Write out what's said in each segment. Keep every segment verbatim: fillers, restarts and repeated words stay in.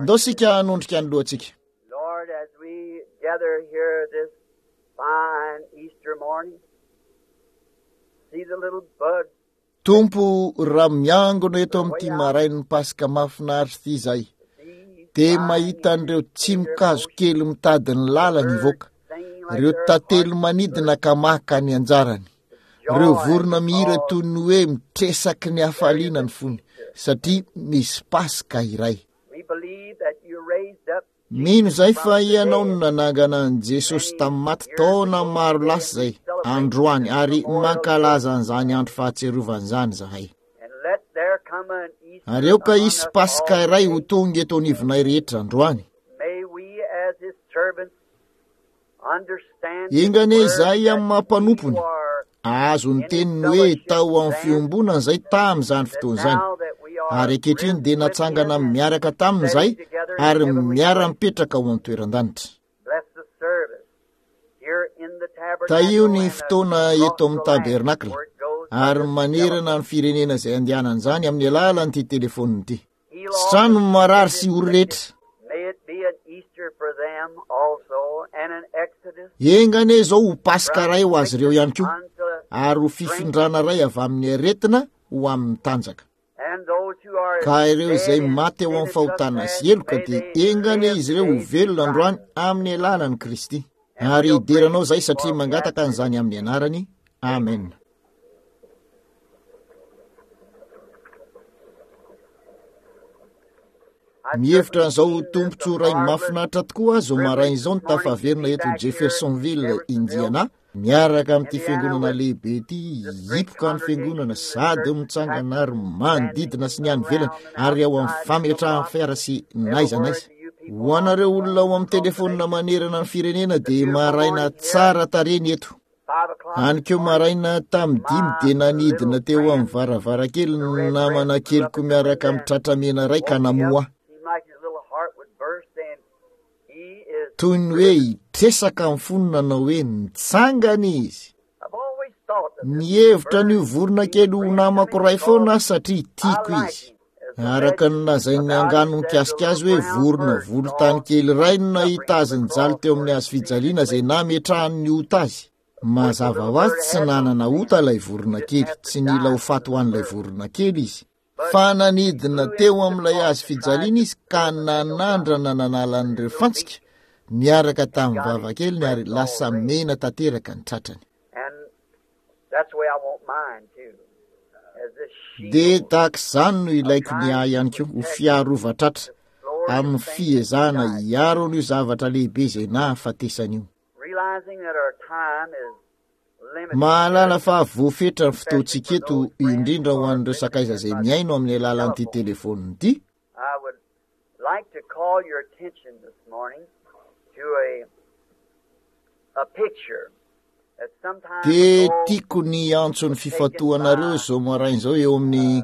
Ndao isika hanondrika ny lohantsika. Lord, as we gather here this fine Easter morning, see the little buds. Tompo, raha miangona eto amin'ity marain'ny Paska mahafinaritra ity izahay, dia mahita an'ireo tsimokazo kely mitady ny lalany hivoaka, ireo tantely manidina ka maka ny anjarany, ireo vorona mihira toy ny hoe mitresaky ny hafaliana ny fony, satria misy Paska iray. We believe that you raised up Mino izahay fa Ianao no nanangana an'i Jesosy tamin'ny maty taona maro lasa izay, androany, ary mankalaza an'izany andro fahatsiarovana izany izahay. and let there come an Easter Ary aoka among hisy us Paska all iray ho today. tonga eto anivonay rehetra androany. May we as his servants understand his Enga anie word izahay that amin'ny maha we mpanompony, are ahazo ny in his teniny hoe fellowship tao amin'ny then, fiombonana izay tamin'izany that fotoana izany. now that we are Ary ankehitriny risen dia with natsangana him and miaraka taminy sitting izahay together in ary heavenly places. miara-mipetraka ao amin'ny toeran-danitra. Bless the service here in the Tahio tabernacle ny and fotoana across eto amin'ny the land tabernakla where it goes by ary this manerana telephone. ny firenena izay andehanan'izany amin'ny alalan'ity telefonina ity. Heal all Sitrano the ny sick marary and sy ory afflicted. rehetra. May it be an Easter for them also and an exodus Enga anie izao ho Paska from iray ho azy ireo sickness ihany koa unto ary ho strength, fifindrana iray avy amin'ny aretina ho amin'ny tanjaka. and those who are Ka ireo dead izay in maty ao sin amin'ny and fahotana sy trespass, heloka may dia they enga anie live izy ireo ho today through velona androany Christ. amin'ny alalan'i Kristy. And Ary we'll praise hideranao izahay thee satria for we ask mangataka it an'izany in amin'ny anarany. Amen. Amen. I Mihevitra certainly an'izao ho deem this a tombontsoa iray marvelous mahafinaritra tokoa aho izao maraina privilege izao this ny morning to tafaverina be eto back here in Jeffersonville, Jeffersonville, Indiana, miaraka amin'ity Indiana, fiangonana with lehibe ity, this great hipoka ny fiangonana congregation, the sady church mitsangana packed ary manodidina standing sy ny any ivelany around and ary ao amin'ny outside in the fametrahan'ny lot, fiara sy n'aiza everywhere n'aiza. to you people Ho on the anareo olona ao phone amin'ny across the telefonina nation. manerana ny firenena It's a dia beautiful maraina morning here, tsara tarehy ny eto. five o'clock Any this koa morning. maraina tamin'ny dimy My dia nanidina little teo amin'ny friend, varavarankely the ny red namana breast, flew up keliko at the miaraka window amin'ny and tratra mena iray ka woke me up. namoha ahy. Seemed like his little heart would burst, and he is Toy ny hoe risen. hitresaka amin'ny fony nanao hoe nitsangana izy. I've always thought of this little Nihevitra an'io bird vorona being kely ho friend to namako me iray foana because aho satria I tiako like izy. him. As the Araka ny legend lazain'ny about him angano says, the mikasika azy little hoe brown vorona bird volontany saw kely iray no suffering nahita on azy the nijaly cross teo for amin'ny his hazo sin fijaliana izay inflicted. nametrahany ny ota azy. Of course, the Mazava little ho azy bird tsy had no nanana sin. ota ilay vorona Didn't kely, have to tsy nila die ho for the faty ho little an'ilay bird. vorona kely izy. But Fa he nanidina flew teo into the amin'ilay cross hazo and tried fijaliana to izy ka pull the nails out nanandrana nanala with his an'ireo little fantsika beak niaraka and tamin'ny got his vavakeliny ary breast all lasa red. mena tanteraka ny tratrany. And that's the way I want mine too, as this Dia shield tahaka izany no of ilaiko ny trying ahy to ihany koa ho protect fiarova-tratra this glorious amin'ny thing that fiezahana died for hiaro me. an'io zavatra lehibe izay nahafatesana io. Realizing that our time is limited here, Mahalala fa voafetra ny especially fotoantsika for eto those friends indrindra who ho are an'ireo listening sakaiza in izay by mihaino amin'ny alalan'ity telephone. telefonina ity. I would like to call your attention this morning to a a picture that some time Dia ago tiako ny antso ny was taken fifantohanareo by izao maraina izao eo amin'ny uh,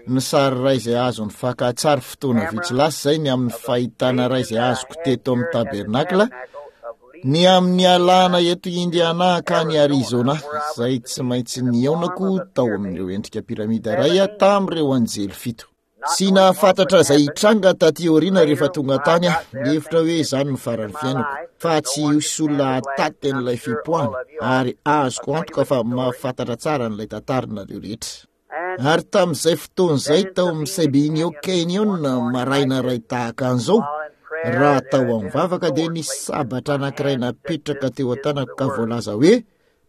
ny the sary iray izay azon'ny fakantsary fotoana vitsy camera lasa izay ny amin'ny of a fahitana iray vision izay that I azoko had teto amin'ny here at the tabernakla tabernacle of ny leaving amin'ny alana Indiana eto to Indiana hankany Arizona, Arizona where I was izay to tsy be maintsy in the form nihaonako of a tao pyramid, amin'ireo endrika piramida iray seven angels, tamin'ireo anjely fito. not Tsy knowing what would nahafantatra izay happen. hitranga taty aoriana rehefa Later, tonga when I tany aho, got there, nihevitra things hoe had izany no changed in faran'ny my fiainako, life. fa There's no tsy one to hisy olona stand the blast, hataty and I'm an'ilay sure all fipoahana of you are ary azoko acquainted antoka with fa the story. mahafantatra tsara an'ilay tantarinareo rehetra. And Ary tamin'izay fotoana izay then in tao amin'ny Sabine Sabinio Canyon, one Canyon morning maraina like iray this, tahaka an'izao, while in prayer, raha there tao had amin'ny been a vavaka dia sword nisy placed in sabatra my anankiray hand that said, napetraka This teo is an-tanako the ka word, voalaza hoe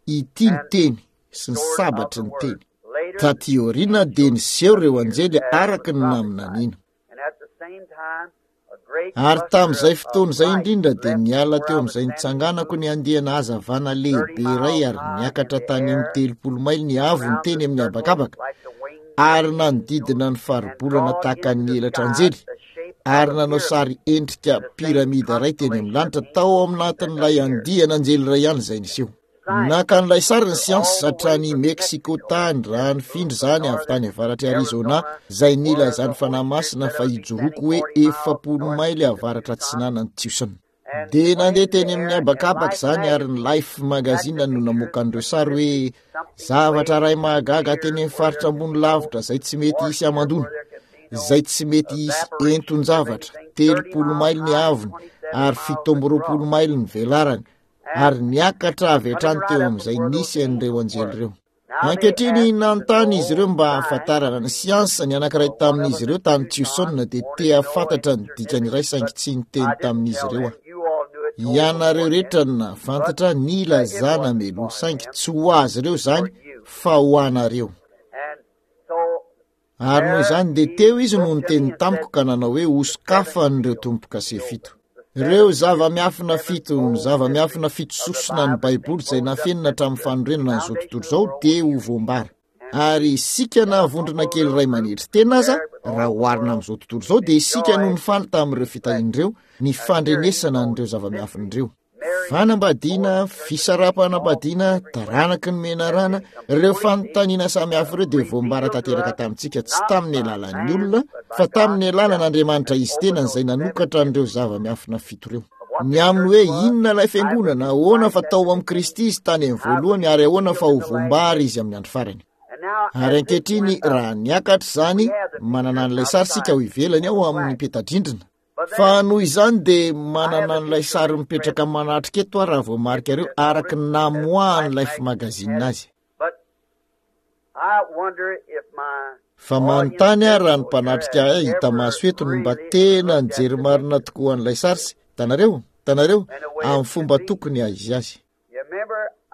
ity ny and teny sy ny sword of sabatry the ny word. teny. Later, Taty aoriana dia angels niseho ireo appeared anjely as was araka ny prophesied, naminaniana. and at the same time, a great Ary cluster tamin'izay of fotoana izay light indrindra dia left niala where teo I was amin'izay standing and nitsanganako ny moved andiana hazavana thirty lehibe iray miles ary high in niakatra the tany amin'ny air telopolo maily ny avony around teny the amin'ny circle habakabaka like the wings of ary an angel nanodidina ny and faribolana draw tahaka into ny the elatra sky anjely the shape of ary a nanao pyramid sary endrika and the same piramida iray teny amin'ny constellation of lanitra tao angels that aminatin'ilay appeared. andiana anjely iray ihany izay niseho. Naka an'ilay sary ny siansa All the way hatrany from Mexico Mexico tany raha and nifindra moved from izany avy northern tany avaratr'i Arizona Arizona izay where nilazan'ny the Holy Fanahy Spirit Masina said fa I would be hijoroako standing hoe forty miles efapolo northeast maily of avaratra Tucson. atsinanan'i Tucson. And Dia went nandeha into the teny amin'ny air and habakabaka Life izany ary ny magazine Life had Magazine the no pictures namoaka an'ireo as sary if hoe something zavatra way iray mahagaga near teny amin'ny where faritra there ambony can be no lavitra izay tsy mety hisy warfare, hamandoana. where there can be izay tsy mety hisy enton-javatra, telopolo maily ny haavony ary fito amby roapolo maily ny velarany, ary niakatra avy hatrany teo amin'izay nisy an'ireo anjely ireo. Ankehitriny nanontany izy ireo mba hahafantarana ny siansa. Ny anankiray tamin'izy ireo tany Tucson dia te hahafantatra ny dikany iray, saingy tsy niteny tamin'izy ireo aho. Ianareo rehetra no nahafantatra ny ilazana meloa, saingy tsy ho azy ireo izany fa ho anareo. Ary noho izany dia teo izy no niteny tamiko ka nanao hoe hosokafan'ireo tombo-kase fito. Ireo zava-miafina fito, ny zava-miafina fito sosona ny Baiboly izay nafenina hatramin'ny fanorenana an'izao tontolo izao dia ho voambara. Ary isika na vondrona kely iray manetry tena aza, raha oharina amin'izao tontolo izao, dia isika no nifaly tamin'ireo fitahiana ireo, ny fandrenesana an'ireo zava-miafina ireo. Fanambadiana, fisaraham-panambadiana, taranaky ny menarana, ireo fanontaniana samihafa ireo dia voambara tanteraka tamintsika, tsy tamin'ny alalan'ny olona, fa tamin'ny alalan'Andriamanitra izy tenany izay nanokatra an'ireo zava-miafina fito ireo. Ny amin'ny hoe inona ilay fiangonana, ahoana fa tao amin'i Kristy izy tany amin'ny voalohany, ary ahoana fa ho voambara izy amin'ny andro farany. Ary ankehitriny, raha niakatra izany, manana an'ilay sary isika ao ivelany ao amin'ny peta-drindrina. Fa noho izany dia manana an'ilay sary mipetraka manatrika eto aho raha voamarikareo araka ny namoahan'ny Life Magazine azy. Fa manontany aho raha ny mpanatrika ahy hita maso eto no mba tena nijery marina tokoa an'ilay sary sy, hitanareo, hitanareo, amin'ny fomba tokony haha-izy azy.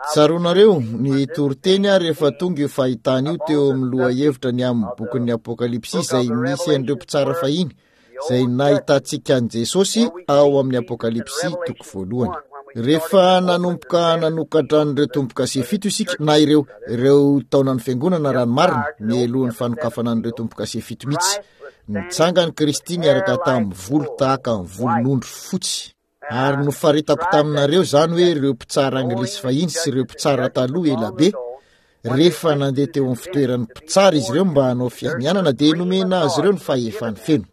Tsaroanareo, ny toriteny aho rehefa tonga io fahitana io teo amin'ny lohahevitra ny amin'ny bokin'ny Apokalypsy izay misy an'ireo mpitsara fahiny, izay nahitantsika an'i Jesosy ao amin'ny Apokalypsy toko voalohany. Rehefa nanomboka nanokatra an'ireo tombo-kase fito isika, na ireo, ireo taonan'ny fiangonana raha ny marina, mialohan'ny fanokafana an'ireo tombo-kase fito mihitsy, nitsangany Kristy niaraka tamin'ny volo tahaka ny volon'ondry fotsy. Ary nofaritako taminareo izany hoe ireo mpitsara anglisy fahiny sy ireo mpitsara taloha ela be, rehefa nandeha teo amin'ny fitoeran'ny mpitsara izy ireo mba hanao fianianana, dia nomena azy ireo ny fahefany feno.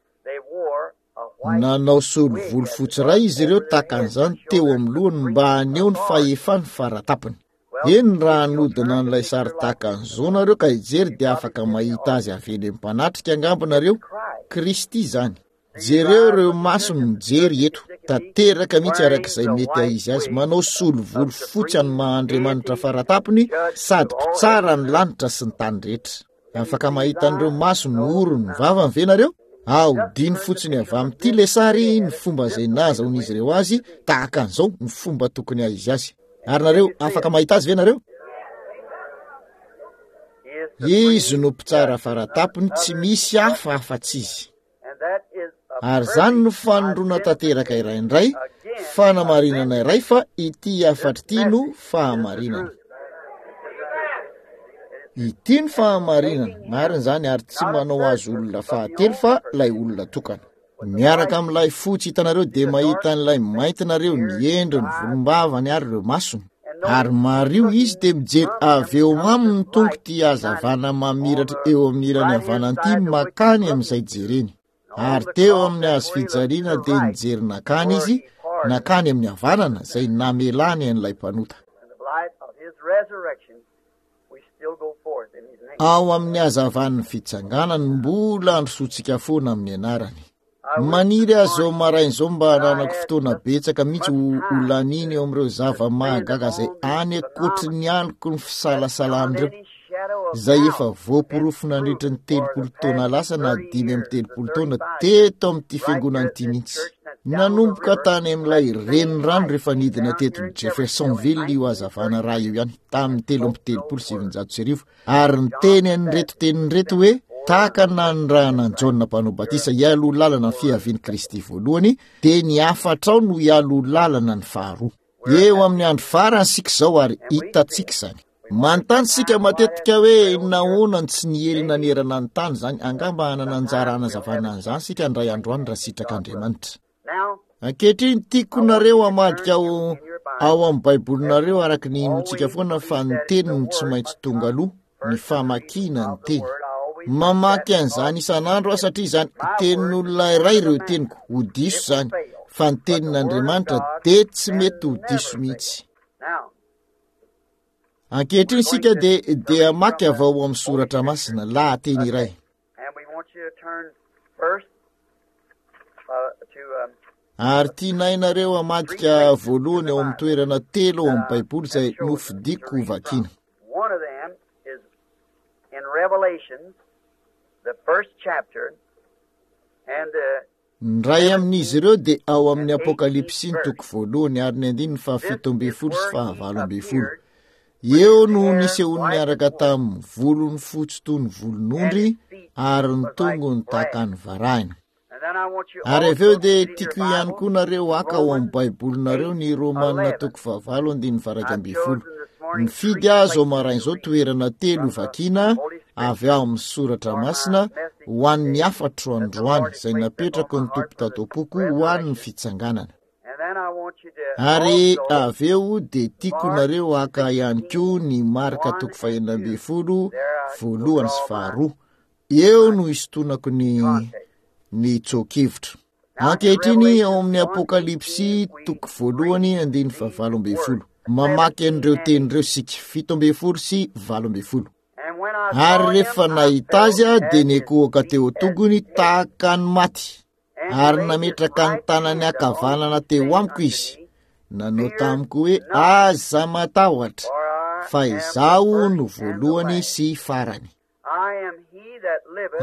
Nanao solovolo fotsy iray izy ireo tahaka an'izany teo amin'ny lohany mba haneho ny fahefany faratapony. Eny, raha hanodina an'ilay sary tahaka an'izao nareo ka hijery, dia afaka mahita azy avy eny amin'ny mpanatrika angamba nareo. Kristy izany. Jereo ireo masony mijery eto, tanteraka mihitsy araka izay mety haha-izy azy, manao solovolo fotsy an'ny maha-Andriamanitra faratapony sady mpitsara ny lanitra sy ny tany rehetra. Afaka mahita an'ireo masony, orony, ny vavany ve nareo? Ahodino fotsiny avy amin'ity ilay sary ny fomba izay nahazahoan'izy ireo azy tahaka an'izao, ny fomba tokony haha-izy azy. Ary nareo, afaka mahita azy ve nareo? Izy no mpitsara faratapony, tsy misy hafa afa-tsy izy. Ary izany no fanondroana tanteraka iray indray, fanamarinana iray fa ity hafatra ity no fahamarinana. Ity no fahamarinana, marina izany, ary tsy manao azy olona fahatelo fa ilay olona tokana. Miaraka amin'ilay fotsy hitanareo dia mahita an'ilay mainty nareo, ny endriny, volombavany ary ireo masony. Ary mariho izy dia mijery avy eo aminy ny Tompo ity hazavana mamiratra eo amin'ny ilany havanana ity makany amin'izay jereny. Ary teo amin'ny hazo fijaliana dia nijery nakany izy, nakany amin'ny havanana izay namelany an'ilay mpanota. Ao amin'ny hazavan'ny fitsanganany mbola androsoantsika foana amin'ny anarany. Maniry aho izao maraina izao mba hananako fotoana betsaka mihitsy ho ho laniana eo amin'ireo zava-mahagaga izay any ankoatry ny aloky ny fisalasalan'ireo, izay efa voaporofo nandritra ny telopolo taona lasa na dimy amby telopolo taona teto amin'ity fiangonana ity mihitsy. Nanomboka tany amin'ilay renirano rehefa nidina teto Jeffersonville io hazavana iray io ihany tamin'ny telo amby telopolo sy sivinjato sy arivo, ary niteny an'ireto teniny ireto hoe, Tahaka ny nanirahana an'i Jaona Mpanao Batisa hialoha lalana ny fiavian'i Kristy voalohany, dia ny hafatrao no hialoha lalana ny faharoa. Eo amin'ny andro farany isika izao ary hitantsika izany. Manontany isika matetika hoe nahoana no tsy niely nanerana ny tany izany. Angamba hanana anjara hanazavana an'izany isika indray andro any raha sitrak'Andriamanitra. Ankehitriny, tiako nareo hamadika ao, ao amin'ny Baibolinareo araka ny inoantsika foana fa ny teny no tsy maintsy tonga aloha, ny famakiana ny teny. Mamaky an'izany isan'andro aho satria izany tenin'olona iray ireo teniko, ho diso izany, fa ny tenin'Andriamanitra dia tsy mety ho diso mihitsy. Ankehitriny isika dia, dia hamaky avy ao amin'ny Soratra Masina, lahateny iray. Ary tianay nareo hamadika voalohany ao amin'ny toerana telo ao amin'ny Baiboly izay nofidiko hovakiana. Ny iray amin'izy ireo dia ao amin'ny Apokalypsy ny toko voalohany ary ny andininy fahafito ambin'ny folo sy fahavalo ambin'ny folo. Eo no nisehoany niaraka tamin'ny volony fotsy toy ny volon'ondry ary ny tongony tahaka ny varahina. Ary avy eo dia tiako ihany koa nareo haka ao amin'ny Baibolinareo ny Romana toko fahavalo andininy faha-iraika ambin'ny folo. Nifidy aho izao maraina izao toerana telo hovakiana avy ao amin'ny soratra masina ho an'ny hafatro androany izay napetrako ny Tompo tato am-poko ho an'ny fitsanganana. Ary avy eo dia tiako nareo haka ihany koa ny Marka toko fahenina ambin'ny folo voalohany sy faharoa. Eo no hisintonako ny ny tsoa-kevitra. Ankehitriny ao amin'ny Apokalypsy toko voalohany andininy fahavalo ambin'ny folo. Mamaky an'ireo teny ireo isika, fito ambin'ny folo sy valo ambin'ny folo. Ary rehefa nahita azy aho dia nikohoka teo an-tongony tahaka ny maty, ary nametraka ny tanany ankavanana teo amiko izy. Nanao tamiko hoe, aza matahotra, fa izaho no voalohany sy farany.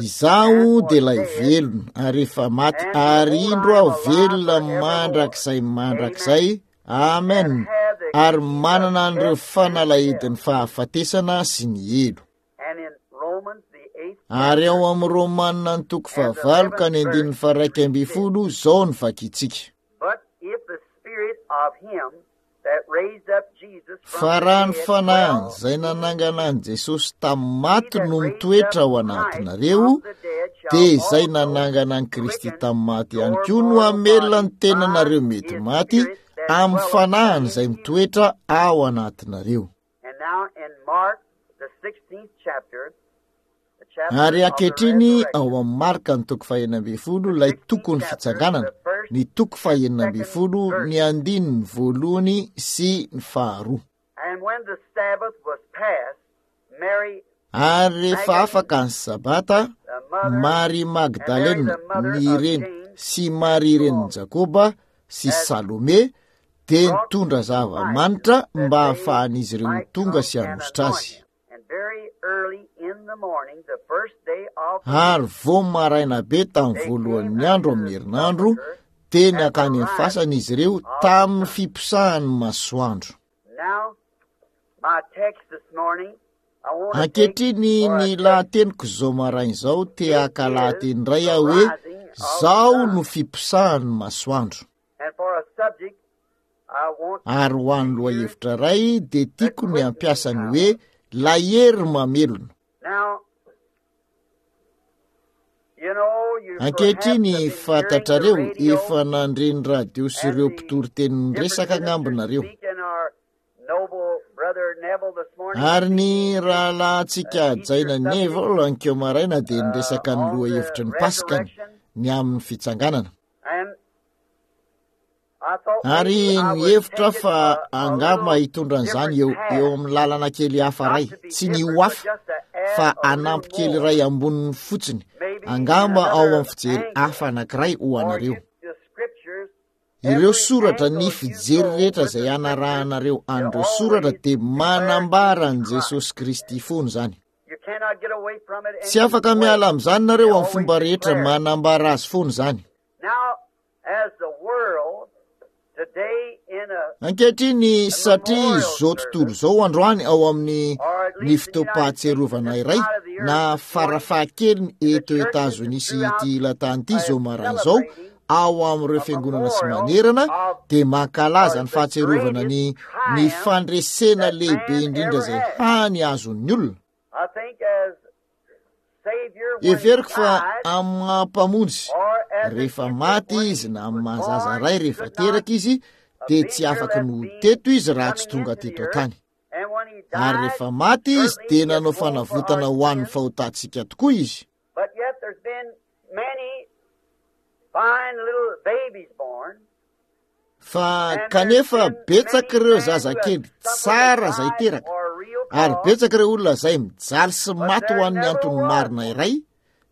Izaho dia ilay velona ary efa maty, ary indro aho velona mandrakizay mandrakizay, amen, ary manana an'ireo fanalahidin'ny fahafatesana sy ny helo. Ary ao amin'ny Romana ny toko fahavalo ka ny andininy faha-iraika ambin'ny folo, izao no vakintsika. Fa raha ny fanahiny izay nanangana an'i Jesosy tamin'ny maty no mitoetra ao anatinareo, dia izay nanangana an'i Kristy tamin'ny maty ihany koa no hamelona ny tenanareo mety maty amin'ny fanahiny izay mitoetra ao anatinareo. Ary ankehitriny ao amin'ny Marka ny toko fahenina ambin'ny folo, ilay tokon'ny fitsanganana, ny toko fahenina ambin'ny folo, ny andininy voalohany sy ny faharoa. Ary rehefa afaka ny Sabata, Maria Magdalena, ny reny, sy Maria renin'i Jakoba, sy Salome, dia nitondra zava-manitra mba hahafahan'izy ireo ho tonga sy hanositra azy. Ary vao maraina be tamin'ny voalohan'ny andro amin'ny herinandro, dia nankany amin'ny fasana izy ireo tamin'ny fiposahan'ny masoandro. Ankehitriny ny lahateniko izao maraina izao, te haka lahateny iray aho hoe, Izao no fiposahan'ny masoandro. Ary ho an'ny lohahevitra iray dia tiako ny hampiasa ny hoe ilay hery mamelona. Ankehitriny, fantatrareo, efa nandre ny radio sy ireo mpitory teny niresaka angamba nareo. Ary ny rahalahintsika hajaina Neville ankeo maraina dia niresaka ny lohahevitry ny Paskany, ny amin'ny fitsanganana. Ary nihevitra aho fa angamba hitondra an'izany eo, eo amin'ny lalana kely hafa iray, tsy ny ho hafa, fa hanampy kely iray amboniny fotsiny, angamba ao amin'ny fijery hafa anankiray ho anareo. Ireo soratra, ny fijery rehetra izay hanarahanareo an'ireo soratra dia manambara an'i Jesosy Kristy foana izany. Tsy afaka miala amin'izany nareo amin'ny fomba rehetra, manambara azy foana izany. Ankehitriny, satria izao tontolo izao androany ao amin'ny ny fotoam-pahatsiarovana iray na farafahakeliny eto Etazonia sy ity ilan-tany ity izao maraina izao, ao amin'ireo fiangonana sy manerana dia mankalaza ny fahatsiarovana ny ny fandresena lehibe indrindra izay hany azon'ny olona. Heveriko fa amin'ny maha mpamonjy, rehefa maty izy na amin'ny maha zaza ray rehefa teraka izy, dia tsy afaky ny ho teto izy raha tsy tonga teto an-tany. Ary rehefa maty izy dia nanao fanavotana ho an'ny fahotantsika tokoa izy. Fa kanefa betsaka ireo zazakely tsara izay teraka, ary betsaka ireo olona izay mijaly sy maty ho an'ny antony marina iray,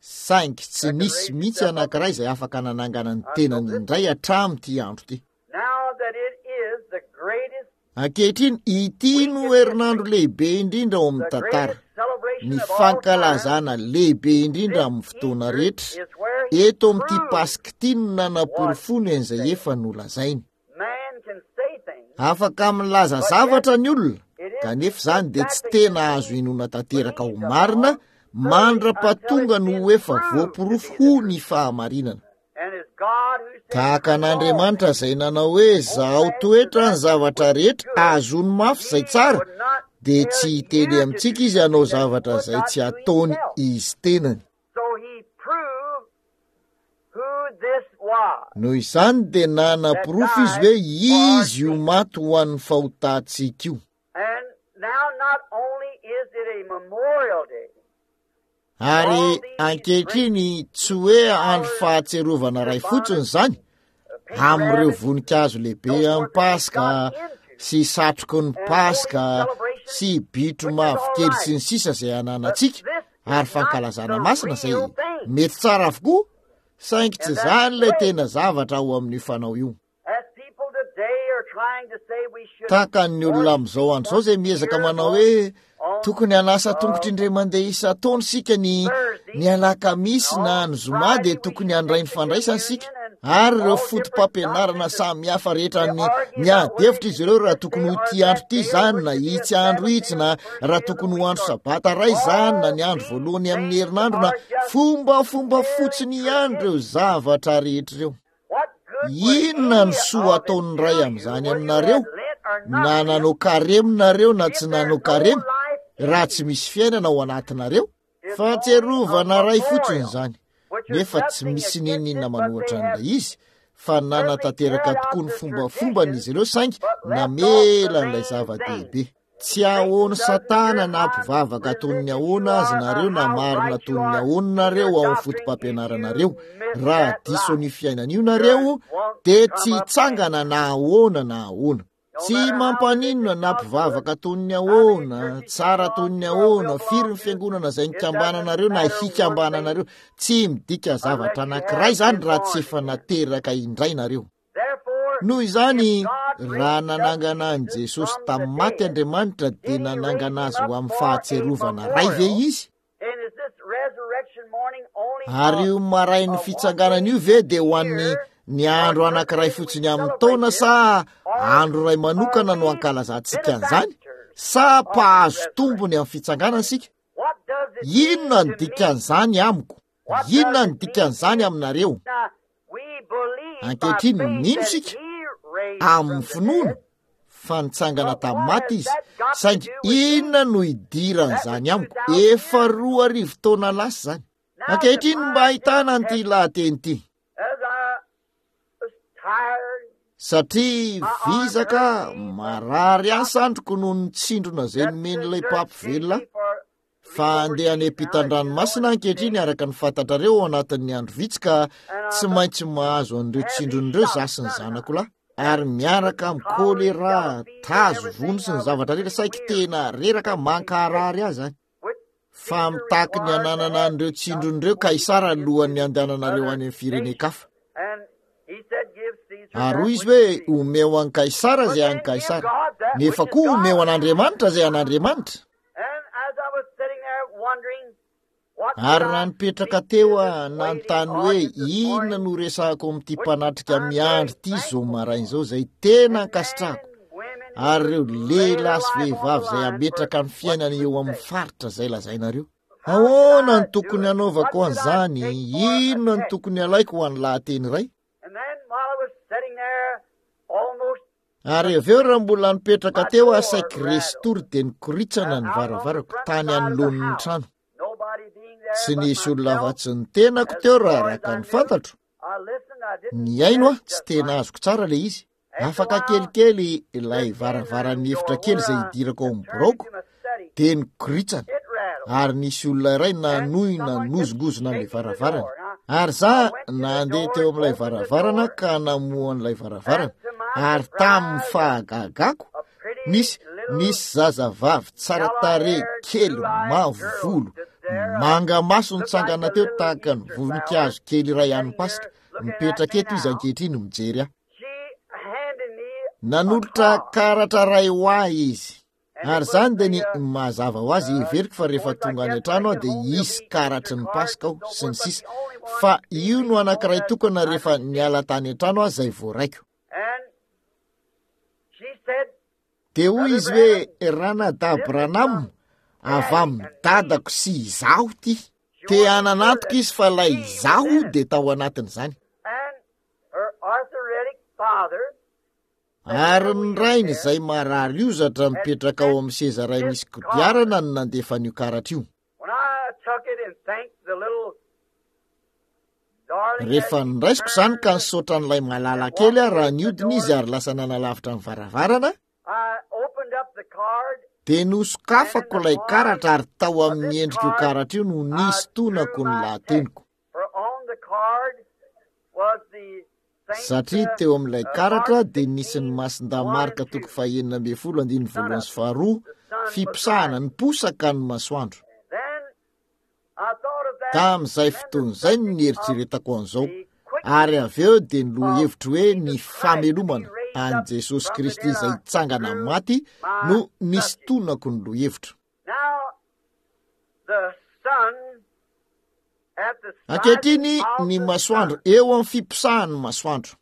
Saingy tsy nisy mihitsy anankiray izay afaka nanangana ny tenany indray hatramin'ity andro ity. Ankehitriny, ity no herinandro lehibe indrindra ao amin'ny tantara, ny fankalazana lehibe indrindra amin'ny fotoana rehetra. Eto amin'ity Paska ity no nanaporofoany an'izay efa nolazainy. Afaka milaza zavatra ny olona, kanefa izany dia tsy tena azo inoana tanteraka ho marina mandra-pahatonga no ho efa voaporofo ho ny fahamarinana. Tahaka an'Andriamanitra izay nanao hoe zahao toetra ny zavatra rehetra, azony mafy izay tsara, dia tsy hiteny amintsika izy hanao zavatra izay tsy ataony izy tenany. Noho izany dia nanaporofo izy hoe izy io maty ho an'ny fahotantsika io. Ary ankehitriny tsy hoe andro fahatsiarovana iray fotsiny izany, amin'ireo voninkazo lehibe amin'ny Paska sy satroky ny Paska sy bitro mavokely sy ny sisa izay ananantsika, ary fankalazana masina izay mety tsara avokoa, saingy tsy izany ilay tena zavatra ao amin'io fanao io. Tahaka ny olona amin'izao andro izao izay miezaka manao hoe tokony hanasa tongotra indray mandeha isan-taona isika ny ny alakamisy na ny zoma dia tokony handray ny fandraisana isika, ary ireo foto-pampianarana samihafa rehetra ny miady hevitra izy ireo raha tokony ho ity andro ity izany na itsy andro itsy, na raha tokony ho andro sabata iray izany na ny andro voalohany amin'ny herinandro, na fombafomba fotsiny ihany ireo zavatra rehetra ireo. Inona ny soa ataon'ny Ray amin'izany aminareo, na nanao karemy nareo na tsy nanao karemy, raha tsy misy fiainana ao anatinareo? Fahatsiarovana iray fotsiny izany, nefa tsy misy n'inon'inona manohitra an'ilay izy, fa nanatanteraka tokoa ny fombafombany izy ireo, saingy namela an'ilay zava-dehibe. Tsy ahoan'i Satana na mpivavaka toy ny ahoana azy nareo na marina toy ny ahoana nareo ao amin'ny foto-pampianaranareo. Raha diso an'io fiainana io nareo, dia tsy hitsangana na ahoana na ahoana. Tsy mampaninona na mpivavaka toy ny ahoana, tsara toy ny ahoana, firy ny fiangonana izay nikambananareo na hikambananareo, tsy midika zavatra anankiray izany raha tsy efa nateraka indray nareo. Noho izany, raha nanangana an'i Jesosy tamin'ny maty Andriamanitra, dia nanangana azy ho amin'ny fahatsiarovana iray ve izy? Ary io marain'ny fitsanganana io ve dia ho an'ny ny andro anankiray fotsiny amin'ny taona sa andro iray manokana no ankalazantsika an'izany? Sa mpahazo tombony amin'ny fitsanganana isika? Inona no dikan'izany amiko? Inona no dikan'izany aminareo? Ankehitriny mino isika amin'ny finoana fa nitsangana tamin'ny maty izy, saingy inona no idiran'izany amiko? Efa roa arivo taona lasa izany. Ankehitriny mba ahitana an'ity lahateny ity. Satria vizaka marary ahy sandriko noho ny tsindrona izay nomen'ilay mpampivelona ahy. Fa handeha any ampitan-dranomasina ankehitriny araka ny fantatrareo ao anatin'ny andro vitsy ka tsy maintsy mahazo an'ireo tsindrona ireo za sy ny zanako lahy, ary miaraka amin'ny kolera, tazo, vono sy ny zavatra rehetra, saiky tena reraka mankarary ahy izany. Fa mitaky ny hananana an'ireo tsindrona ireo Kaisara alohan'ny handehananareo any amin'ny firenen-kafa. Ary hoy izy hoe, omeo an'i Kaisara izay an'i Kaisara, nefa koa omeo an'Andriamanitra izay an'Andriamanitra. Ary raha nipetraka teo aho, nanontany hoe inona no resahako amin'ity mpanatrika miandry ity izao maraina izao, izay tena ankasitrahako, ary ireo lehilahy sy vehivavy izay hametraka ny fiainany eo amin'ny faritra izay lazainareo. Ahoana no tokony hanaovako an'izany? Inona no tokony halaiko ho an'ny lahateny iray? Ary avy eo raha mbola nipetraka teo aho saiky resy tory dia nikoritsana ny varavarako tany anoloan'ny trano. Tsy nisy olona afa-tsy ny tenako teo raha araka ny fantatro. Nihaino aho, tsy tena azoko tsara ilay izy. Afaka kelikely ilay varavaran'ny efitra kely izay hidirako ao amin'ny biraoko dia nikoritsana ary nisy olona iray nanohy nanozongozona an'ilay varavarana. Ary za nandeha teo amin'ilay varavarana ka namoha an'ilay varavarana, ary tamin'ny fahagagako, nisy, nisy zazavavy tsara tarehy kely mavo volo, Manga maso nitsangana teo tahaka ny voninkazo kely iray an'ny Paska. Mipetraka eto izy ankehitriny mijery ahy. Nanolotra karatra iray ho ahy izy. Ary izany dia ny mazava ho azy, heveriko fa rehefa tonga any an-trano aho dia hisy karatry ny Paska aho sy ny sisa. Fa io no anankiray tokana rehefa niala tany an-trano aho izay voaraiko. Dia hoy izy hoe, Ranadahy Branham, avy amin'ny dadako sy izaho ity. Te hananantoko izy fa ilay izaho dia tao anatin'izany. Ary ny rainy izay marary ozatra mipetraka ao amin'ny seza iray misy kodiarana no nandefa an'io karatra io. Rehefa noraisiko izany ka nisaotra an'ilay malala kely aho raha niodina izy ary lasa nanalavitra ny varavarana, dia nosokafako ilay karatra ary tao amin'ny endrik'io karatra io no nisintonako ny lahateniko. Satria teo amin'ilay karatra dia nisy ny Masindahy Marka toko fahenina ambin'ny folo andininy voalohany sy faharoa, fiposahana niposaka ny masoandro. Tamin'izay fotoana izay no nieritreretako an'izao, ary avy eo dia ny lohahevitro hoe ny famelomana an'i Jesosy Kristy izay hitsangana maty no nisintonako ny lohahevitro. Ankehitriny ny masoandro eo amin'ny fiposahan'ny masoandro.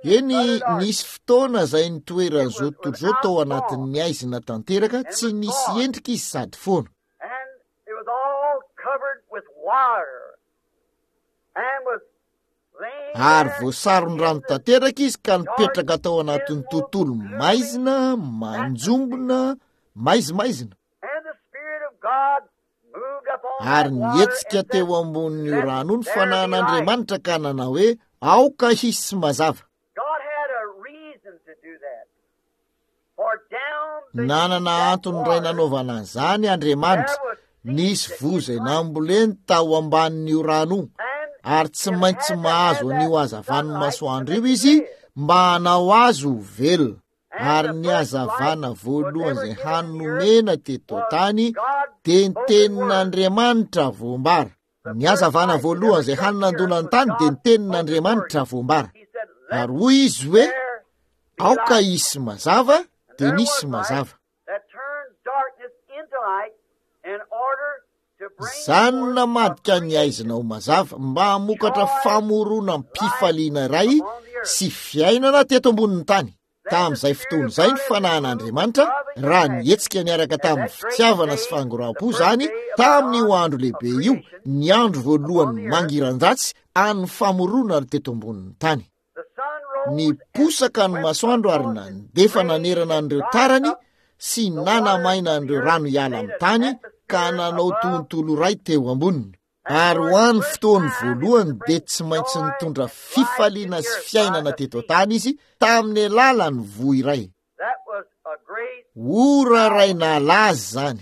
Eny, nisy fotoana izay nitoeran'izao tontolo izao tao anatin'ny haizina tanteraka, tsy nisy endrika izy sady foana. Ary voasaron'ny rano tanteraka izy ka nipetraka tao anatin'ny tontolo maizina, manjombona, maizimaizina. Ary nihetsika teo ambonin'io rano io ny fanahin'Andriamanitra ka nanao hoe, aoka hisy mazava. Nanana antony iray nanaovana an'izany Andriamanitra. Nisy voa izay namboleny tao ambanin'io rano io, ary tsy maintsy mahazo an'io hazavan'ny masoandro io izy mba hanao azy ho velona. Ary ny hazavana voalohany izay hany nomena teto an-tany dia ny tenin'Andriamanitra voambara. Ny hazavana voalohany izay hany nandona ny tany dia ny tenin'Andriamanitra voambara. Ary hoy izy hoe, aoka hisy mazava, dia nisy mazava. Izany no namadika ny haizina ho mazava mba hamokatra famoronam-pifaliana iray sy fiainana teto ambonin'ny tany. Tamin'izay fotoana izay ny fanahin'Andriamanitra, raha nihetsika niaraka tamin'ny fitiavana sy fangoraham-po izany, tamin'io andro lehibe io, ny andro voalohany mangiran-dratsy an'ny famoronana teto ambonin'ny tany. Niposaka ny masoandro ary nandefa nanerana an'ireo tarany sy nanamaina an'ireo rano hiala amin'ny tany ka nanao tontolo iray teo amboniny. Ary ho an'ny fotoany voalohany dia tsy maintsy nitondra fifaliana sy fiainana teto an-tany izy tamin'ny alalan'ny voa iray. Ora iray nahalaza izany.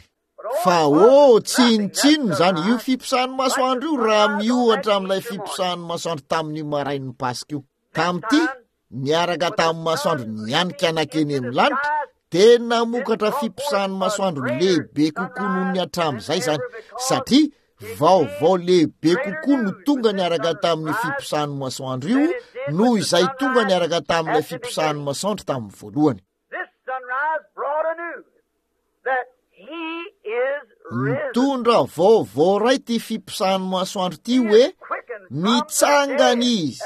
Fa ô, tsinontsinona izany io fiposahan'ny masoandro io raha miohatra amin'ilay fiposahan'ny masoandro tamin'io marain'ny Paska io. Tamin'ity, niaraka tamin'ny masoandro nianika nankeny amin'ny lanitra, dia namokatra fiposahan'ny masoandro lehibe kokoa noho ny hatramin'izay izany, satria vaovao lehibe kokoa no tonga niaraka tamin'ny fiposahan'ny masoandro io noho izay tonga niaraka tamin'ilay fiposahan'ny masoandro tamin'ny voalohany. Nitondra vaovao iray ity fiposahan'ny masoandro ity hoe nitsangana izy,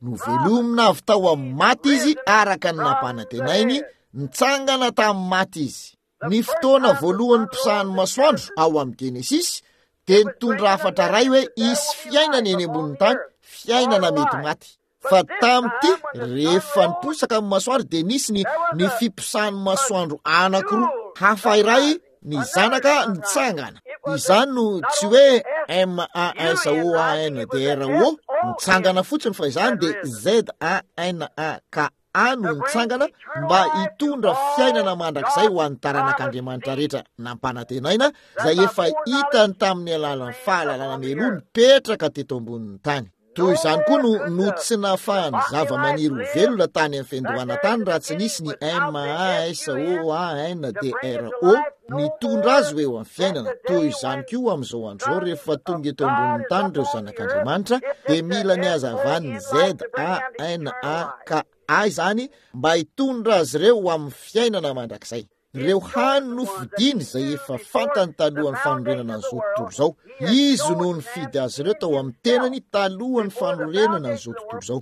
novelomina avy tao amin'ny maty izy araka ny nampanantenainy, nitsangana tamin'ny maty izy. Ny fotoana voalohany niposahan'ny masoandro ao amin'ny Genesisy dia nitondra hafatra iray hoe hisy fiainana eny ambonin'ny tany, fiainana mety maty. Fa tamin'ity, rehefa niposaka ny masoandro dia nisy ny, ny fiposahan'ny masoandro anankiroa. Hafa iray, ny zanaka nitsangana. Izany no tsy hoe M A S O A N D R O, nitsangana fotsiny, fa izany dia Z A N A K A no nitsangana mba hitondra fiainana mandrakizay ho an'ny taranak'Andriamanitra rehetra nampanantenaina, izay efa hitany tamin'ny alalan'ny fahalalana mialoha nipetraka teto ambonin'ny tany. Toy izany koa no no tsy nahafahany zava-maniry ho velona tany amin'ny fiandohana tany raha tsy nisy ny M A S O A N D R O nitondra azy ho eo amin'ny fiainana. Toy izany koa amin'izao andro izao, rehefa tonga eto ambonin'ny tany ireo zanak'Andriamanitra dia mila ny hazavan'ny Z A N A K A izany mba hitondra azy ireo ho amin'ny fiainana mandrakizay. Ireo hany nofidiny izay efa fantany talohan'ny fanorenana an'izao tontolo izao. Izy no nifidy azy ireo tao amin'ny tenany talohan'ny fanorenana an'izao tontolo izao.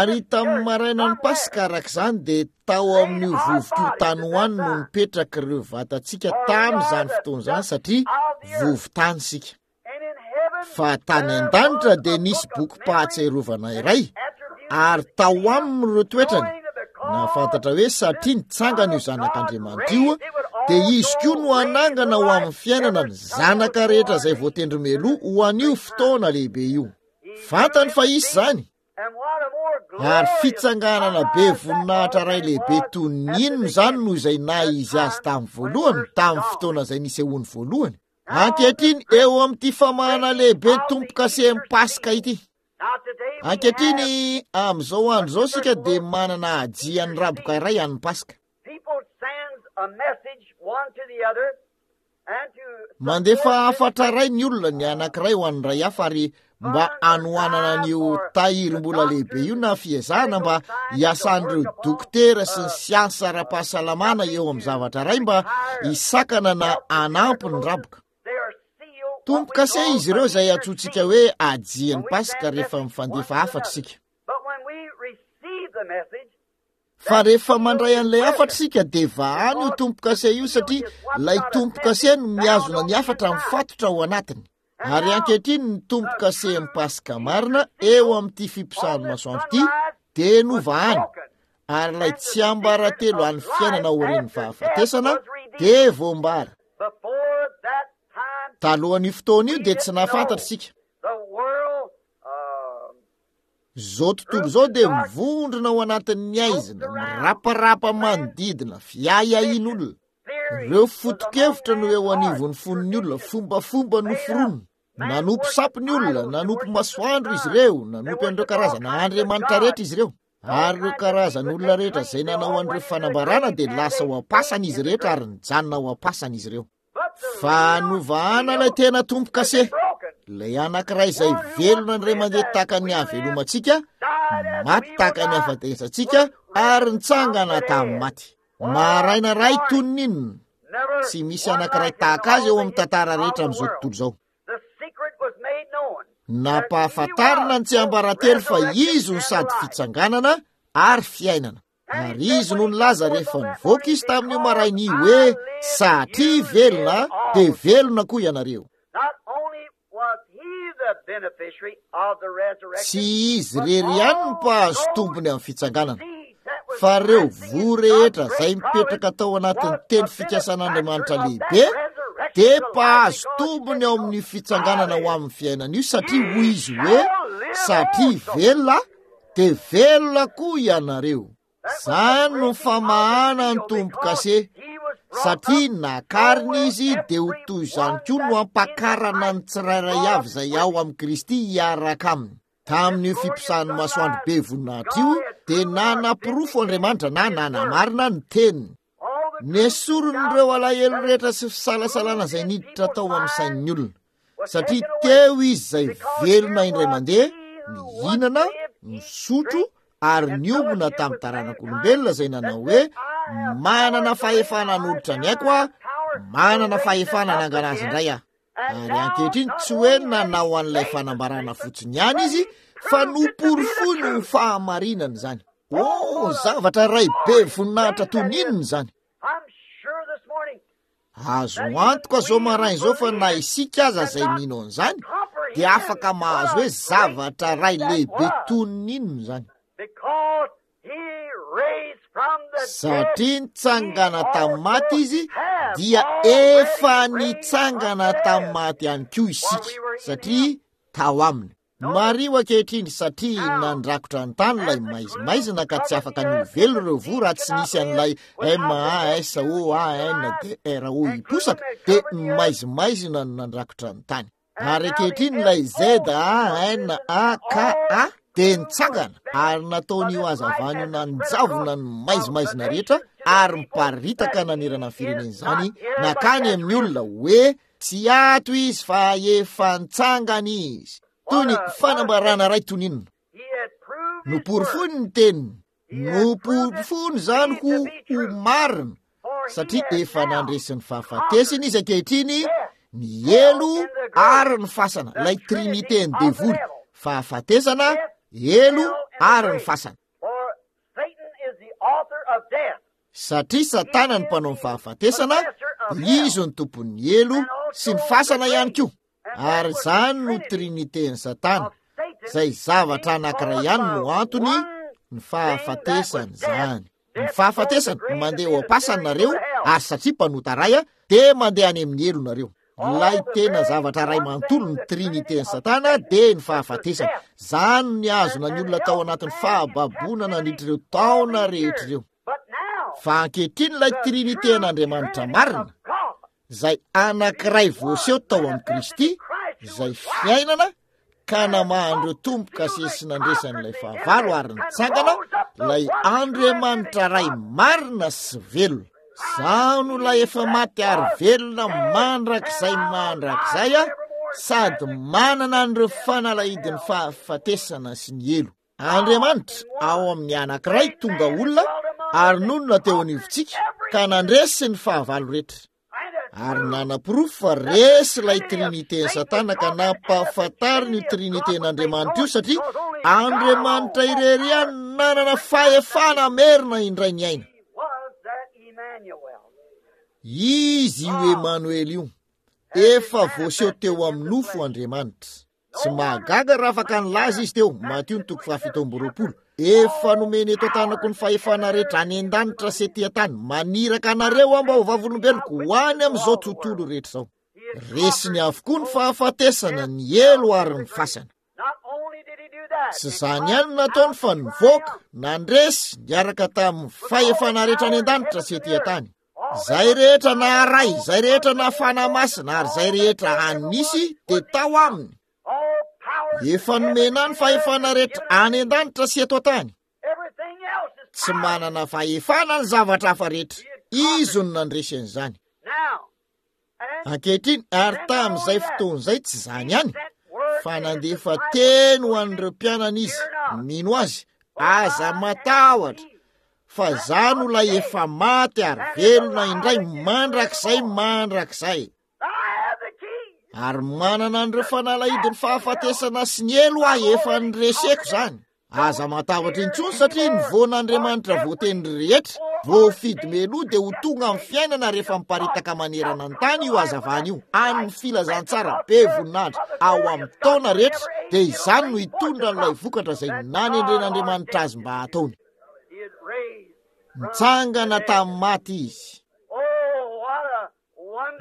Ary tamin'ny marainan'ny Paska araka izany dia tao amin'io vovoka io tany ho any no nipetraka ireo vatantsika tamin'izany fotoana izany, satria vovo-tany isika. Fa tany an-danitra dia nisy bokim-pahatsiarovana iray, ary tao aminy ireo toetrany. Nahafantatra hoe satria nitsangana io zanak'Andriamanitra io, dia izy koa no hanangana ho amin'ny fiainana ny zanaka rehetra izay voatendry mialoha ho an'io fotoana lehibe io. Fantany fa hisy izany. Ary fitsanganana be voninahitra iray lehibe toy ny inona izany noho izay naha izy azy tamin'ny voalohany, tamin'ny fotoana izay nisehoany voalohany. Ankehitriny eo amin'ity famahana lehibe tombo-kasehan'ny Paska ity. Ankehitriny amin'izao andro izao isika dia manana hajian'ny raboka iray an'ny Paska. Mandefa hafatra iray ny olona, ny anankiray ho an'ny iray hafa, ary mba hanohanana an'io tahirim-bola lehibe io na fiezahana mba hiasan'ireo dokotera sy ny siansa ara-pahasalamana eo amin'ny zavatra iray mba hisakana na hanampy ny raboka. Tombo-kase izy ireo izay antsointsika hoe hajian'ny Paska rehefa mifandefa hafatra isika. Fa rehefa mandray an'ilay hafatra isika dia vahany io tombo-kase io, satria ilay tombo-kase no mihazona ny hafatra mifatotra ao anatiny. Ary ankehitriny ny tombo-kasehan'ny Paska marina eo amin'ity fiposahan'ny masoandro ity dia novahany, ary ilay tsiambaratelo an'ny fiainana aorian'ny fahafatesana dia voambara. Talohan'io fotoana io dia tsy nahafantatra isika. Izao tontolo izao dia mivondrona ao anatin'ny aizina, miraparapa manodidina, fiahiahian'olona. Ireo foto-kevitra no eo anivon'ny fon'ny olona, fombafomba noforonina. Nanompo sampy ny olona, nanompo masoandro izy ireo, nanompo an'ireo karazana andriamanitra rehetra izy ireo. Ary ireo karazan'olona rehetra izay nanao an'ireo fanambarana dia lasa ao am-pasana izy rehetra ary nijanona ao am-pasana izy ireo. Fa novahana ilay tena tombo-kase, ilay anankiray izay velona indray mandeha tahaka ny havelomantsika, maty tahaka ny hafatesantsika, ary nitsangana tamin'ny maty. Maraina iray toy ny inona, tsy misy anankiray tahaka azy eo amin'ny tantara rehetra amin'izao tontolo izao. Nampahafantarina ny tsiambaratelo fa izy no sady fitsanganana ary fiainana. Ary izy no nilaza rehefa nivoaka izy tamin'io maraina io hoe, satria velona dia velona koa ianareo. Tsy izy irery ihany no mpahazo tombony amin'ny fitsanganana, fa ireo voa rehetra izay mipetraka tao anatin'ny teny fikasan'Andriamanitra lehibe dia mpahazo tombony ao amin'ny fitsanganana ho amin'ny fiainana io, satria hoy izy hoe, satria velona dia velona koa ianareo. Izany no famahana ny tombo-kase, satria nakarina izy dia ho toy izany koa no hampakarana ny tsirairay avy izay ao amin'i Kristy hiaraka aminy. Tamin'io fiposahan'ny masoandro be voninahitra io dia nanaporofo Andriamanitra na nanamarina ny teniny. Nesorin'ireo alahelo rehetra sy fisalasalana izay niditra tao amin'ny sain'ny olona, satria teo izy izay velona indray mandeha, nihinana, nisotro ary niombona tamin'ny taranak'olombelona izay nanao hoe, manana fahefana hanolotra ny aiko aho, manana fahefana hanangana azy indray aho. Ary ankehitriny tsy hoe nanao an'ilay fanambarana fotsiny ihany izy, fa noporofoiny ho fahamarinana izany. Oh, zavatra iray be voninahitra toy ny inona izany! Azo antoka izao maraina izao fa na isika aza izay mino an'izany dia afaka mahazo hoe zavatra iray lehibe toy ny inona izany. Satria nitsangana tamin'ny maty izy dia efa nitsangana tamin'ny maty ihany koa isika, satria tao aminy. Mariho ankehitriny, satria nandrakotra ny tany ilay maizimaizina ka tsy afaka ny ho velona ireo voa raha tsy nisy an'ilay M A S O A N D R O hiposaka, dia ny maizimaizina no nandrakotra ny tany. Ary ankehitriny ilay Z A N A K A dia nitsangana ary nataon'io hazavana io nanjavona ny maizimaizina rehetra ary miparitaka nanerana ny firenena izany nakany amin'ny olona hoe tsy ato izy fa efa nitsangana izy. Toy ny fanambarana iray toy ny inona. Noporofoiny ny teniny, noporofoiny izany ho ho marina, satria efa nandresy ny fahafatesana izy ankehitriny, ny helo ary ny fasana, ilay trinité ny devoly, fahafatesana, helo ary ny fasana. Satria Satana ny mpanao ny fahafatesana, izy no tompon'ny helo sy ny fasana ihany koa. Ary izany no trinité ny Satana, izay zavatra anankiray ihany no antony ny fahafatesana izany. Ny fahafatesana, mandeha ao am-pasana nareo, ary satria mpanota ray, dia mandeha any amin'ny helo nareo. Ilay tena zavatra ray manontolo ny trinité ny Satana dia ny fahafatesana. Izany no nihazona ny olona tao anatin'ny fahababoana nandritra ireo taona rehetra ireo. Fa ankehitriny ilay trinité an'Andriamanitra marina, izay anankiray voaseho tao amin'i Kristy, izay fiainana, ka namahan'ireo tombo-kase sy nandresan'ilay fahavalo ary nitsangana, ilay Andriamanitra ray marina sy velona. Izaho no ilay efa maty ary velona mandrakizay mandrakizay, sady manana an'ireo fanalahidin'ny fahafatesana sy ny helo. Andriamanitra ao amin'ny anankiray tonga olona ary nonina teo anivontsika ka nandresy ny fahavalo rehetra. Ary nanaporofo fa resy ilay trinité ny Satana ka nampahafantariny io trinité n'Andriamanitra io, satria Andriamanitra irery ihany nanana fahefana hamerina indray ny aina. Izy io Emmanuel io, efa voaseho teo amin'ny nofo Andriamanitra. Tsy mahagaga raha afaka nilaza izy teo, Matio ny toko fahafito amby roapolo, efa nomeny eto an-tanako ny fahefana rehetra any an-danitra sy ety an-tany, maniraka anareo aho mba ho vavolombeloko ho any amin'izao tontolo rehetra izao. Resiny avokoa ny fahafatesana, ny helo ary ny fasana. Tsy izany ihany no nataony fa nivoaka, nandresy, niaraka tamin'ny fahefana rehetra any an-danitra sy ety an-tany. Izay rehetra naharay, izay rehetra nafana masina, ary izay rehetra hanisy dia tao aminy. Efa nomena ny fahefana rehetra any an-danitra sy eto an-tany. Tsy manana fahefana ny zavatra hafa rehetra. Izy no nandresy an'izany. Ankehitriny, ary tamin'izay fotoana izay tsy izany ihany, fa nandefa teny ho an'ireo mpianany izy, mino azy, aza matahotra, fa izaho no ilay efa maty ary velona indray mandrakizay mandrakizay. Ary manana an'ireo fanalahidin'ny fahafatesana sy ny helo aho, efa nireseko izany. Aza matahotra intsony satria ny voan'Andriamanitra voatendry rehetra, voafidy mialoha dia ho tonga amin'ny fiainana rehefa miparitaka manerana ny tany io hazavana io, amin'ny filazantsara be voninahitra ao amin'ny taona rehetra, dia izany no hitondra an'ilay vokatra izay nanendren'Andriamanitra azy mba hataony. Nitsangana tamin'ny maty izy.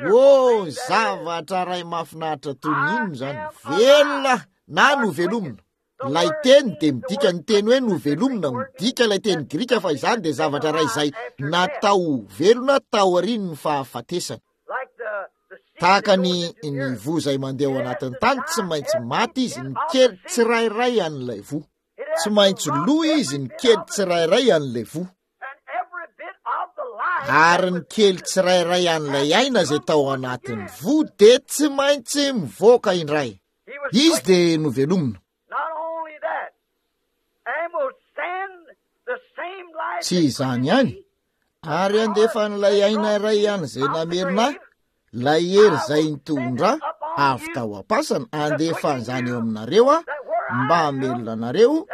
Oh, zavatra iray mahafinaritra toy ny inona izany, velona na novelomina. Ilay teny dia midika ny teny hoe novelomina, midika ilay teny grika fa izany dia zavatra iray izay natao ho velona taorian'ny fahafatesana. Tahaka ny ny voa izay mandeha ao anatin'ny tany, tsy maintsy maty izy, ny kely tsirairay an'ilay voa. Tsy maintsy lo izy, ny kely tsirairay an'ilay voa. Ary ny kely tsirairay an'ilay aina izay tao anatin'ny voa dia tsy maintsy mivoaka indray. Izy dia novelomina. Tsy izany ihany, ary handefa an'ilay aina iray ihany izay namerina ahy, ilay hery izay nitondra avy tao am-pasana, handefa an'izany eo aminareo aho, mba hamelona anareo,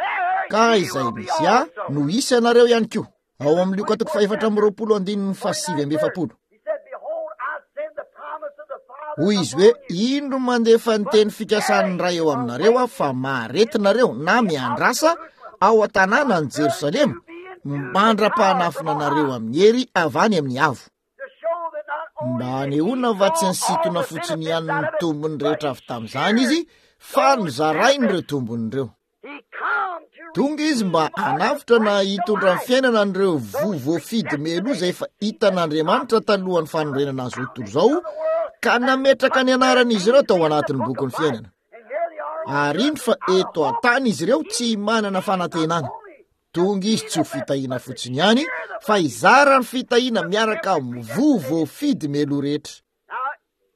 ka izay misy ahy no hisy anareo ihany koa. Ao amin'ny Lioka toko fahefatra amby roapolo andininy fahasivy amby efapolo. Hoy izy hoe, indro mandefa ny teny fikasan'ny Ray eo aminareo aho, fa maharetinareo na miandrasa ao an-tanàna any Jerosalema, mandra-pahanafina anareo amin'ny hery avy any amin'ny avo. Mba hanehoana fa tsy nisintona fotsiny ihany ny tombony rehetra avy tamin'izany izy, fa nozarainy ireo tombony ireo. Tonga izy mba hanavotra na hitondra ny fiainana an'ireo voa voafidy mialoha izay efa hitan'Andriamanitra talohan'ny fanorenana azy tontolo izao, ka nametraka ny anaran'izy ireo tao anatin'ny bokin'ny fiainana. Ary indro fa eto an-tany izy ireo tsy manana fanantenana. Tonga izy tsy ho fitahiana fotsiny ihany, fa hizara ny fitahiana miaraka amin'ny voa voafidy mialoha rehetra.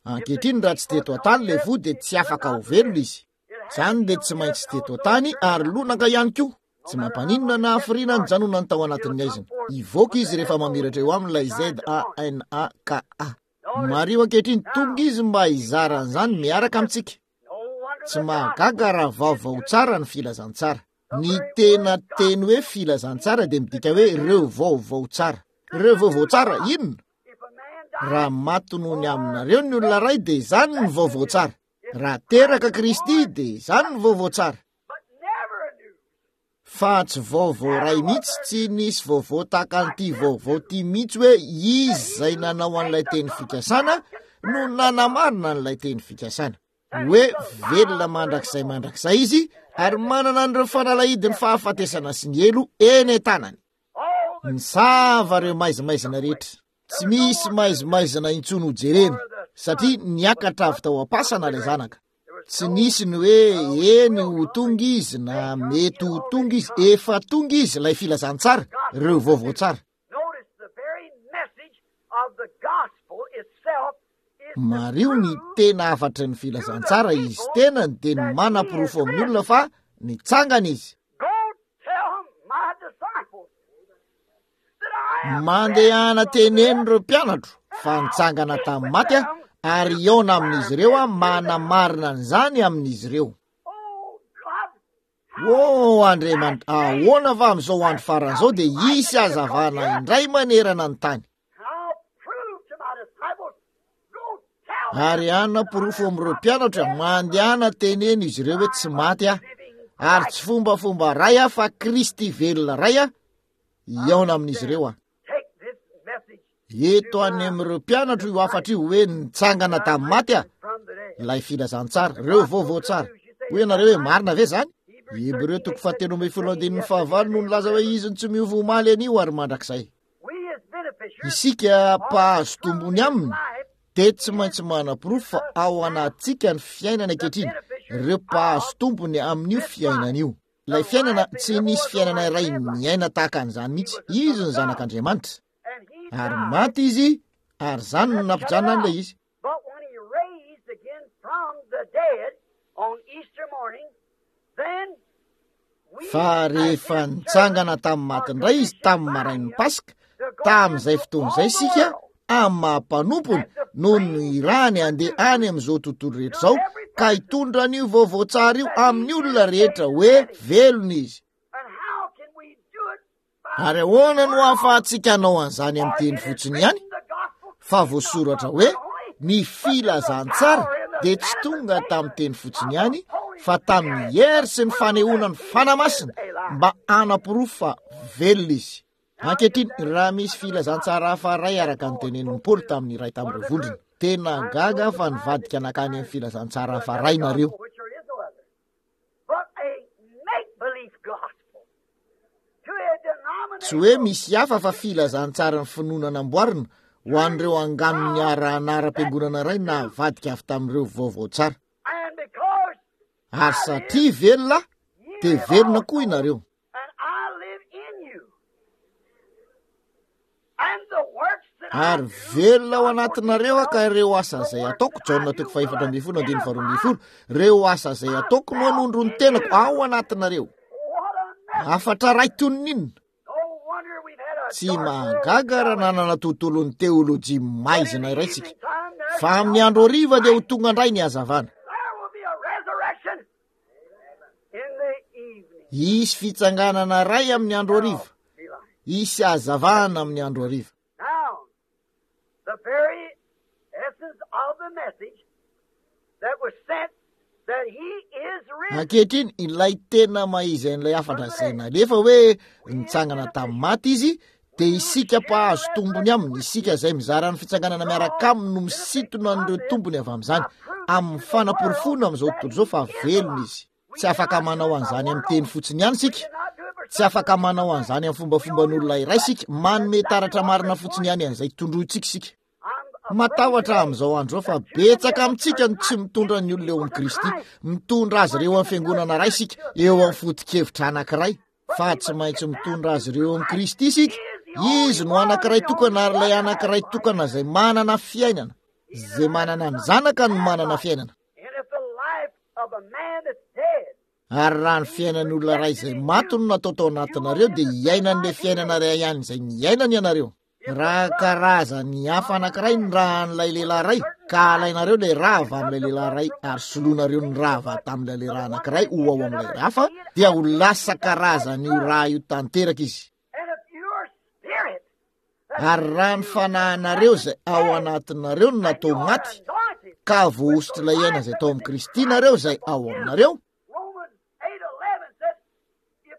Ankehitriny raha tsy teto an-tany ilay voa dia tsy afaka ho velona izy. Izany dia tsy maintsy teto an-tany ary lonaka ihany koa. Tsy mampaninona na hafiriana ny janonany tao anatin'ny aizina. Hivoaka izy rehefa mamiratra eo aminy ilay Z A N A K A. Mariho ankehitriny, tonga izy mba hizara an'izany miaraka amintsika. Tsy mahagaga raha vaovao tsara ny filazantsara. Ny tena teny hoe filazantsara dia midika hoe ireo vaovao tsara. Ireo vaovao tsara inona? Raha maty noho ny aminareo ny olona iray dia izany ny vaovao tsara. Raha teraka Kristy dia izany ny vaovao tsara. Fa tsy vaovao iray mihitsy, tsy nisy vaovao tahaka an'ity vaovao ity mihitsy hoe izy izay nanao an'ilay teny fikasana no nanamarina an'ilay teny fikasana. Hoe velona mandrakizay mandrakizay izy ary manana an'ireo fanalahidin'ny fahafatesana sy ny helo eny an-tanany. Nisava ireo maizimaizina rehetra. Tsy misy maizimaizina intsony ho jerena satria niakatra avy tao am-pasana ilay zanaka. Tsy nisy ny hoe eny ho tonga izy na mety ho tonga izy, efa tonga izy ilay filazantsara, ireo vaovao tsara. Mariho ny tena hafatry ny filazantsara, izy tenany dia ny manaporofo amin'ny olona fa nitsangana izy. Mandehana teneno ireo mpianatro fa nitsangana tamin'ny maty aho ary hihaona amin'izy ireo aho manamarina an'izany amin'izy ireo. O Andriamanitra, ahoana fa amin'izao andro farany izao dia hisy hazavana indray manerana ny tany. Ary hanaporofo amin'ireo mpianatra, mandehana teneno izy ireo hoe tsy maty aho, ary tsy fombafomba ray aho fa Kristy velona ray aho, hihaona amin'izy ireo aho. Eto any amin'ireo mpianatro io hafatra io hoe nitsangana tamin'ny maty aho, ilay filazantsara, ireo vaovao tsara. Hoy ianareo hoe marina ve izany? Hebreo toko fahatelo ambin'ny folo andininy fahavalo no nilaza hoe izy no tsy miova omaly anio ary mandrakizay. Isika mpahazo tombony aminy dia tsy maintsy manaporofo fa ao anatintsika ny fiainana ankehitriny, ireo mpahazo tombony amin'io fiainana io. Ilay fiainana, tsy nisy fiainana iray niaina tahaka an'izany mihitsy. Izy ny zanak'Andriamanitra. Ary maty izy, ary izany no nampijanona an'ilay izy. Fa rehefa nitsangana tamin'ny maty indray izy tamin'ny marain'ny Paska, tamin'izay fotoana izay isika, amin'ny maha-mpanompony, no nirahany handeha any amin'izao tontolo rehetra izao, ka hitondra an'io vaovao tsara io amin'ny olona rehetra hoe velona izy. Ary ahoana no ahafahantsika hanao an'izany amin'ny teny fotsiny ihany? Fa voasoratra hoe ny filazantsara dia tsy tonga tamin'ny teny fotsiny ihany, fa tamin'ny hery sy ny fanehoana ny Fanahy Masina mba hanaporofo fa velona izy. Ankehitriny, raha misy filazantsara hafa iray araka ny tenenin'i Paoly tamin'ny iray tamin'ireo vondrona, tena gaga aho fa nivadika nankany amin'ny filazantsara hafa iray nareo. Tsy hoe misy hafa fa filazantsaran'ny finoana namboarina ho an'ireo angano niara-anaram-piangonana iray navadika avy tamin'ireo vaovao tsara. Ary satria velona aho, dia velona koa ianareo. Ary velona ao anatinareo aho ka ireo asa izay ataoko, Jaona toko fahefatra ambin'ny folo andininy faharoa ambin'ny folo, ireo asa izay ataoko no hanondro ny tenako ao anatinareo. Hafatra iray toy ny inona? Tsy mahagaga raha nanana tontolon'ny teolojia maizina iray isika, fa amin'ny andro hariva dia ho tonga indray ny hazavana. Hisy fitsanganana iray amin'ny andro hariva. Hisy hazavana amin'ny andro hariva. Ankehitriny, ilay tena maha-izy an'ilay hafatra izay nalefa hoe nitsangana tamin'ny maty izy, dia isika mpahazo tombony aminy, isika izay mizara ny fitsanganana miaraka aminy no misintona an'ireo tombony avy amin'izany, amin'ny fanaporofoana amin'izao tontolo izao fa velona izy. Tsy afaka manao an'izany amin'ny teny fotsiny ihany isika, tsy afaka manao an'izany amin'ny fombafomban'olona iray isika, manome taratra marina fotsiny ihany an'izay tondrointsika isika. Matahotra amin'izao andro izao fa betsaka amintsika no tsy mitondra ny olona eo amin'i Kristy. Mitondra azy ireo amin'ny fiangonana iray isika, eo amin'ny foto-kevitra anankiray. Fa tsy maintsy mitondra azy ireo amin'i Kristy isika. Izy no anankiray tokana, ary ilay anankiray tokana izay manana fiainana. Izay manana ny zanaka no manana fiainana. Ary raha ny fiainan'olona iray izay maty no natao tao anatinareo, dia hiainan'ilay fiainana iray ihany izay niainany ianareo. Raha karazany hafa anankiray ny ràn'ilay lehilahy iray, ka alainareo ilay rà avy amin'ilay lehilahy iray ary soloinareo ny rà avy tamin'ilay lehilahy anankiray ho ao amin'ilay hafa, dia ho lasa karazan'io rà io tanteraka izy. Ary raha ny fanahinareo izay ao anatinareo no natao maty, ka voahosotr'ilay aina izay tao amin'i Kristy nareo izay ao aminareo.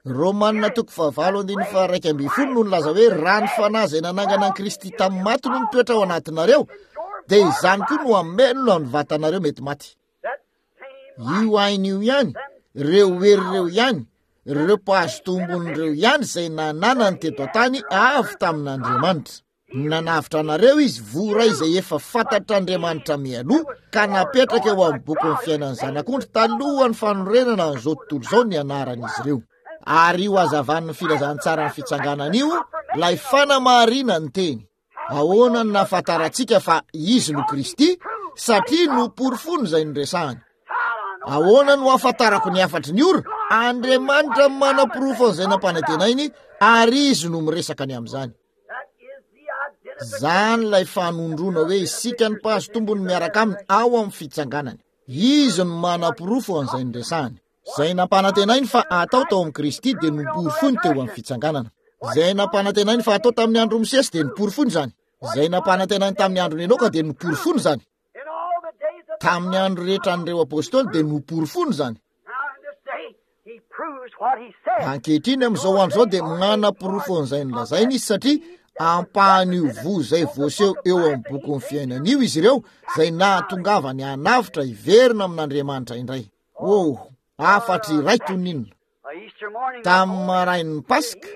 Romanina toko fahavalo andininy faha-iraika ambin'ny folo no nilaza hoe raha ny fanahy izay nanangana an'i Kristy tamin'ny maty no mitoetra ao anatinareo, dia izany koa no hamelona ny vatanareo mety maty. Io aina io ihany, ireo hery ireo ihany, ireo mpahazo tombony ireo ihany izay nananany teto an-tany avy tamin'Andriamanitra. Nanavotra anareo izy, voa iray izay efa fantatr'Andriamanitra mialoha, ka napetraka eo amin'ny bokin'ny fiainan'ny zanak'ondry talohan'ny fanorenana an'izao tontolo izao ny anaran'izy ireo. Ary io hazavan'ny filazantsaran'ny fitsanganana io, ilay fanamarina ny teny. Ahoana no nahafantarantsika fa izy no Kristy? Satria noporofoiny izay noresahany. Ahoana no ahafantarako ny hafatry ny ora? Andriamanitra manaporofo an'izay nampanantenainy, ary izy no miresaka ny amin'izany. Izany ilay fanondroana hoe isika ny mpahazo tombony miaraka aminy ao amin'ny fitsanganany. Izy no manaporofo an'izay noresahany. Izay nampanantenainy fa atao tao amin'i Kristy dia noporofoiny teo amin'ny fitsanganana. Izay nampanantenainy fa atao tamin'ny andro Mosesy dia noporofoiny izany. Izay nampanantenainy tamin'ny andron'i Enoka dia noporofoiny izany. Tamin'ny andro rehetra an'ireo apôstôly dia noporofoiny izany. Ankehitriny amin'izao andro izao dia manaporofo an'izay nolazainy izy, satria ampahan'io voa izay voaseho eo amin'ny bokin'ny fiainana io izy ireo, izay nahatongavany hanavotra hiverina amin'Andriamanitra indray. Oh, hafatry iray toy ny inona. Tamin'ny marain'ny Paska,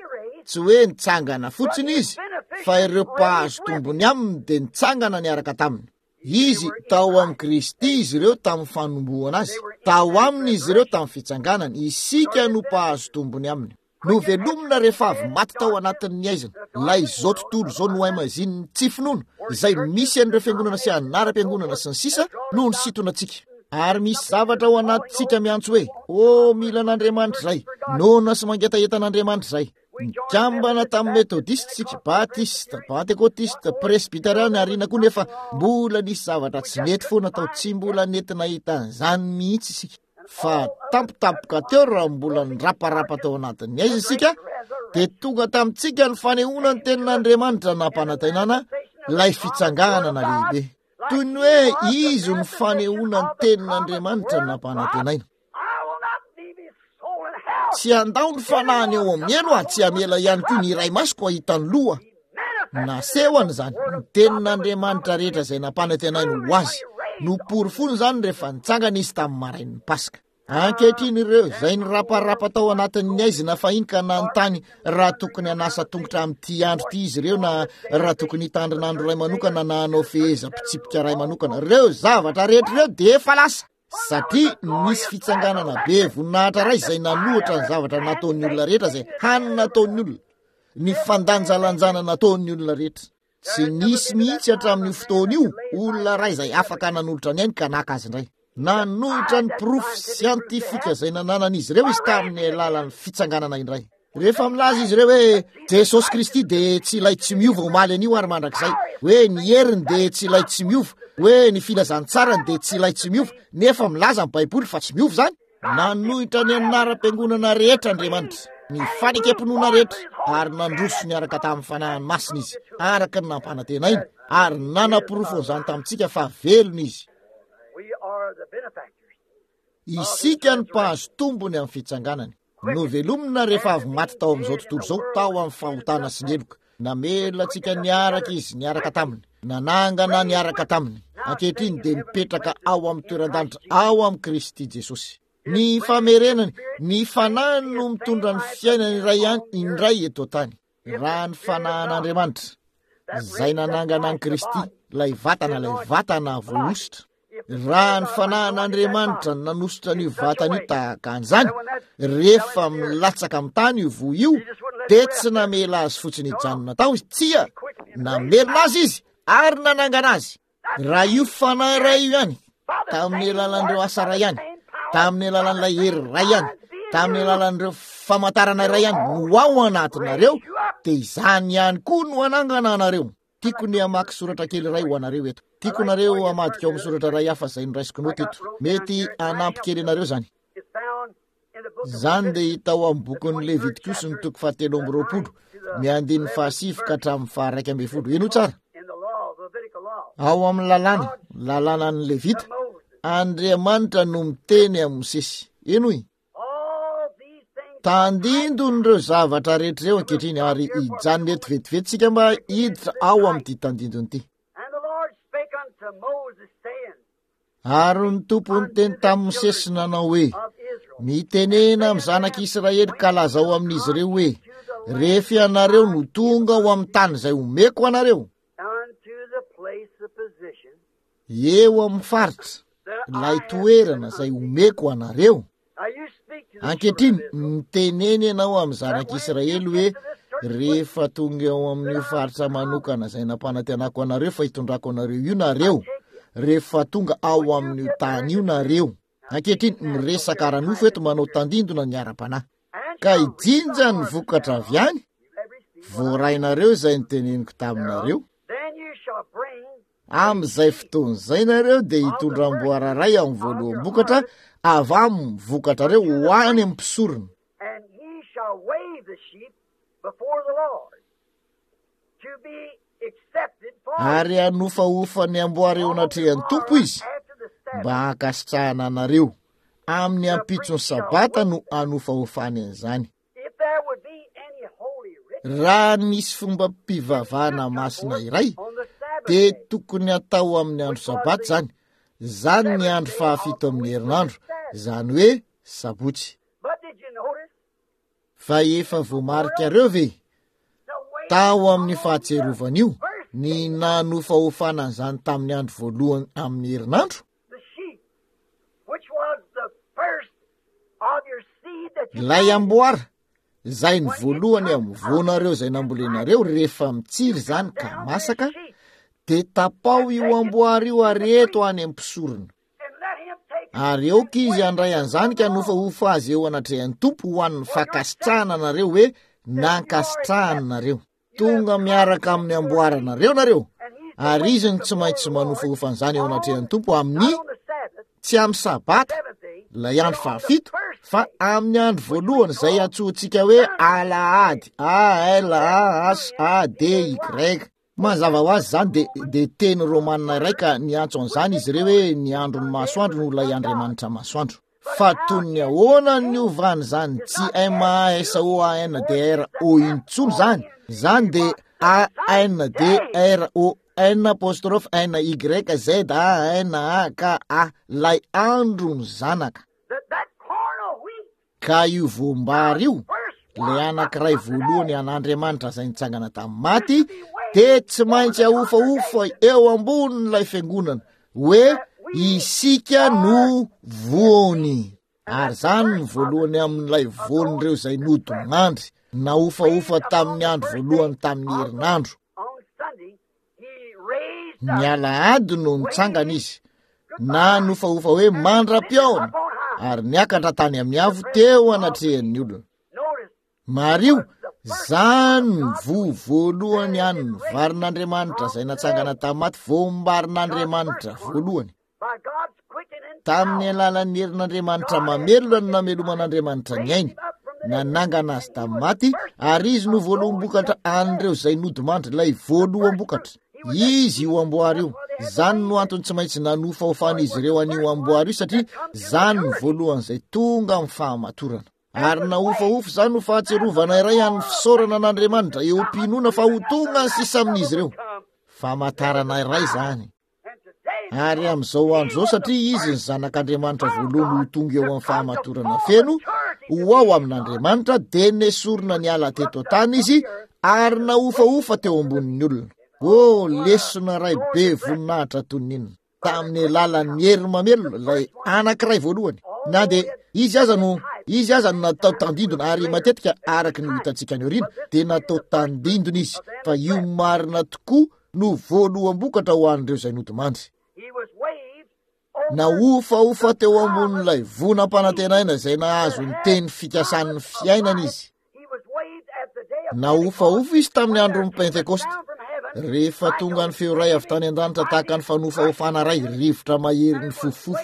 tsy hoe nitsangana fotsiny izy, fa ireo mpahazo tombony aminy dia nitsangana niaraka taminy. Izy tao amin'i Kristy izy ireo tamin'ny fanombohana azy, tao aminy izy ireo tamin'ny fitsanganany. Isika no mpahazo tombony aminy. Novelomina rehefa avy maty tao anatin'ny aizina, ilay izao tontolo izao nohaimazinin'ny tsy finoana, izay misy an'ireo fiangonana sy anaram-piangonana sy ny sisa no nisintona antsika. Ary misy zavatra ao anatintsika miantso hoe, ô, mila an'Andriamanitra izay, noana sy mangetaheta an'Andriamanitra izay. Nikambana tamin'ny Metodista isika, Batista, Pentekotista, Presbyteriana ary inona koa, nefa mbola nisy zavatra tsy nety foana tao, tsy mbola nety nahita an'izany mihitsy isika. Fa tampotampoka teo raha mbola niraparapa tao anatin'ny aiza isika, dia tonga tamintsika ny fanehoana ny tenin'Andriamanitra nampanantenana ilay fitsanganana lehibe. Toy ny hoe izy no fanehoana ny tenin'Andriamanitra nampanantenaina. Tsy handao ny fanahiny eo amin'ny helo aho, tsy hamela ihany koa ny iray masoko hahita ny loha. Nasehony izany, ny tenin'Andriamanitra rehetra izay nampanantenainy ho azy. Noporofoiny izany rehefa nitsangana izy tamin'ny marain'ny Paska. Ankehitriny ireo izay niraparapa tao anatin'ny aizina fahiny ka nanontany raha tokony hanasa tongotra amin'ity andro ity izy ireo, na raha tokony hitandrina andro iray manokana na hanao fehezam-pitsipika iray manokana, ireo zavatra rehetra ireo dia efa lasa. Satria nisy fitsanganana be voninahitra iray izay nanohitra ny zavatra nataon'ny olona rehetra, izay hany nataon'ny olona, ny fandanjalanjana nataon'ny olona rehetra. Tsy nisy mihitsy hatramin'io fotoana io olona iray izay afaka nanolotra ny ainy ka naka azy indray. Nanohitra ny porofo siantifika izay nananan'izy ireo izy tamin'ny alalan'ny fitsanganana indray. Rehefa milaza izy ireo hoe Jesosy Kristy dia tsy ilay tsy miova omaly anio ary mandrakizay, hoe ny heriny dia tsy ilay tsy miova, hoe ny filazantsarany dia tsy ilay tsy miova, nefa milaza ny Baiboly fa tsy miova izany. Nanohitra ny anaram-piangonana rehetra Andriamanitra, ny fanekem-pinoana rehetra, ary nandroso niaraka tamin'ny Fanahiny Masina Izy, araka ny nampanantenainy, ary nanaporofo an'izany tamintsika fa velona Izy. Isika no mpahazo tombony amin'ny fitsanganany. Novelomina rehefa avy maty tao amin'izao tontolo izao tao amin'ny fahotana sy ny heloka. Namelona antsika niaraka Izy, niaraka taminy. Nanangana niaraka taminy. Ankehitriny dia mipetraka ao amin'ny toeran-danitra ao amin'i Kristy Jesosy. Ny famerenany, ny Fanahiny no mitondra ny fiainany iray ihany indray eto an-tany. Raha ny Fanahin'Andriamanitra, izay nanangana an'i Kristy, Ilay vatana, ilay vatana voahosotra. Raha ny fanahin'Andriamanitra no nanosotra an'io vatana io tahaka an'izany, rehefa milatsaka amin'ny tany io voa io, dia tsy namela azy fotsiny hijanona tao izy. Tsia, namerina azy izy ary nanangana azy. Raha io fanahy iray io ihany, tamin'ny alalan'ireo asa iray ihany, tamin'ny alalan'ilay hery iray ihany, tamin'ny alalan'ireo famantarana iray ihany no ao anatinareo, dia izany ihany koa no hanangana anareo. Tiako ny hamaky soratra kely iray ho anareo eto. Tiako nareo hamadika ao amin'ny soratra iray hafa izay noraisiko noty eto. Mety hanampy kely anareo izany. Izany dia hita ao amin'ny bokin'ny Levitikosy ny toko fahatelo amby roapolo, ny andininy fahasivy ka hatramin'ny faharaika ambin'ny folo. Henoy tsara. Ao amin'ny lalàna, lalànan'ny Levita, Andriamanitra no miteny amin'i Mosesy. Henoy. Tandindon'ireo zavatra rehetra ireo ankehitriny, ary hijanona eto vetivety isika mba hiditra ao amin'ity tandindona ity. Ary ny Tompo niteny tamin'i Mosesy nanao hoe, Mitenena amin'ny zanak'Israely ka lazao amin'izy ireo hoe, Rehefa ianareo no tonga ao amin'ny tany izay omeko anareo, eo amin'ny faritra, ilay toerana izay omeko anareo. Ankehitriny, mitenena ianao amin'ny zanak'Israely hoe, Rehefa tonga eo amin'io faritra manokana izay nampanantenako anareo fa hitondrako anareo io nareo, rehefa tonga ao amin'io tany io nareo. Ankehitriny, miresaka ara-nofo eto, manao tandindona ny ara-panahy. Ka hijinja ny vokatra avy any, voarainareo izay niteneniko taminareo. Amin'izay fotoana izay nareo dia hitondra amboara iray amin'ny voaloham-bokatra avy amin'ny vokatrareo ho any amin'ny mpisorona. Ary hanofahofa ny amboara eo anatrehan'ny Tompo izy mba hankasitrahana anareo. Amin'ny ampitson'ny Sabata no hanofahofany an'izany. Raha nisy fombam-pivavahana masina iray, dia tokony hatao amin'ny andro Sabata izany. Izany ny andro fahafito amin'ny herinandro, izany hoe sabotsy. Fa efa voamarikareo ve tao amin'ny fahatsiarovana io ny nanofahofana an'izany tamin'ny andro voalohany amin'ny herinandro? Ilay amboara, izay ny voalohany amin'ny voanareo izay nambolenareo, rehefa mitsiry izany ka masaka, dia tapaho io amboara io ary eto any amin'ny mpisorona. Ary aoka izy handray an'izany ka nofahofa azy eo anatrehan'ny Tompo ho an'ny fankasitrahana anareo hoe nankasitrahany nareo. Tonga miaraka amin'ny amboaranareo nareo, ary izy no tsy maintsy manofahofa an'izany eo anatrehan'ny Tompo amin'ny, tsy amin'ny Sabata, ilay andro fahafito, fa amin'ny andro voalohany izay antsointsika hoe Alahady, A L A H A D Y. Mazava ho azy izany dia, dia teny romanina iray ka niantso an'izany izy ireo hoe ny andron'ny masoandro no ilay andriamanitra masoandro. Fa toy ny ahoana ny niovan'izany tsy M A S O A N D R O intsony izany, izany dia A N D R O N apostrophe N Y Z A N A K A, ilay andron'ny zanaka. Ka io voam-bary io, ilay anankiray voalohany an'Andriamanitra izay nitsangana tamin'ny maty, dia tsy maintsy ahofahofa eo ambonin'ilay fiangonana hoe isika no voany. Ary izany no voalohany amin'ilay voan'ireo izay nodimandry, nahofahofa tamin'ny andro voalohany tamin'ny herinandro. Ny alahady no nitsangana izy, na nofahofa hoe mandra-pihaona, ary niakatra tany amin'ny avo teo anatrehan'ny olona. Mariho, zany ny voa voalohany an'ny varin'Andriamanitra izay natsangana tamin'ny maty, voam-barin'Andriamanitra voalohany. Tamin'ny alalan'ny herin'Andriamanitra mamelona no nameloman'Andriamanitra ny ainy, nanangana azy tamin'ny maty, ary izy no voaloham-bokatra an'ireo izay nodimandry, ilay voaloham-bokatra. Izy io amboara io. Izany no antony tsy maintsy nanofahofan'izy ireo an'io amboara io, satria izany no voalohan'izay tonga amin'ny fahamatorana. Ary nahofahofa izany ho fahatsiarovana iray an'ny fisaorana an'Andriamanitra eo am-pinoana fa ho tonga ny sisa amin'izy ireo. Famantarana iray izany. Ary amin'izao andro izao, satria izy ny Zanak'Andriamanitra voalohany ho tonga eo amin'ny fahamatorana feno, ho ao amin'Andriamanitra, dia nesorina niala teto an-tany izy ary nahofahofa teo ambonin'ny olona. Oh, lesona iray be voninahitra toy ny inona! Tamin'ny alalan'ny hery mamelona, ilay anankiray voalohany. Na dia izy aza no izy aza no natao tandindona, ary matetika araka ny ho hitantsika any aoriana, dia natao tandindona izy, fa io marina tokoa no voaloham-bokatra ho an'ireo izay nodimandry. Nahofahofa teo ambonin'ilay voa nampanantenaina izay nahazo ny teny fikasan'ny fiainana izy. Nahofahofa izy tamin'ny andron'ny Pentekosta. Rehefa tonga ny feo iray avy tany an-danitra tahaka ny fanofahofana iray, rivotra mahery nifofofofo,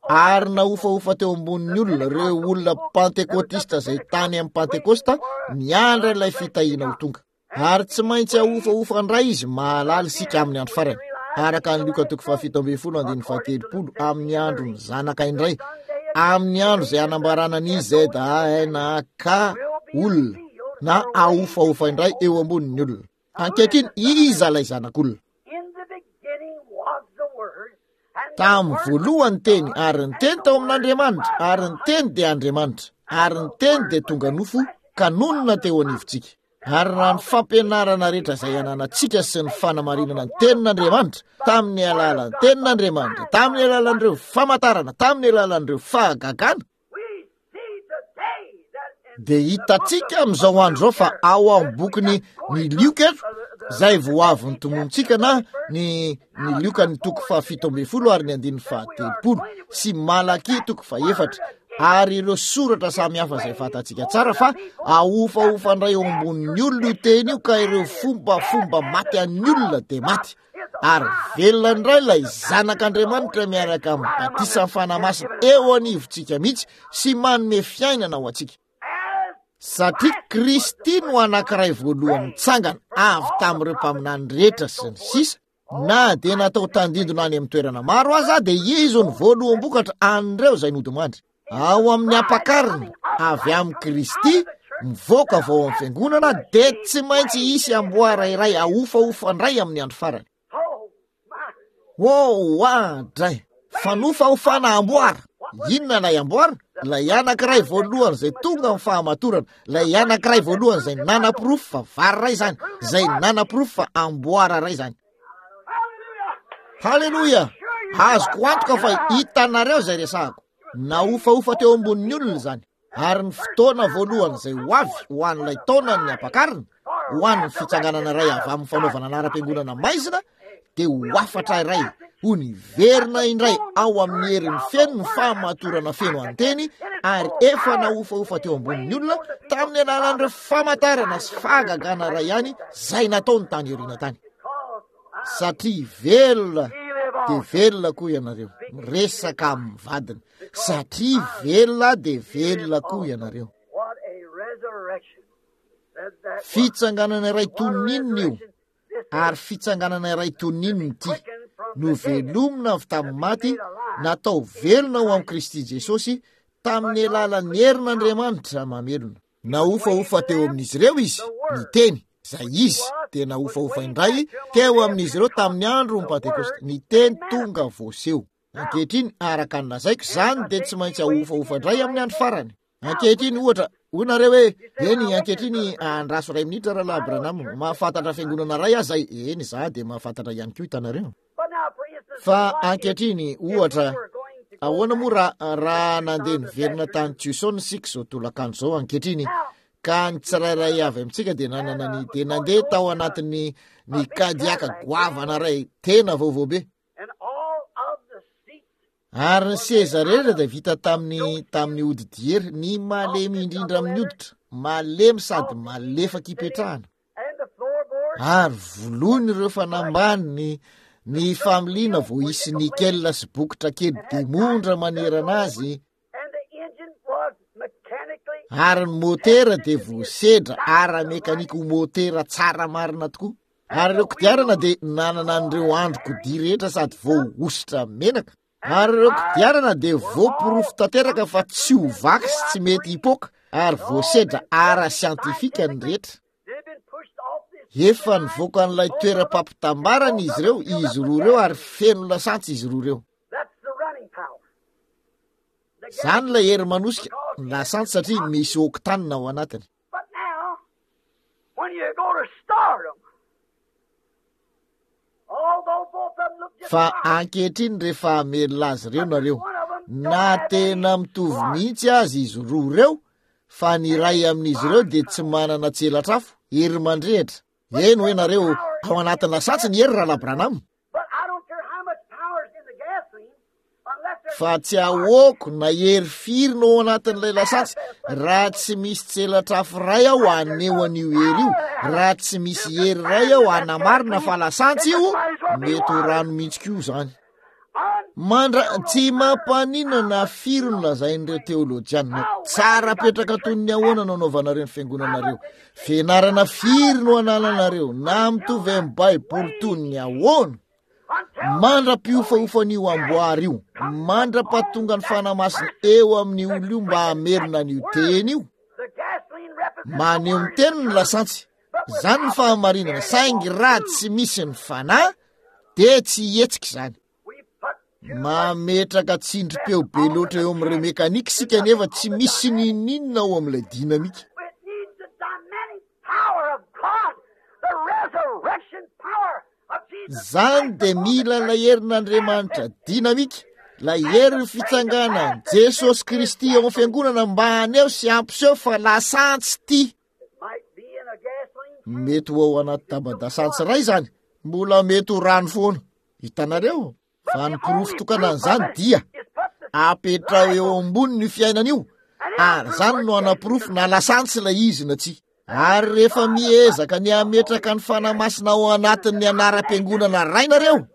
ary nahofahofa teo ambonin'ny olona, ireo olona pantekotista izay tany amin'ny Pentekosta, niandry ilay fitahiana ho tonga. Ary tsy maintsy ahofahofa indray izy, mahalala isika amin'ny andro farany. Araka ny Lioka toko fahafito ambin'ny folo andininy fahatelopolo, amin'ny andron'ny zanaka indray, amin'ny andro izay hanambarana ny Z A N A K olona, na ahofahofa indray eo ambonin'ny olona. Ankehitriny, iza ilay zanak'olona? Tamin'ny voalohany teny, ary ny teny tao amin'Andriamanitra, ary ny teny dia Andriamanitra, ary ny teny dia tonga nofo ka nonina teo anivontsika. Ary raha ny fampianarana rehetra izay ananantsika sy ny fanamarinana ny tenin'Andriamanitra, tamin'ny alalan'ny tenin'Andriamanitra, tamin'ny alalan'ireo famantarana, tamin'ny alalan'ireo fahagagana, dia hitantsika amin'izao andro izao fa ao amin'ny bokin'ny ny Lioka eto, izay vao avy notononintsika, na ny, ny Lioka ny toko fahafito ambin'ny folo ary ny andininy fahatelopolo, sy Malakia toko fahefatra, ary ireo soratra samihafa izay fantatsika tsara fa ahofahofa indray eo ambonin'ny olona io teny io, ka ireo fombafomba maty an'ny olona dia maty, ary velona indray ilay zanak'Andriamanitra miaraka amin'ny batisan'ny Fanahy Masina eo anivontsika mihitsy sy manome fiainana ho antsika. Satria Kristy no anankiray voalohany nitsangana avy tamin'ireo mpaminany rehetra sy ny sisa, na dia natao tandindona any amin'ny toerana maro aza, dia izy no voaloham-bokatra an'ireo izay nodimandry. Ao amin'ny ampakarina avy amin'i Kristy, mivoaka avy ao amin'ny fiangonana, dia tsy maintsy hisy amboara iray ahofahofa indray amin'ny andro farany. Oh, oadray! Fanofahofana amboara! Inona ilay amboara? Ilay anankiray voalohany izay tonga amin'ny fahamatorana, ilay anankiray voalohany izay nanaporofo fa vary iray izany, izay nanaporofo fa amboara iray izany. Haleloia! Azoko antoka fa hitanareo izay resahako. Nahofahofa teo ambonin'ny olona izany. Ary ny fotoana voalohany izay ho avy ho an'ilay taonan'ny ampakarina, ho an'ny fitsanganana iray avy amin'ny fanaovana anaram-piangonana maizina, dia ho hafatra iray ho niverina indray ao amin'ny heriny feno ny fahamatorana feno an-teny, ary efa nahofahofa teo ambonin'ny olona tamin'ny alalan'ireo famantarana sy fahagagana iray ihany izay nataony tany aoriana tany. Satria velona dia velona koa ianareo, miresaka amin'ny vadiny. Satria velona dia velona koa ianareo. Fitsanganana iray toy ny inona io, ary fitsanganana iray toy ny inona ity? Novelomina avy tamin'ny maty, natao velona ho amin'i Kristy Jesosy, tamin'ny alalan'ny herin'Andriamanitra mamelona. Nahofahofa teo amin'izy ireo izy, ny teny, izay izy, dia nahofahofa indray teo amin'izy ireo tamin'ny andron'ny Pentekosta, ny teny tonga voaseho. Ankehitriny, araka ny lazaiko, izany dia tsy maintsy ahofahofa indray amin'ny andro farany. Ankehitriny, ohatra, hoy nareo hoe, eny, ankehitriny, andraso iray minitra, Rahalahy Branham, mahafantatra fiangonana iray aho izay, eny, izaho dia mahafantatra ihany koa, hitanareo. Fa ankehitriny, ohatra, ahoana moa raha, raha nandeha niverina tany Tucson isika izao tolakandro izao ankehitriny, ka ny tsirairay avy amintsika dia nanana ny, dia nandeha tao anatin'ny, ny Cadillac goavana iray, tena vaovao be. Ary ny seza rehetra dia vita tamin'ny, tamin'ny hodi-diery, ny malemy indrindra amin'ny hoditra, malemy sady malefaka ipetrahana. Ary voloiny ireo fanambany ny, ny familiana vao hisy nickel sy bokotra kely diamondra manerana azy. Ary ny motera dia voasedra ara-mekanika ho motera tsara marina tokoa. Ary ireo kodiarana dia nanana an'ireo andro kodia rehetra sady voahosotra menaka. Ary ireo kodiarana dia voaporofo tanteraka fa tsy ho vaky sy tsy mety hipoaka, ary voasedra ara-siantifika ny rehetra. Efa nivoaka an'ilay toeram-pampitambarana izy ireo, izy roa ireo, ary feno lasantsy izy roa ireo. Izany ilay hery manosika, ny lasantsy, satria misy octane ao anatiny. But now, when you go to start 'em, Fa ankehitriny rehefa hamelona azy ireo nareo, na tena mitovy mihitsy azy izy roa ireo, fa ny iray amin'izy ireo dia tsy manana tselatr'afo, hery mandrehitra. Eny hoe nareo, ao anatin'ny lasantsy ny hery Rahalahy Branham. Fa tsy ahoako na hery firy no ao anatin'ilay lasantsy raha tsy misy tselatr'afo iray aho haneho an'io hery io, raha tsy misy hery iray aho hanamarina fa lasantsy io, mety ho rano mihitsy koa izany. Mandra tsy mampaninona na firy no lazain'ireo teolojianina, tsara petraka toy ny ahoana no anaovanareo ny fiangonanareo, fianarana firy no anananareo, na mitovy amin'ny Baiboly toy ny ahoana, mandra-piofaofan'io amboara io, mandra-pahatonga ny Fanahy Masina eo amin'ny olona io mba hamerina an'io teny io. Maneho ny teny ny lasantsy, izany ny fahamarinana, saingy raha tsy misy ny Fanahy dia tsy hihetsika izany. Mametraka tsindrim-peo be loatra eo amin'ireo mekanika isika nefa tsy misy n'inon'inona ao amin'ilay dinamika. Izany dia mila ilay herin'Andriamanitra dinamika, ilay herin'ny fitsanganan'i Jesosy Kristy eo amin'ny fiangonana mba haneho sy hampiseho fa lasantsy ity. Mety ho ao anaty taba-dasantsy iray izany, mbola mety ho rano foana. Hitanareo? Fa ny porofo tokana an'izany dia apetraho eo amboniny io fiainana io, ary izany no hanaporofo na lasantsy ilay izy na tsia. Ary rehefa miezaka ny hametraka ny Fanahy Masina ao anatin'ny anaram-piangonana iray nareo,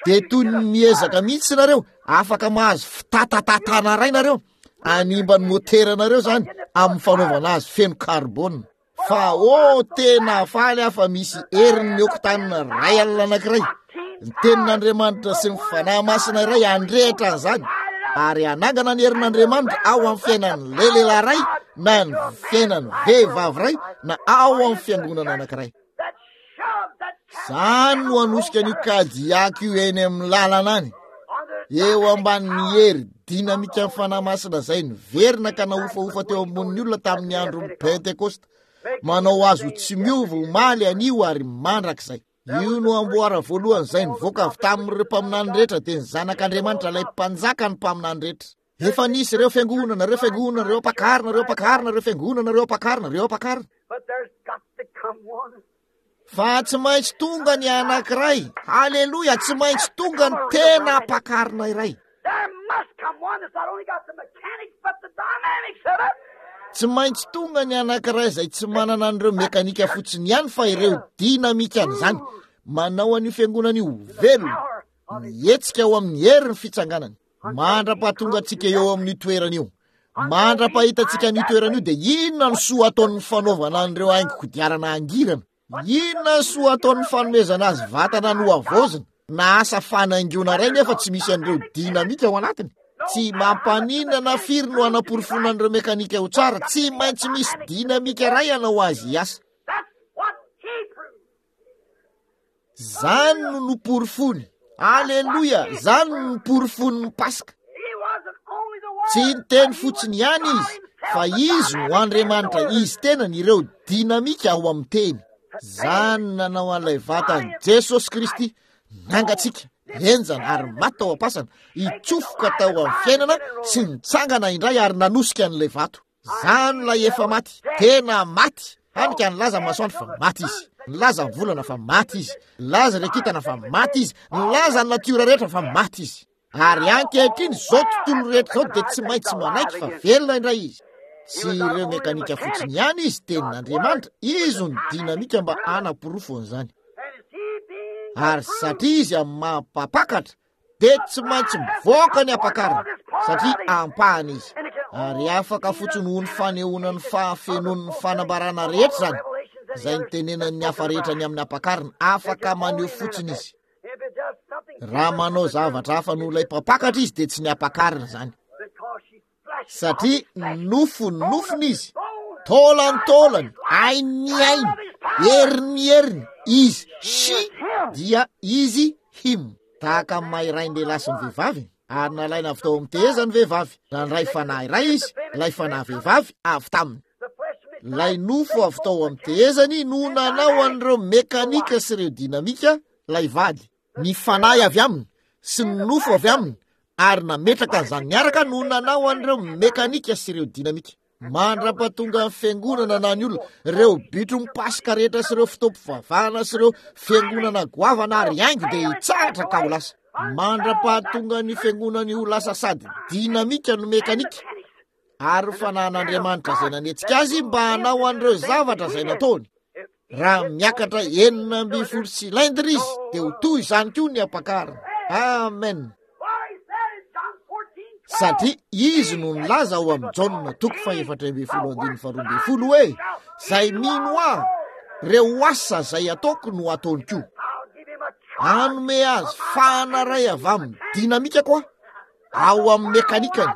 dia toy ny miezaka mihitsy nareo, afaka mahazo fitatatatana iray nareo, hanimba ny moteranareo izany amin'ny fanaovana azy feno karbona. Fa oh, tena faly aho fa misy herin'ny oktanina iray alina anankiray, ny tenin'Andriamanitra sy ny Fanahy Masina iray handrehitra an'izany ary hanangana ny herin'Andriamanitra ao amin'ny fiainan'ny lehilahy iray na ny fiainan'ny vehivavy iray na ao amin'ny fiangonana anankiray. Izany no hanosika an'io Cadillac io eny amin'ny lalana any, eo ambanin'ny hery dinamikan'ny Fanahy Masina izay niverina ka nahofahofa teo ambonin'ny olona tamin'ny andron'ny Pentekosta, manao azy ho tsy miova omaly, anio ary mandrakizay. Io no amboara voalohany izay nivoaka avy tamin'ireo mpaminany rehetra, dia ny Zanak'Andriamanitra, ilay mpanjaka ny mpaminany rehetra. Efa nisy ireo fiangonana, ireo fiangonana, ireo ampakarina, ireo ampakarina, ireo fiangonana, ireo ampakarina, ireo ampakarina. Fa tsy maintsy tonga ny anankiray. Haleloia, tsy maintsy tonga ny tena ampakarina iray. Tsy maintsy tonga ny anankiray izay tsy manana an'ireo mekanika fotsiny ihany fa ireo dinamikan'izany. Manao an'io fiangonana io ho velona, mihetsika ao amin'ny herin'ny fitsanganany. Mandra-pahatonga antsika eo amin'io toerana io, mandra-pahita antsika an'io toerana io, dia inona ny soa ataon'ny fanaovana an'ireo haingo kodiarana hangirana? Inona ny soa ataon'ny fanomezana azy vatana nohavaozina na asa fanaingoana iray nefa tsy misy an'ireo dinamika ao anatiny? Tsy mampaninona na firy no hanaporofoana an'ireo mekanika ho tsara, tsy maintsy misy dinamika iray hanao azy hiasa. Zany no noporofoiny. Aleloia! Zany no noporofoin'ny Paska. Tsy niteny fotsiny ihany izy, fa izy no Andriamanitra, izy tenany, ireo dinamika ao amin'ny teny. Zany nanao an'ilay vatan'i Jesosy Kristy nangatsiaka, henjana ary maty tao am-pasana, hitsofoka tao amin'ny fiainana sy nitsangana indray ary nanosika an'ilay vato. Zany ilay efa maty, tena maty. Hany ka nilaza ny masoandro fa maty izy, nilaza ny volana fa maty izy, nilaza ireo kintana fa maty izy, nilaza ny natiora rehetra fa maty izy. Ary ankehitriny izao tontolo rehetra izao dia tsy maintsy manaiky fa velona indray izy. Tsy ireo mekanika fotsiny ihany izy, tenin'Andriamanitra, izy no dinamika mba hanaporofo an'izany. Ary satria izy amin'ny maha mpampakatra, dia tsy maintsy mivoaka ny ampakarina satria ampahany izy, ary afaka fotsiny ho ny fanehoana ny fahafenoan'ny fanambarana rehetra izany, izay nitenenan'ny hafa rehetra ny amin'ny ampakarina, afaka maneho fotsiny izy. Raha manao zavatra hafa noho ilay mpampakatra izy dia tsy ny ampakarina izany. Satria nofo ny nofony izy, taolany taolany, ainy ny ainy, heriny ny heriny, izy she dia izy him. Tahaka ny maha iray ny lehilahy sy ny vehivavy, ary nalaina avy tao amin'ny tehezany ny vehivavy, nandray fanahy iray izy, ilay fanahy vehivavy avy taminy. Ilay nofo avy tao amin'ny tehezany no nanao an'ireo mekanika sy ireo dinamika ilay vady, ny fanahy avy aminy sy ny nofo avy aminy, ary nametraka an'izany miaraka no nanao an'ireo mekanika sy ireo dinamika. Mandra-pahatonga ny fiangonana na ny olona, ireo bitro mipasoka rehetra sy ireo fotoam-pivavahana sy ireo fiangonana goavana ary haingo dia hitsahatra ka ho lasa. Mandra-pahatonga ny fiangonana ho lasa sady dinamika no mekanika, ary fanahin'Andriamanitra izay nanetsika azy mba hanao an'ireo zavatra izay nataony. Raha miakatra enina ambin'ny folo cylindre izy dia ho toy izany koa ny ampakarina. Amen. Satria izy no nilaza ao amin'ny Jaona toko fahefatra ambin'ny folo andininy faharoa ambin'ny folo hoe zay mino ahy, ireo asa izay ataoko no ataony koa. Hanome azy fahana iray avy amin'ny dinamika koa ao amin'ny mekanikany,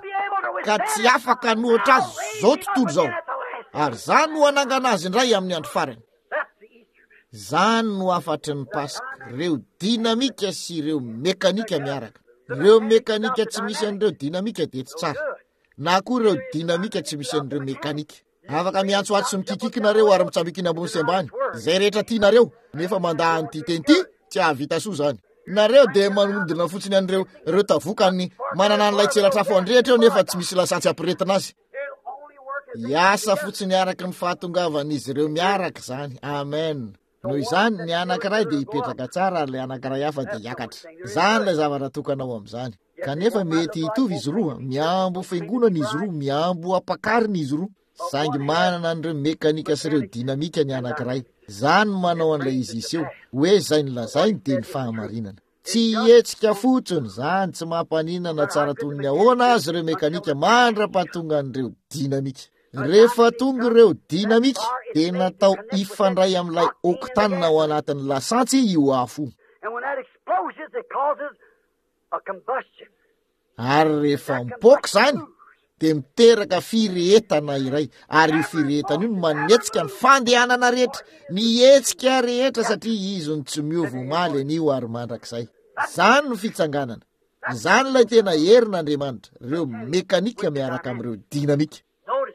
ka tsy afaka hanohitra azy izao tontolo izao. Ary zany no hanangana azy indray amin'ny andro farany. Zany no hafatry ny Paska, ireo dinamika sy ireo mekanika miaraka. Ireo mekanika tsy misy an'ireo dinamika dia tsy tsara, na koa ireo dinamika tsy misy an'ireo mekanika. Afaka miantsoantso sy mikikiky nareo ary mitsambikina ambony sy ambany, izay rehetra tianareo, nefa mandà an'ity teny ity, tsy hahavita soa izany. Nareo dia manodina fotsiny an'ireo ireo tavokany manana an'ilay tselatrafo andrehitra eo, nefa tsy misy lasantsy ampiretina azy. Hiasa fotsiny araka ny fahatongavan'izy ireo miaraka izany. Amen. Noho izany, ny anankiray dia hipetraka tsara ary ilay anankiray hafa dia hiakatra. Izany ilay zavatra tokana ao amin'izany. Kanefa mety hitovy izy roa, miambo fiangonana izy roa, miambo ampakarina izy roa. Saingy manana an'ireo mekanika sy ireo dinamika ny anankiray. Izany no manao an'ilay izy hiseho. Hoe izay nolazainy dia ny fahamarinana. Tsy hihetsika fotsiny izany, tsy mampaninona na tsara toy ny ahoana azy ireo mekanika mandra-pahatonga an'ireo dinamika. Rehefa tonga ireo dinamika dia natao hifandray amin'ilay octane ao anatin'ny lasantsy io afo io. And when that explodes, it causes a combustion. Ary rehefa mipoaka izany dia miteraka firehetana iray, ary io firehetana io no manetsika ny fandehanana rehetra, ny hetsika rehetra, satria izy no tsy miova omaly, anio ary mandrakizay. Izany no fitsanganana. Izany ilay tena herin'Andriamanitra, ireo mekanika miaraka amin'ireo dinamika. Notice,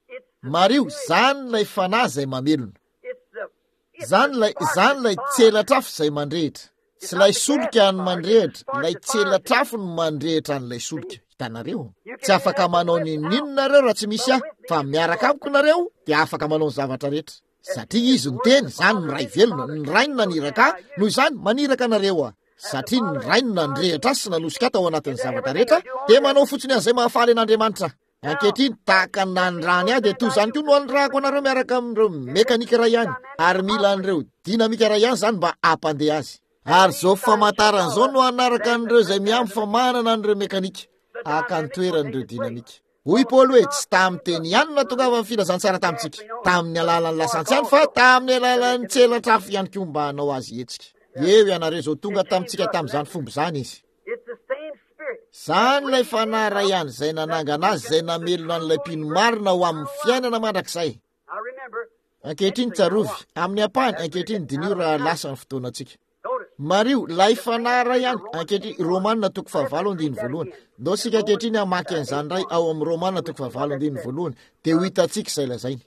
it's the Mariho, spirit. izany ilay fanahy izay mamelona. It's the, it's Izany the ilay, spark izany that ilay fires. tselatrafo izay mandrehitra. It's Tsy not ilay the gas solika that no fires, it's the mandrehitra, spark ilay that fires it. tselatrafo no mandrehitra an'ilay solika. Hitanareo? You Tsy can do afaka nothing manao without, n'inon'inona nareo raha tsy misy but ahy, with me fa you can do miaraka all amiko nareo dia afaka manao ny zavatra rehetra. Satria izy no teny, izany no Ray velona, ny Ray no naniraka ahy, noho izany maniraka anareo aho. Satria ny Ray no nandrehitra ahy sy nanosika ahy tao anatin'ny zavatra rehetra, dia manao fotsiny an'izay mahafaly an'Andriamanitra. Ankehitriny, tahaka ny nanirahany ahy, dia toy izany koa no anirahako anareo miaraka amin'ireo mekanika iray ihany, ary mila an'ireo dinamika iray ihany izany mba hampandeha azy. Ary izao famantarana izao no hanaraka an'ireo izay mihambo fa manana an'ireo mekanika, haka ny toeran'ireo dinamika. Hoy Paoly hoe, tsy tamin'ny teny ihany no nahatongavan'ny filazantsara tamintsika, tamin'ny alalan'ny lasantsy ihany, fa tamin'ny alalan'ny tselatrafo ihany koa mba hanao azy hetsika. Eo ianareo izao, tonga tamintsika tamin'izany fomba izany izy. It's the same spirit. Izany ilay fanahy iray ihany izay nanangana azy, izay namelona an'ilay mpino marina ho amin'ny fiainana mandrakizay. Now remember, Ankehitriny tsarovy, amin'ny ampahany, ankehitriny diniho raha lasa ny fotoanantsika. notice, Mariho, ilay fanahy iray ihany, ankehitriny, Romana toko fahavalo andininy voalohany. Ndao isika ankehitriny hamaky an'izany iray ao amin'ny Romana toko fahavalo andininy voalohany, dia ho hitantsika izay lazainy.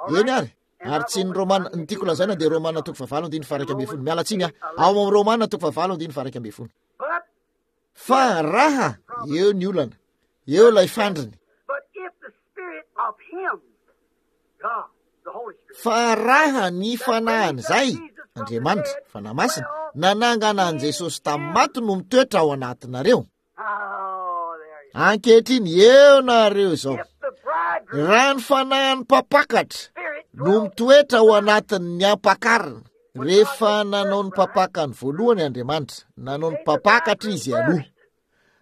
Eny ary, ary tsy ny Romana, ny tiako lazaina dia Romana toko fahavalo andininy faha iraika ambin'ny folo. Miala tsiny aho, ao amin'ny Romana toko fahavalo andininy faha iraika ambin'ny folo. but Fa raha, eo ny olana, eo ilay fandriny. but if the spirit of him, God, the Holy Spirit, Fa raha ny fanahin'izay, Andriamanitra, Fanahy Masina, nanangana an'i Jesosy tamin'ny maty no mitoetra ao anatinareo. oh, there you Ankehitriny eo nareo izao. If the bridegroom Raha ny fanahin'ny mpampakatra spirit no dwells mitoetra ao anatin'ny ampakarina, rehefa nanao ny mpapakany voalohany Andriamanitra, nanao ny mpampakatra izy aloha.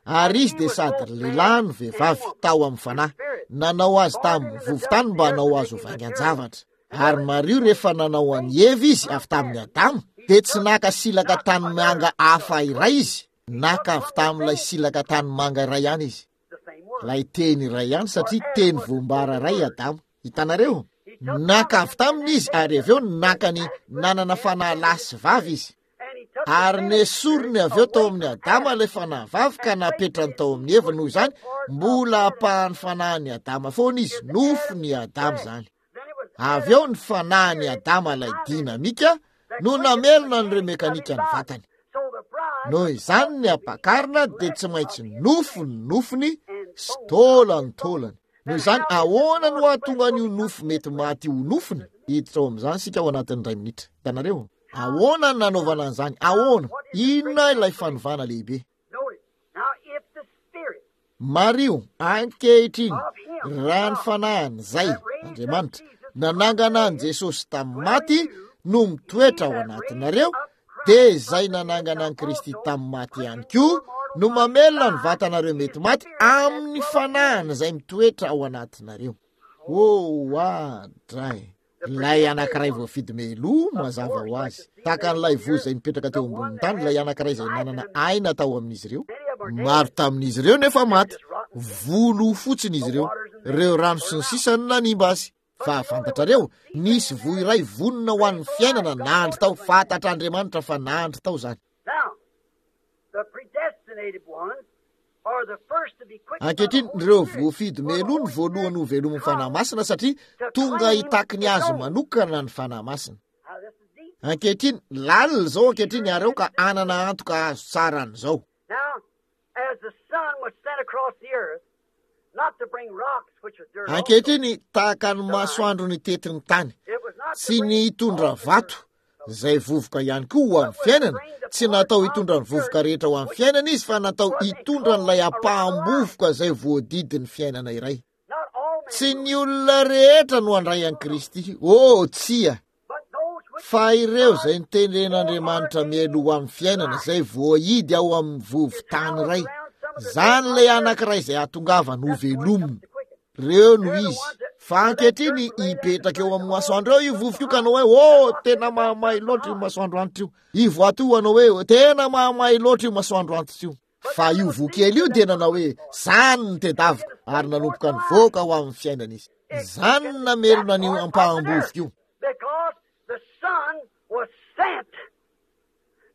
Ary izy dia sady lehilahy no vehivavy tao amin'ny fanahy, nanao azy tamin'ny vovon-tany mba hanao azy ho vaingan-javatra. Ary Mariho rehefa nanao an'i Eva izy avy tamin'ny Adama, dia tsy naka silaka tanimanga hafa iray izy, naka avy tamin'ilay silaka tanimanga iray ihany izy. the same word. Ilay teny iray ihany, satria teny voambara iray Adama. Hitanareo? Naka avy taminy izy, ary avy eo naka ny nanana fanahy lahy sy vavy izy. And he took the Ary feminine nesoriny spirit avy eo tao away amin'ny from Adama Adam ilay fanahy vavy ka napetrany tao amin'ny Eva. Noho izany, mbola ampahan'ny fanahin'i Adama foana izy, nofony Adama izany. Then it was Avy eo ny fanahin'i Adama ilay dinamika no namelona an'ireo mekanika ny vatany. Noho izany ny ampakarina dia tsy maintsy nofo ny nofony sy taolany taolany. Noho izany ahoana no hahatonga an'io nofo mety maty ho nofony? Hiditra ao amin'izany isika ao anatin'ny iray minitra. Hitanareo? Ahoana no nanaovana an'izany? Ahoana? Inona ilay fanovana lehibe? Mariho, ankehitriny, raha ny fanahiny izay, Andriamanitra, nanangana an'i Jesosy tamin'ny maty no mitoetra ao anatinareo, dia izay nanangana an'i Kristy tamin'ny maty ihany koa no mamelona ny vatanareo mety maty amin'ny fanahiny izay mitoetra ao anatinareo. Oh, adray! Ilay anankiray voafidy meloa mazava ho azy, tahaka an'ilay voa izay nipetraka teo ambonin'ny tany, ilay anankiray izay nanana aina tao amin'izy ireo. Maro tamin'izy ireo nefa maty, volo fotsiny izy ireo, ireo rano sy ny sisa no nanimba azy. Fa fantatrareo, nisy voa iray vonona ho an'ny fiainana nandry tao, fantatr'Andriamanitra fa nandry tao izany. Ankehitriny, ireo voafidy meloa no voalohany ho velomin'ny Fanahy Masina satria tonga hitaky ny azy manokana ny Fanahy Masina. Ankehitriny, lalina izao ankehitriny ary aoka hanana antoka azo tsara an'izao. Ankehitriny, tahaka ny masoandro nitety ny tany, tsy ny hitondra vato, izay vovoka ihany koa ho amin'ny fiainana, tsy natao hitondra ny vovoka rehetra ho amin'ny fiainana izy, fa natao hitondra an'ilay ampaham-bovoka izay voadidin'ny fiainana iray. Tsy ny olona rehetra no handray an'i Kristy. Oh, tsia! Fa ireo izay notendren'Andriamanitra mialoha ho amin'ny fiainana, izay voahidy ao amin'ny vovo-tany iray, izany ilay anankiray izay hahatongavany ho velomina. Ireo no izy. Fa ankehitriny hipetraka eo amin'ny masoandro eo io vovoka io ka hanao hoe, oh, tena mahamay loatra io masoandro antitra io. Io vato io hanao hoe, tena mahamay loatra io masoandro antitra io. Fa io voa kely io dia nanao hoe, zany ny tedaviko, ary nanomboka nivoaka ho amin'ny fiainana izy. Zany no namelona an'io ampaham-bovoka io. Because the sun was sent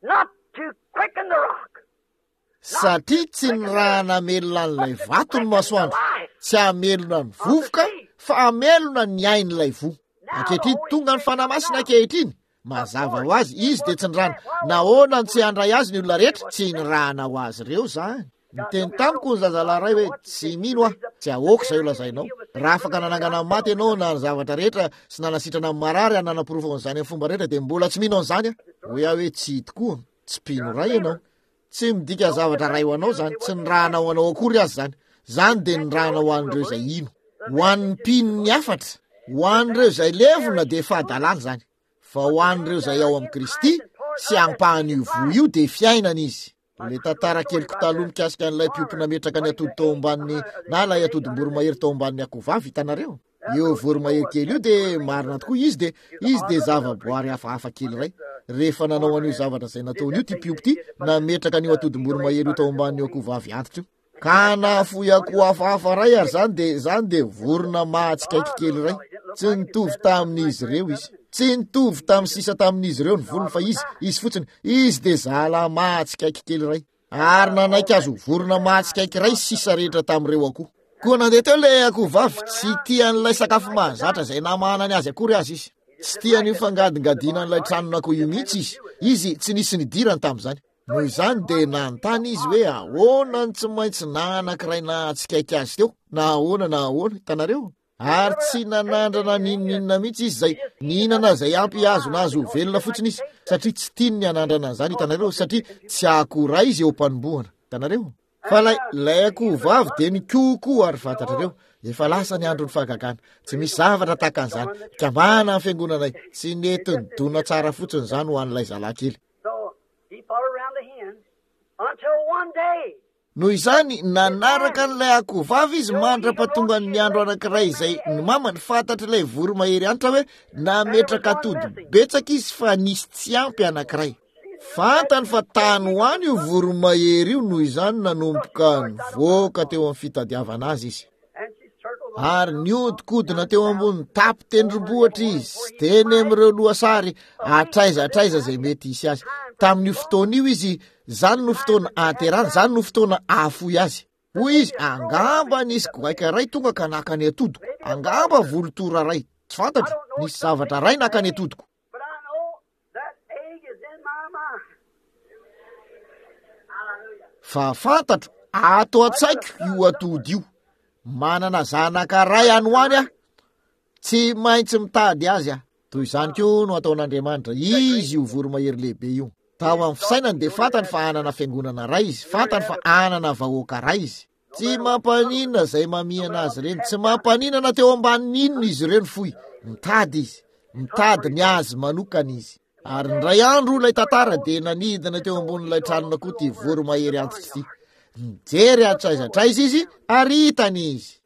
not to quicken the rock. Satria tsy ny raha namelona an'ilay vato ny masoandro, tsy hamelona ny vovoka, fa hamelona ny ain'ilay voa. Ankehitriny, tonga ny Fanahy Masina ankehitriny. Mazava ho azy, izy dia tsy nirahana. Nahoana no tsy handray azy ny olona rehetra? Tsy nirahana ho azy ireo izany. Niteny tamiko ny zazalahy iray hoe, tsy mino aho, tsy ahoako izay holazainao. Raha afaka nanangana ny maty ianao na ny zavatra rehetra sy nanasitrana ny marary ary nanaporofo an'izany amin'ny fomba rehetra dia mbola tsy mino an'izany aho. Hoy aho hoe, tsy tokoa, tsy mpino iray ianao. Tsy midika zavatra iray ho anao izany, tsy nirahana ho anao akory aza izany. Izany dia nirahana ho an'ireo izay hino. Ho an'ny mpino ny hafatra, ho an'ireo izay levona dia fahadalana izany. Fa ho an'ireo izay ao amin'i Kristy sy ampahan'io voa io dia fiainana izy. Ilay tantara keliko taloha mikasika an'ilay mpiompy nametraka ny atody tao ambanin'ny, na ilay atodim-boromahery tao ambanin'ny akohovavy, hitanareo? Io voromahery kely io dia marina tokoa, izy dia, izy dia zavaboary hafahafa kely iray. Rehefa nanao an'io zavatra izay nataony io ity mpiompy ity, nametraka an'io atodim-boromahery io tao ambanin'io akohovavy antitra io. Ka nahafoy akoho hafahafa iray ary izany dia, izany dia vorona mahatsikaiky kely iray. Tsy nitovy tamin'izy ireo izy. Tsy nitovy tamin'ny sisa tamin'izy ireo ny volony fa izy, izy fotsiny, izy dia zala mahatsikaiky kely iray. Ary nanaiky azy ho vorona mahatsikaiky iray sisa rehetra tamin'ireo akoho. Koa nandeha teo ilay akoho vavy, tsy tia an'ilay sakafo mahazatra izay namahanany azy akory aza izy. Tsy tia an'io fangadingadina an'ilay tranon'akoho io mihitsy izy. Izy, tsy nisy nidirany tamin'izany. Noho izany dia nanontany izy hoe ahoana no tsy maintsy na anankiray nahatsikaiky azy teo, na ahoana na ahoana, hitanareo? Ary tsy nanandrana n'inon'inona mihitsy izy izay nihinana izay ampy hihazona azy ho velona fotsiny izy, satria tsy tiany ny hanandrana an'izany, hitanareo, satria tsy akoho iray izy eo am-panombohana, hitanareo? Fa ilay, ilay akoho vavy dia nikohokoho ary fantatrareo, efa lasa ny andron'ny fahagagana. Tsy misy zavatra tahaka an'izany. Mikambana ny fiangonanay. Tsy nety nidona tsara fotsiny izany ho an'ilay zalahy kely. Noho izany, nanaraka an'ilay akohovavy izy mandra-pahatongan'ny andro anankiray izay ny mamany, fantatr'ilay voromahery antra hoe nametraka atody betsaka izy fa nisy tsy ampy anankiray. Fantany fa tany ho any io voromahery io, noho izany nanomboka nivoaka teo amin'ny fitadiavana azy izy. Ary niodikodina teo ambony tampon-tendrombohitra izy, teny amin'ireo lohasary, hatraiza hatraiza izay mety hisy azy. Tamin'io fotoana io izy, izany no fotoana ahaterahany, izany no fotoana ahafoy azy. Hoy izy, angamba nisy goaika iray tonga ka naka ny atodiko, angamba volotora iray, tsy fantatro, nisy zavatra iray naka ny atodiko. Fa fantatro, ato an-tsaiko io atody io. Manana zanaka ray any ho any aho. Tsy maintsy mitady azy aho. Toy izany koa no ataon'Andriamanitra. Izy io voromahery lehibe io. Tao amin'ny fisainany dia fantany fa hanana fiangonana ray izy. Fantany fa hanana vahoaka ray izy. Tsy mampaninona izay mamihana azy ireny. Tsy mampaninona na teo ambanin'inona izy ireo ny fohy. Mitady izy. Mitady ny azy manokana izy. Ary indray andro ilay tantara dia nanidina teo ambonin'ilay tranon'akoho ity voromahery antitra ity. Nijery hatraiza hatraiza izy ary hitany izy.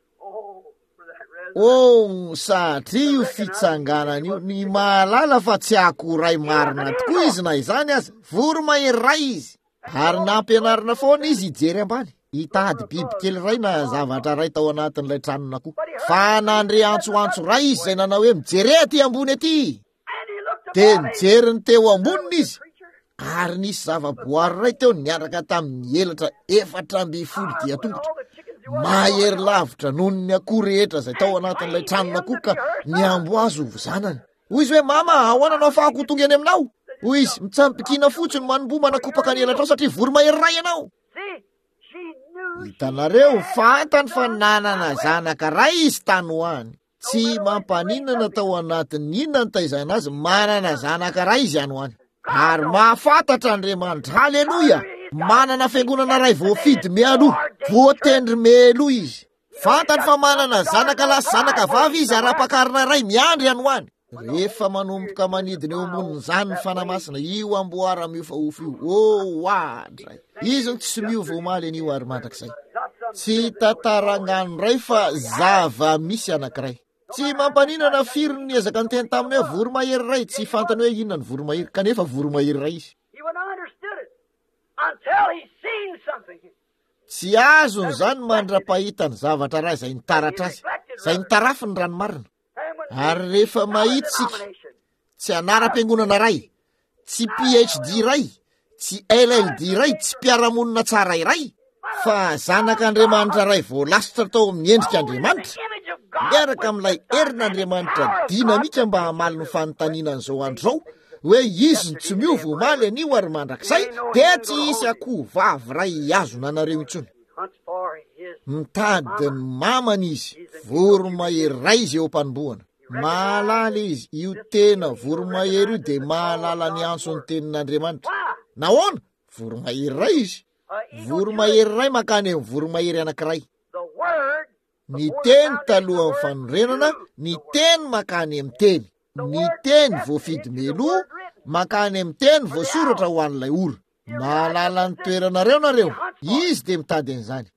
Oh, satria io fitsanganana io, ny mahalala fa tsy akoho ray marina tokoa izy na izany aza, voromahery ray izy. Ary nampianarina foana izy hijery ambany, hitady biby kely ray na zavatra ray tao anatin'ilay tranon'akoho. Fa nandre antsoantso ray izy izay nanao hoe mijere aty ambony aty. Dia nijery ny teo amboniny izy. Ary nisy zava-boary ray teo niaraka tamin'ny elatra efatra amby folo dia tongotra. Mahery lavitra noho ny akoho rehetra izay tao anatin'ilay tranon'akoho ka niambo azy ho zanany. Hoy izy hoe, mama, ahoana no ahafahako ho tonga eny aminao? Hoy izy, mitsampikina fotsiny manomboha manakopaka ny elatrao satria voromahery ray ianao. Hitanareo, fantany fa nanana zanaka ray izy tany ho any. Tsy mampaninona tao anatin'ny inona ny taizana azy, manana zanaka ray izy any ho any. Ary mahafantatra Andriamanitra, haleloia, manana fiangonana ray voafidy mialoha, voatendry mialoha izy. Fantany fa manana zanaka lahy sy zanaka vavy izy ary ampakarina ray miandry any ho any. Rehefa manomboka manidina eo ambonin'izany ny Fanahy Masina, io amboara miofaofo io, oh, oadray. Izy no tsy miova omaly anio ary mandrakizay. Tsy tantarangano ray fa zava-misy anankiray. Tsy mampaninona na firy ny niezaka niteny taminy hoe voromahery ray, tsy fantany hoe inona ny voromahery, kanefa voromahery ray izy. He wouldn't understood it until he seen something. Tsy azony izany mandra-pahita ny zavatra ray izay nitaratra azy, izay nitarafy ny rano marina. Ary rehefa mahita isika, tsy anaram-piangonana ray, tsy P H D ray, tsy L L D ray, tsy mpiara-monina tsara iray, fa zanak'Andriamanitra ray voalasitra tao amin'ny endrik'Andriamanitra, miaraka amin'ilay herin'Andriamanitra dinamika mba hamaly ny fanontaniana an'izao andro izao, hoe izy no tsy miova omaly anio ary mandrakizay, dia tsy hisy akoho vavy ray hihazona anareo intsony. Mitady ny mamany izy, voromahery ray izy eo am-panombohana. Mahalala izy, io tena voromahery io dia mahalala ny antson'ny tenin'Andriamanitra. Nahoana? Voromahery ray izy. Voromahery ray mankany amin'ny voromahery anankiray. Ny teny talohan'ny fanorenana, ny teny mankany amin'ny teny. Ny teny voafidy meloa mankany amin'ny teny voasoratra ho an'ilay ora. Mahalala ny toeranareo nareo. Izy dia mitady an'izany.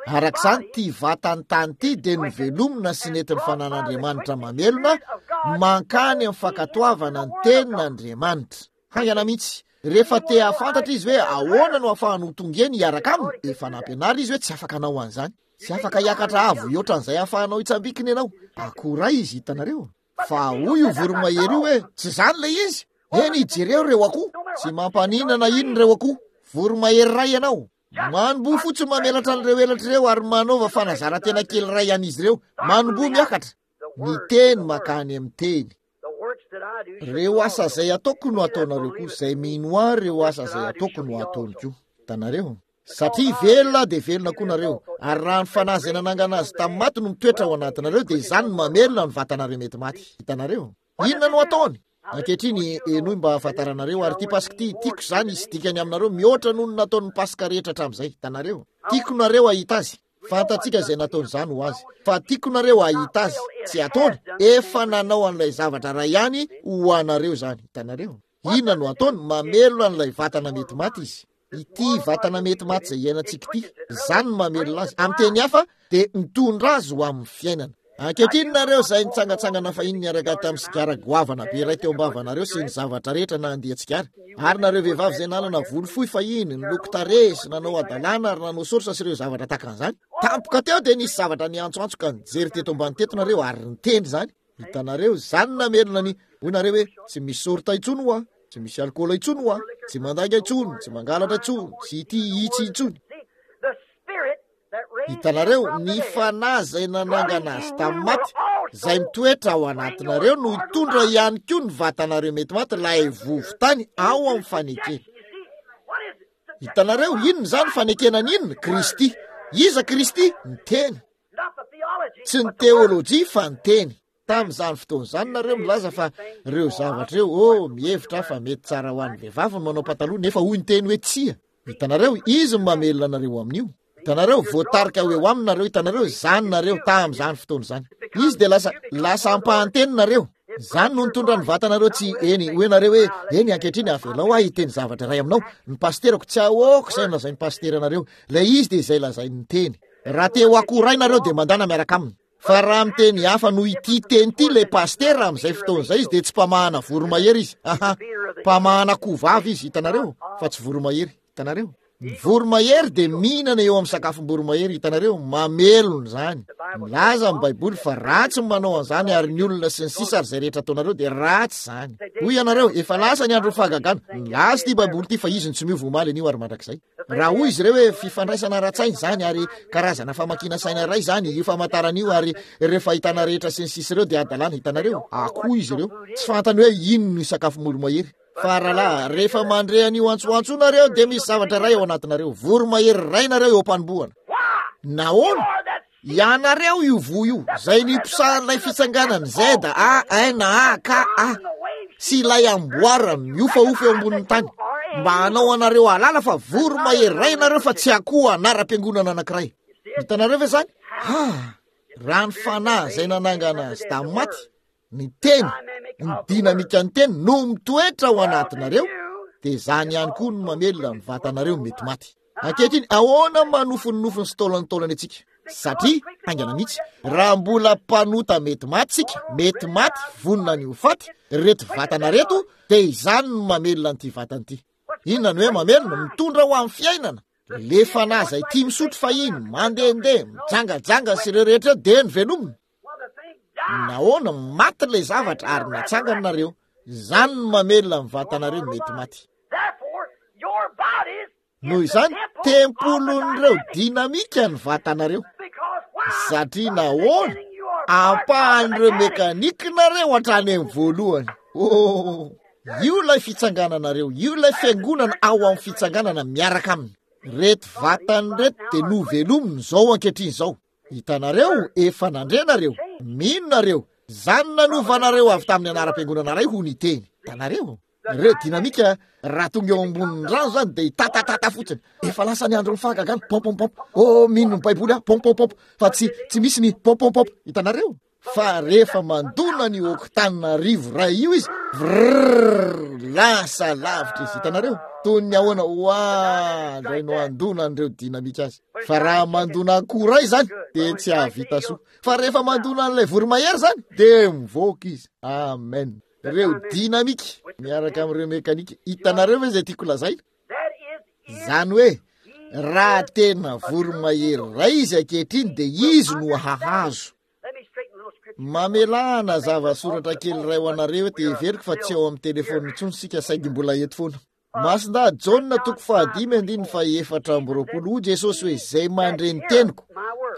Araka izany, ity vatany tany ity dia novelomina sy nentin'ny fanan'Andriamanitra mamelona mankany amin'ny fankatoavana ny tenin'Andriamanitra. Haingana mihitsy, rehefa te hahafantatra izy hoe ahoana no ahafahany ho tonga eny hiaraka aminy, efa nampianarina izy hoe tsy afaka hanao an'izany. Tsy afaka hiakatra avo hihoatra an'izay ahafahanao hitsambikina ianao. Akoray izy, hitanareo. Fa hoy io voromahery io hoe, tsy izany ilay izy. Eny, jereo ireo akoho. Tsy mampaninona na inona ireo akoho. Voromahery iray ianao. Manomboha fotsiny mamelatra an'ireo elatra ireo ary manaova fanazaran-tena kely iray an'izy ireo. Manomboha miakatra. Ny teny makany amin'ny teny. Ireo asa izay ataoko no ataonareo koa. Izay mino ahy, ireo asa izay ataoko no ataony koa. Hitanareo? Satria velona dia velona koa nareo. Ary raha ny fanahy izay nanangana azy tamin'ny maty no mitoetra ao anatinareo, dia izany no mamelona ny vatanareo mety maty. Hitanareo? Inona no ataony? Ankehitriny, henoy mba hahafantaranareo, ary ity Paska ity, tiako izany hisy dikany aminareo mihoatra noho ny nataon'ny Paska rehetra hatramin'izay. Hitanareo? Tiako nareo hahita azy. Fantatsika izay nataon'izany ho azy. Fa tiako nareo hahita azy. Tsy ataony. Efa nanao an'ilay zavatra iray ihany ho anareo izany. Hitanareo? Inona no ataony? Mamelona an'ilay vatana mety maty izy. Ity vatana mety maty izay iainantsika ity, izany no mamelona azy. Amin'ny teny hafa, dia mitondra azy ho amin'ny fiainana. Ankehitriny nareo izay nitsangantsangana fahiny niaraka tamin'ny sigara goavana be iray teo am-bavanareo sy ny zavatra rehetra na andia tsigara, ary nareo vehivavy izay nanana volo fohy fahiny, niloko tarehy sy nanao hadalana ary nanao sorsa sy ireo zavatra tahaka an'izany, tampoka teo dia nisy zavatra niantsoantso ka nijery teto ambany teto nareo ary niteny izany. Hitanareo, izany namelona ny, hoy nareo hoe, tsy misy sorta intsony hoa, tsy misy alikaola intsony hoa, tsy mandainga intsony, tsy mangalatra intsony, tsy ity itsy intsony. Hitanareo, ny fanahy izay nanangana azy tamin'ny maty izay mitoetra ao anatinareo no hitondra ihany koa ny vatanareo mety maty ilay vovotany ao amin'ny fanekena. Hitanareo, inona izany fanekena ny inona? Kristy. Iza Kristy? Ny teny. Tsy ny teolojia fa ny teny. Tamin'izany fotoana izany nareo milaza fa ireo zavatra ireo, oh, mihevitra fa mety tsara ho an'ny vehivavy ny manao pataloha, nefa hoy ny teny hoe tsia. Hitanareo, izy no mamelona anareo amin'io. Hitanareo, voatarika ho eo aminareo, hitanareo, izany nareo tamin'izany fotoana izany. Izy dia lasa, lasa ampahanteny nareo. Izany no nitondra ny vatanareo tsy eny, hoe nareo hoe, eny ankehitriny avelao aho hiteny zavatra iray aminao. Ny pasterako tsy ahoako izay nolazain'ny pasteranareo. Ilay izy dia izay lazain'ny teny. Raha te ho akoho iray nareo dia mandana miaraka aminy. Fa raha miteny hafa noho ity teny ity ilay pastera amin'izay fotoana izay izy dia tsy mpamahana voromahery izy. Aha, mpamahana akoho vavy izy, hitanareo, fa tsy voromahery, hitanareo. Ny voromahery dia mihinana eo amin'ny sakafom-boromahery, hitanareo, mamelona izany. Milaza ny Baiboly fa ratsy ny manao an'izany ary ny olona sy ny sisa ary izay rehetra ataonareo dia ratsy izany. Hoy ianareo, efa lasa ny andron'ny fahagagana. Milaza ity Baiboly ity fa izy no tsy miova omaly anio ary mandrakizay. Raha hoy izy ireo hoe fifandraisana ara-tsaina izany ary karazana famakiana saina iray izany, io famantarana io ary ireo fahitana rehetra sy ny sisa ireo dia hadalana, hitanareo, akoho izy ireo. Tsy fantany hoe inona no sakafom-boromahery. Fa rahalahy, rehefa mandre an'io antsoantso nareo dia misy zavatra iray ao anatinareo, voromahery iray nareo eo am-panombohana. Nahoana? Ianareo io voa io, izay niposahan'ilay fitsanganana Z A N A K A sy ilay amboara mihofahofa eo ambonin'ny tany, mba hanao anareo hahalala fa voromahery iray ianareo fa tsy akoho anaram-piangonana anankiray. Hitanareo ve izany? Ha! Raha ny fanahy izay nanangana azy tamin'ny maty, ny teny, ny dinamikan'ny teny no mitoetra ao anatinareo, dia izany ihany koa no mamelona ny vatanareo mety maty. Ankehitriny, ahoana manofinofiny sy taolantaolana antsika? Satria, haingana mihitsy, raha mbola mpanota mety maty isika, mety maty, vonona ny ho faty, ireto vatana ireto, dia izany no mamelona an'ity vatana ity. Inona no hoe mamelona? Mitondra ho amin'ny fiainana. Le fanahy izay tia misotro fahiny, mandehandeha, mijangajanga sy ireo rehetra ireo, dia novelomina. Nahoana? Maty ilay zavatra ary natsangana nareo. Izany no mamelona ny vatanareo mety maty. Noho izany, tempolin'ireo dinamika ny vatanareo. Satria nahoana? Ampahan'ireo mekanikinareo hatrany amin'ny voalohany. Oh, io ilay fitsangananareo, io ilay fiangonana ao amin'ny fitsanganana miaraka aminy. Reto vatany reto dia novelominy izao ankehitriny izao. Hitanareo, efa nandre nareo, mino nareo, izany nanovanareo avy tamin'ny anaram-piangonana iray ho ny teny. Hitanareo? Ireo dinamika raha tonga eo ambonin'ny rano izany dia hitatatata fotsiny. Efa lasa ny andron'ny fahagagana, pom pom pom. Oh, mino ny Baiboly aho, pom pom pom. Fa tsy, tsy misy ny pom pom pom. Hitanareo? Fa rehefa mandona ny oktana arivo iray io izy, vrrrr, lasa lavitra izy. Hitanareo? Toy ny ahoana, oa, indray no handona an'ireo dinamika azy. Fa raha mandona akoho iray izany, dia tsy hahavita soa. Fa rehefa mandona an'ilay voromahery izany, dia mivoaka izy. Amen. Ireo dinamika miaraka amin'ireo mekanika. Hitanareo ve izay tiako lazaina? Izany hoe, raha tena voromahery iray izy ankehitriny, dia izy no hahazo. Mamelà nazava soratra kely iray ho anareo eto, heveriko fa tsy ao amin'ny telefona intsony isika, saingy mbola eto foana. Masindahy Jaona toko fahadimy andininy fahefatra amby roapolo, hoy Jesosy hoe, izay mandre ny teniko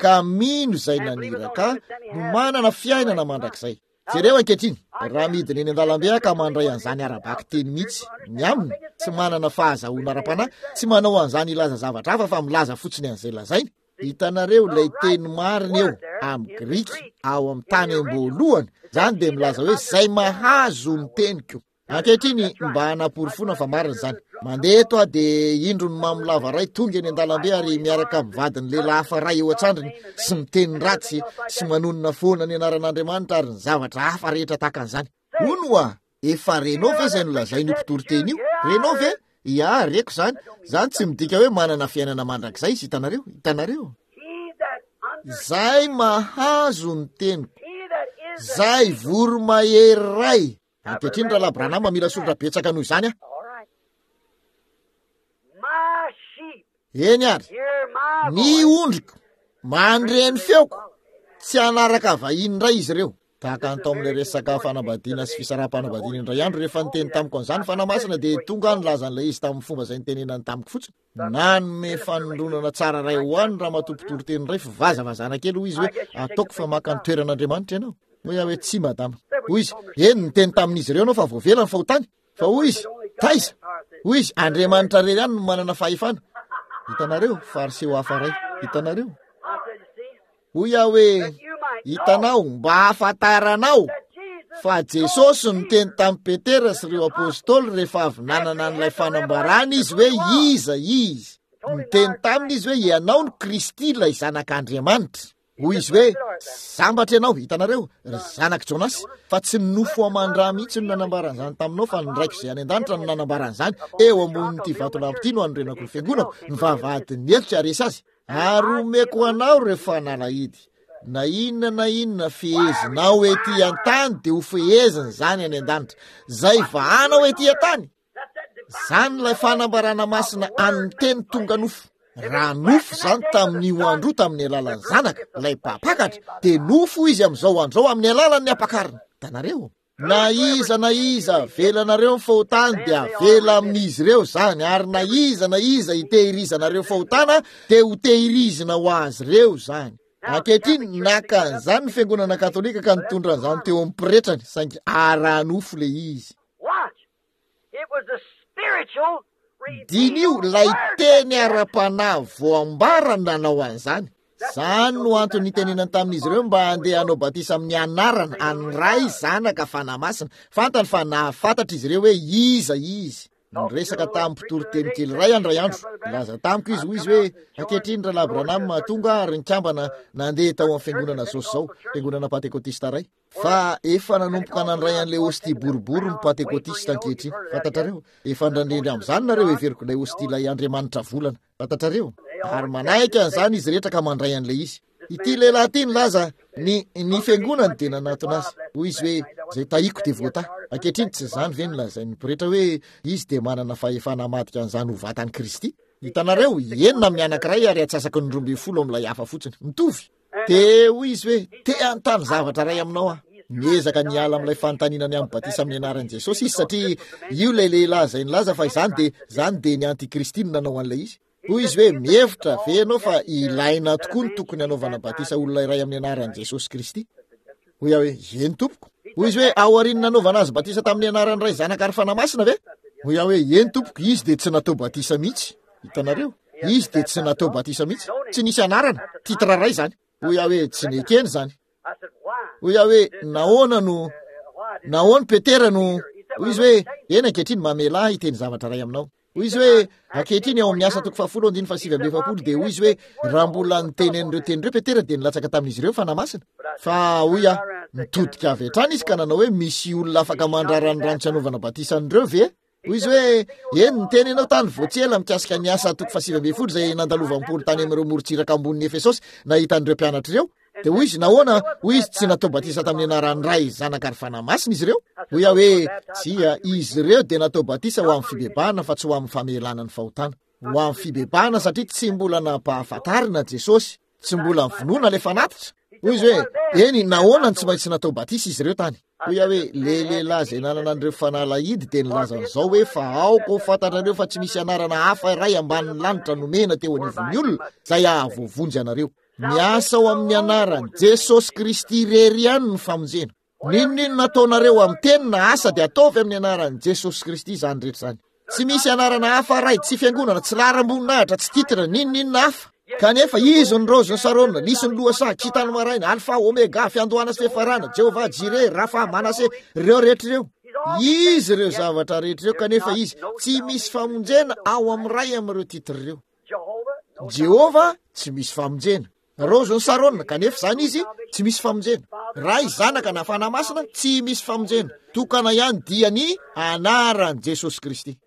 ka mino izay naniraka ahy no manana fiainana mandrakizay. Jereo ankehitriny, raha midina eny an-dalambe aho ka mandray an'izany ara-bakiteny mihitsy, ny aminy, tsy manana fahazahoana ara-panahy, tsy manao an'izany hilaza zavatra hafa fa milaza fotsiny an'izay lazainy. Hitanareo ilay teny marina eo amin'ny grika ao amin'ny tany am-boalohany, izany dia milaza hoe izay mahazo ny teniko. Ankehitriny, mba hanaporofoana fa marina izany. Mandeha eto aho dia indro ny mamo lava iray tonga eny an-dalambe ary miaraka amin'ny vadiny lehilahy hafa iray eo an-tsandriny sy miteny ratsy sy manonona foana ny anaran'Andriamanitra ary ny zavatra hafa rehetra tahaka an'izany. Hono hoa, efa renao ve izay nolazain'io mpitoriteny io? Renao ve? Ia, reko izany. Izany tsy midika hoe manana fiainana mandrakizay izy, hitanareo? Hitanareo? Izay mahazo ny teniko, izay voromahery iray. Ankehitriny, Rahalahy Branham, mila soratra betsaka noho izany aho. Eny ary, ny ondriko mandre ny feoko, tsy hanaraka vahiny indray izy ireo. Tahaka ny tao amin'ilay resaka fanambadiana sy fisaraham-panambadiana indray andro, rehefa niteny tamiko an'izany Fanahy Masina, dia tonga aho nilaza an'ilay izy tamin'ny fomba izay nitenenany tamiko fotsiny. Nanome fanondronana tsara iray ho ahy ny ramatoa mpitoriteny iray, fivazavazana kely, hoy izy hoe, ataoko fa maka ny toeran'Andriamanitra ianao. Hoy aho hoe, tsia, madama. Hoy izy, eny, niteny tamin'izy ireo ianao fa voavela ny fahotany. Fa hoy izy, taiza? Hoy izy, Andriamanitra irery ihany no manana fahefana. Hitanareo, fariseo hafa iray. Hitanareo? Hoy aho hoe, hitanao, mba hahafantaranao fa Jesosy niteny tamin'i Petera sy ireo apôstôly rehefa avy nanana an'ilay fanambarana izy hoe iza izy. Niteny taminy izy hoe ianao no Kristy ilay zanak'Andriamanitra. Hoy izy hoe, sambatra ianao, hitanareo, ry zanak'i Jonas, fa tsy ny nofo aman-dra mihitsy no nanambaran'izany taminao, fa ny Raiko izay any an-danitra no nanambaran'izany. Eo ambonin'ity vatolampy ity no hanorenako ny fiangonako, ny vavahadin'ny helo tsy haharesy azy. Ary omeko anao ireo fanalahidy. Na inona na inona fehezinao ety an-tany dia ho fehezina izany any an-danitra. Izay vahanao ety an-tany, izany ilay fanambarana masina an'ny teny tonga nofo. Raha nofo izany tamin'io andro io tamin'ny alalan'ny zanaka, ilay mpampakatra, dia nofo izy amin'izao andro izao amin'ny alalan'ny ampakarina. Hitanareo? Na iza na iza avelanareo ny fahotany dia avela amin'izy ireo izany, ary na iza na iza hitehirizanareo fahotana dia ho tehirizina ho azy ireo izany. Ankehitriny, naka an'izany ny fiangonana katolika ka nitondra an'izany teo amin'ny pretrany, saingy ara-nofo ilay izy. Diniho ilay teny ara-panahy voambara nanao an'izany. Izany no antony nitenenany tamin'izy ireo mba handeha hanao batisa amin'ny anarana an'ny Ray, Zanaka, Fanahy Masina. Fantany fa nahafantatra izy ireo hoe iza izy. Niresaka tamin'ny mpitory teny kely iray aho indray andro. Nilaza tamiko izy, hoy izy hoe, ankehitriny Rahalahy Branham tonga ary nikambana nandeha tao amin'ny fiangonana izao sy izao, fiangonana Pantekotista iray. Fa efa nanomboka nandray an'ilay hostia boribory ny Pantekotista ankehitriny. Fantatrareo? Efa nandrendry amin'izany nareo, heveriko ilay hostia ilay Andriamanitra volana. Fantatrareo? Ary manaiky an'izany izy rehetra ka mandray an'ilay izy. Ity lehilahy ity nilaza, ny, ny fiangonany dia nanatona azy. Hoy izy hoe, izay tahiko dia voatahy. Ankehitriny, tsy izany ve no lazain'ny pretra hoe izy dia manana fahefana hamadika an'izany ho vatan'i Kristy? Hitanareo, enina amin'ny anankiray ary atsasaky ny roa ambin'ny folo amin'ilay hafa fotsiny. Mitovy. Dia hoy izy hoe, te hanontany zavatra iray aminao aho. Miezaka ny hiala amin'ilay fanontaniana ny amin'ny batisa amin'ny anaran'i Jesosy izy, satria io ilay lehilahy izay nilaza fa izany dia, izany dia ny antikristy no nanao an'ilay izy. Hoy izy hoe, mihevitra ve ianao fa ilaina tokoa ny tokony hanaovana batisa olona iray amin'ny anaran'i Jesosy Kristy? Hoy aho hoe, eny tompoko. Hoy izy hoe, aorian'ny nanaovana azy batisa tamin'ny anaran'ny Ray, Zanaka ary Fanahy Masina ve? Hoy aho hoe, eny tompoko, izy dia tsy natao batisa mihitsy. Hitanareo? Izy dia tsy natao batisa mihitsy. Tsy nisy anarana, titre iray izany. Hoy aho hoe, tsy nekeny izany. Hoy aho hoe, nahoana no, nahoana Petera no, hoy izy hoe, eny ankehitriny mamelà ahy hiteny zavatra iray aminao. Hoy izy hoe, ankehitriny ao amin'ny asa toko fahafolo andininy fahasivy amby efapolo dia hoy izy hoe, raha mbola niteny an'ireo teny ireo Petera dia nilatsaka tamin'izy ireo ny Fanahy Masina. Fa hoy aho, nitodika avy hatrany izy ka nanao hoe, misy olona afaka mandrara ny rano tsy hanaovana batisa an'ireo ve? Hoy izy hoe, eny, niteny ianao tany vao tsy ela mikasika ny asa toko fahasivy ambin'ny folo izay nandalovan'i Paoly tany amin'ireo morontsiraka ambonin'i Efesosy nahita an'ireo mpianatra ireo. Dia hoy izy, nahoana, hoy izy, tsy natao batisa tamin'ny anaran'ny Ray, Zanaka ary Fanahy Masina izy ireo? Hoy aho hoe, tsia, izy ireo dia natao batisa ho amin'ny fibebahana fa tsy ho amin'ny famelana ny fahotana. Ho amin'ny fibebahana satria tsy mbola nampahafantarina Jesosy, tsy mbola vonoina ilay fanatitra. Hoy izy hoe, eny, nahoana no tsy maintsy natao batisa izy ireo tany? Hoy aho hoe, le lehilahy izay nanana an'ireo fanalahidy dia nilaza an'izao hoe, fa aoka ho fantatrareo fa tsy misy anarana hafa iray ambanin'ny lanitra nomena teo anivon'ny olona izay hahavoavonjy anareo. Miasa ao amin'ny anaran'i Jesosy Kristy irery ihany ny famonjena. N'inon'inona ataonareo amin'ny teny na asa dia ataovy amin'ny anaran'i Jesosy Kristy izany rehetra izany. Tsy misy anarana hafa ray, tsy fiangonana, tsy laharam-boninahitra, tsy titre, n'inon'inona hafa. Kanefa izy ny raozin'ny Sarona, lisy ny lohasaha, kintan'ny maraina, Alfa, Omega, fiandohana sy fiafarana, Jehovah Jireh, Rafa, Manase, ireo rehetra ireo. Izy ireo zavatra rehetra ireo, kanefa izy tsy misy famonjena ao amin'ny ray amin'ireo titre ireo. Jehovah tsy misy famonjena. Raozin'i Sarona, kanefa izany izy tsy misy famonjena. Ray, Zanaka na Fanahy Masina tsy misy famonjena. Tokana ihany dia ny anaran'i Jesosy Kristy.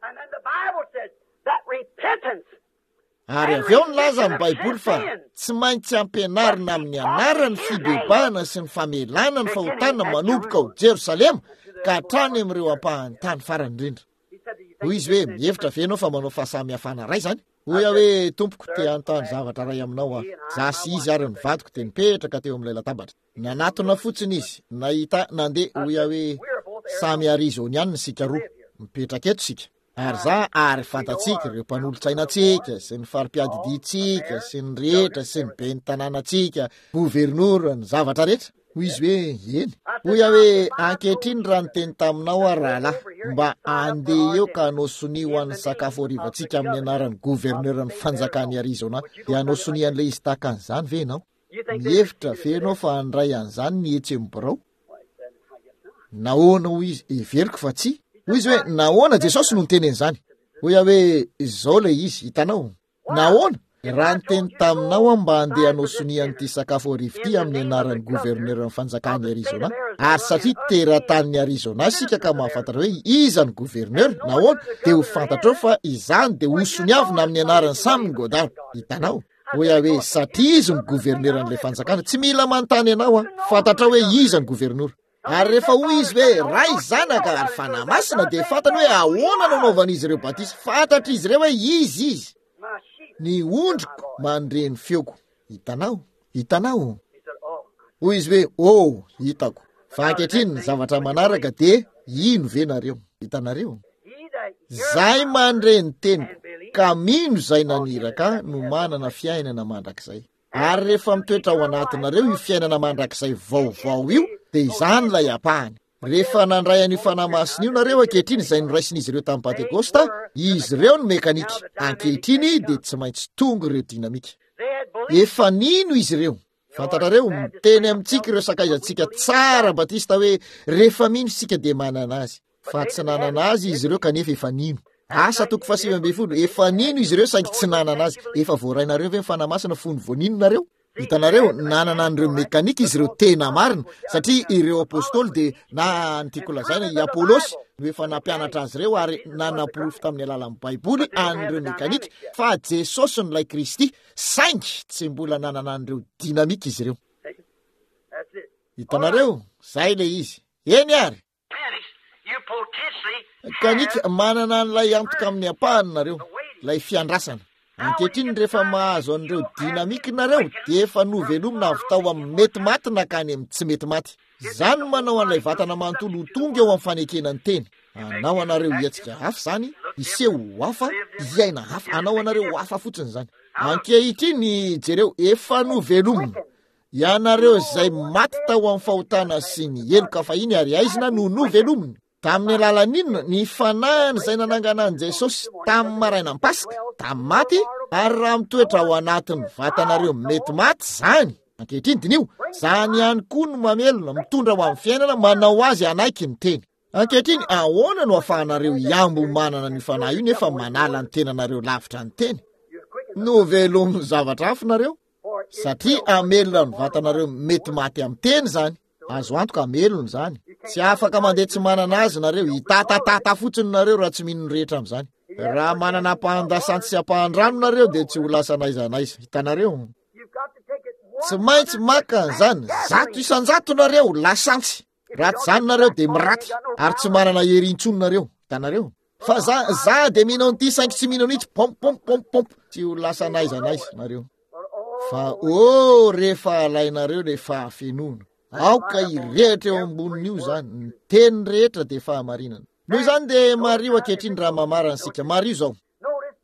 Ary avy eo nilaza ny Baiboly fa tsy maintsy ampianarina amin'ny anaran'ny fibebahana sy ny famelana ny fahotana manomboka ao Jerosalema ka hatrany amin'ireo ampahan'ny tany farany indrindra. Hoy izy hoe, mihevitra ve ianao fa manao fahasamihafana iray izany? Hoy aho hoe, Tompoko, te hanontany zavatra iray aminao aho. Izaho sy izy ary ny vadiko dia nipetraka teo amin'ilay latabatra. Nanatona fotsiny izy, nahita ahy nandeha. Hoy aho hoe, Samy Arizoniana isika roa. Mipetraka eto isika. Ary izaho, ary fantatsika, ireo mpanolotsaina antsika, sy ny fari-piadidiantsika, sy ny rehetra, sy ny ben'ny tanànantsika, governora, ny zavatra rehetra. Hoy izy hoe, eny. Hoy aho hoe, ankehitriny raha niteny taminao aho rahalahy, mba andeha eo ka hanao sonia ho an'ny sakafo harivantsika amin'ny anaran'ny governoran'ny fanjakan'i Arizona, dia hanao sonia an'ilay izy tahaka an'izany ve ianao? Mihevitra ve ianao fa handray an'izany ny etsy amin'ny birao? Nahoana hoy izy, heveriko fa tsy. Hoy izy hoe, nahoana Jesosy no niteny an'izany? Hoy aho hoe, izao ilay izy, hitanao. Nahoana? Raha niteny taminao aho mba handeha hanao sonia an'ity sakafo hariva ity amin'ny anaran'ny governoran'ny fanjakan'i Arizona, ary satria teratany Arizona isika ka mahafantatra hoe iza ny governeur, nahoana? Dia ho fantatrao fa izany dia ho soniavina amin'ny anaran'i Sam Goddard. Hitanao? Hoy aho hoe, satria izy ny governoran'ilay fanjakana, tsy mila manontany anao aho, fantatrao hoe iza ny governora. Ary rehefa hoy izy hoe Ray, Zanaka ary Fanahy Masina, dia fantany hoe ahoana no anaovan'izy ireo batisa. Fantatr'izy ireo hoe izy izy. Ny ondriko mandre ny feoko. Hitanao? Hitanao? Hoy izy hoe, oh, hitako. Fa ankehitriny ny zavatra manaraka dia ino ve nareo? Hitanareo? Zay mandre ny teniko ka mino izay naniraka no manana fiainana mandrakizay. Ary rehefa mitoetra ao anatinareo io fiainana mandrakizay vaovao io, dia izany ilay ampahany. Rehefa nandray an'io Fanahy Masina io nareo ankehitriny, izay noraisin'izy ireo tamin'ny Pentekosta, izy ireo no mekanika. Ankehitriny dia tsy maintsy tonga ireo dinamika. Efa nino izy ireo. Fantatrareo, miteny amintsika ireo sakaizantsika tsara Batista hoe rehefa mino isika dia manana azy. Fa tsy nanana azy izy ireo kanefa efa nino. Asa toko fahasivy ambin'ny folo, efa nino izy ireo saingy tsy nanana azy. Efa voarainareo ve ny Fanahy Masina fony vao nino nareo? Hitanareo, nanana an'ireo mekanika izy ireo tena marina, satria ireo apôstôly dia na ny tiako lazaina i Apôlosy no efa nampianatra azy ireo ary nanaporofo tamin'ny alalan'ny Baiboly an'ireo mekanika fa Jesosy no ilay Kristy, saingy tsy mbola nanana an'ireo dinamika izy ireo. Hitanareo, zay ilay izy. Eny ary. Kanika, manana an'ilay antoka amin'ny ampahany nareo, ilay fiandrasana. Ankehitriny rehefa mahazo an'ireo dinamika nareo, dia efa novelomina avy tao amin'ny mety maty nankany amin'ny tsy mety maty. Izany no manao an'ilay vatana manontolo ho tonga eo amin'ny fanekena ny teny. Anao anareo hihetsika hafa izany, hiseho ho hafa, hiaina hafa, anao anareo ho hafa fotsiny izany. Ankehitriny, jereo, efa novelomina. Ianareo izay maty tao amin'ny fahotana sy ny heloka fahiny ary aizina no novelomina. Tamin'ny alalan'inona? Ny fanahiny izay nanangana an'i Jesosy tamin'ny marainan'ny Paska, tamin'ny maty, ary raha mitoetra ao anatin'ny vatanareo mety maty izany. Ankehitriny diniho, izany ihany koa no mamelona, mitondra ho amin'ny fiainana, manao azy hanaiky ny teny. Ankehitriny, ahoana no ahafahanareo hiambo manana ny fanahy io nefa manala ny tenanareo lavitra ny teny? Novelomin'ny zavatra hafa nareo, satria hamelona ny vatanareo mety maty amin'ny teny izany. Azo antoka hamelona izany. Tsy afaka mandeha tsy manana azy nareo, hitatatata fotsiny nareo raha tsy mino ny rehetra amin'izany. Raha manana ampahan-dasantsy sy ampahan-drano nareo dia tsy ho lasa n'aiza n'aiza. Hitanareo? Tsy maintsy maka an'izany zato isan-jato nareo, lasantsy. Raha tsy izany nareo dia miraty ary tsy manana hery intsony nareo. Hitanareo? Fa za, za dia mino an'ity saingy tsy mino an'itsy, pomp pomp pomp pomp, tsy ho lasa n'aiza n'aiza nareo. Fa oh, rehefa alainareo ilay fahafenoana, aoka hirehitra eo ambonin'io izany, ny teny rehetra dia fahamarinana. Noho izany dia mariho ankehitriny raha mamarana isika. Mariho izao.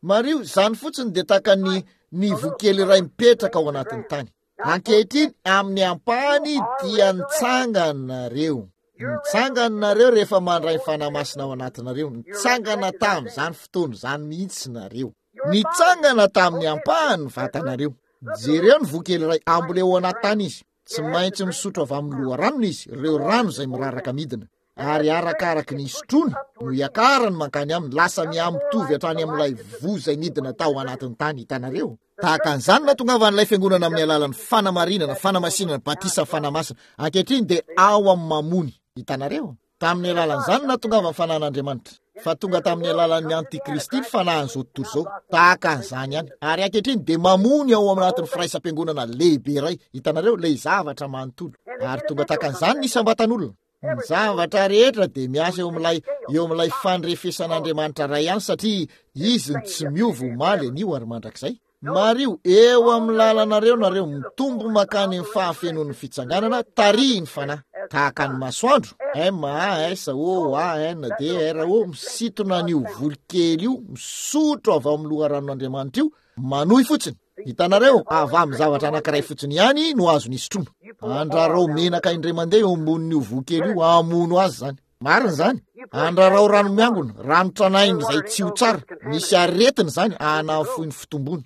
Mariho, izany fotsiny dia tahaka ny ny voa kely iray mipetraka ao anatin'ny tany. Ankehitriny, amin'ny ampahany dia nitsangana nareo. Nitsangana nareo rehefa mandray ny Fanahy Masina ao anatinareo. Nitsangana tamin'izany fotoana izany mihitsy nareo. Nitsangana tamin'ny ampahany ny vatanareo. Jereo ny voa kely iray, amboleo ao anaty tany izy. Tsy maintsy misotro avy amin'ny loharanony izy, ireo rano izay miraraka midina. Ary arakaraky ny isotroany no iakarany mankany aminy, lasa mihamitovy hatrany amin'ilay voa izay nidina tao anatin'ny tany, hitanareo. Tahaka an'izany nahatongavan'ilay fiangonana amin'ny alalan'ny fanamarinana, fanamasinana, batisa Fanahy Masina. Ankehitriny dia ao amin'ny mamony, hitanareo. Tamin'ny alalan'izany nahatongavan'ny fanahin'Andriamanitra. Fa tonga tamin'ny alalan'ny antikristy ny fanahin'izao tontolo izao. Tahaka an'izany ihany. Ary ankehitriny dia mamony ao anatin'ny firaisam-piangonana lehibe iray, hitanareo, ilay zavatra manontolo. Ary tonga tahaka an'izany ny isam-batan'olona. Ny zavatra rehetra dia miasa eo amin'ilay eo amin'ilay fandrefesan'Andriamanitra ray ihany, satria izy no tsy miova omaly, anio ary mandrakizay. Mariho, eo amin'ny lalanareo nareo, mitombo mankany amin'ny fahafenoan'ny fitsanganana, tarihin'ny fanahy. Tahaka ny masoandro, M A S O A N D R O, misintona an'io voly kely io, misotro avy ao amin'ny loharanon'Andriamanitra io, manohy fotsiny. Hitanareo, avy amin'ny zavatra anankiray fotsiny ihany no azony isotroana. Andrarao menaka indray mandeha eo ambonin'io voa kely io, hamono azy izany. Marina izany. Andrarao rano miangona, rano tranainy izay tsy ho tsara. Misy aretina izany, hanafoy ny fitombony.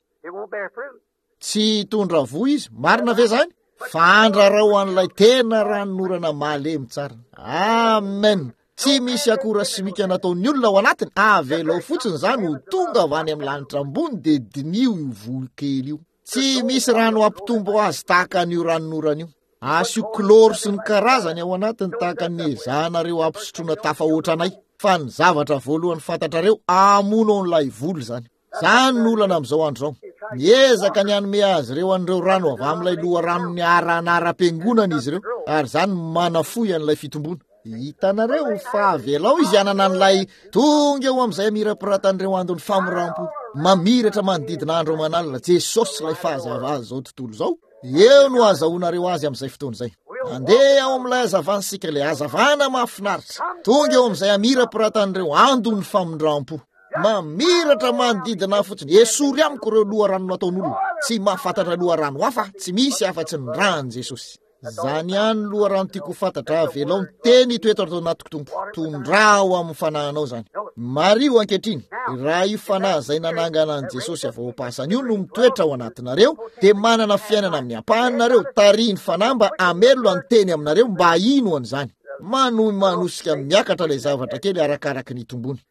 Tsy hitondra voa izy. Marina ve izany? Fa andrarao an'ilay tena ranonorana malemy tsara. Amen. Tsy misy akora simika nataon'ny olona ao anatiny. Avelao fotsiny izany ho tonga avy any amin'ny lanitra ambony, dia diniho io voa kely io. Tsy misy rano hampitombo azy tahaka an'io ranonorana io. Asio kloro sy ny karazany ao anatiny tahaka ny ezahanareo hampisotroana tafahoatra anay. Fa ny zavatra voalohany fantatrareo, hamono an'ilay vola izany. Izany no olana amin'izao andro izao. Miezaka ny hanome azy ireo an'ireo rano avy amin'ilay loharanon'ny ara-anaram-piangonana izy ireo, ary izany manafohy an'ilay fitomboana. Hitanareo fa avelao izy hanana an'ilay tonga eo amin'izay amirapiratan'ireo andon'ny famorampo, mamiratra manodidina andro aman'alina, Jesosy ilay fahazavana izao tontolo izao. Eo no azahoanareo azy amin'izay fotoana izay. Andeha ao amin'ilay hazavana isika, ilay hazavana mahafinaritra. Tonga eo amin'izay amirapiratan'ireo andon'ny famindram-po. Mamiratra manodidina fotsiny. Esory amiko ireo loharano nataon'olona. Tsy mahafantatra loharano hafa, tsy misy afa-tsy ny ran'i Jesosy. Zany ihany loharano tiako ho fantatra. Avelao ny teny hitoetra ato anatiko, Tompo. Tondraho amin'ny fanahinao izany. Mariho ankehitriny, raha io fanahy izay nanangana an'i Jesosy avy ao am-pasana io no mitoetra ao anatinareo, dia manana fiainana amin'ny ampahanareo. Tarihin'ny fanahy mba hamelona ny teny aminareo mba hino an'izany. Manohy manosika miakatra ilay zavatra kely arakaraky ny tombony.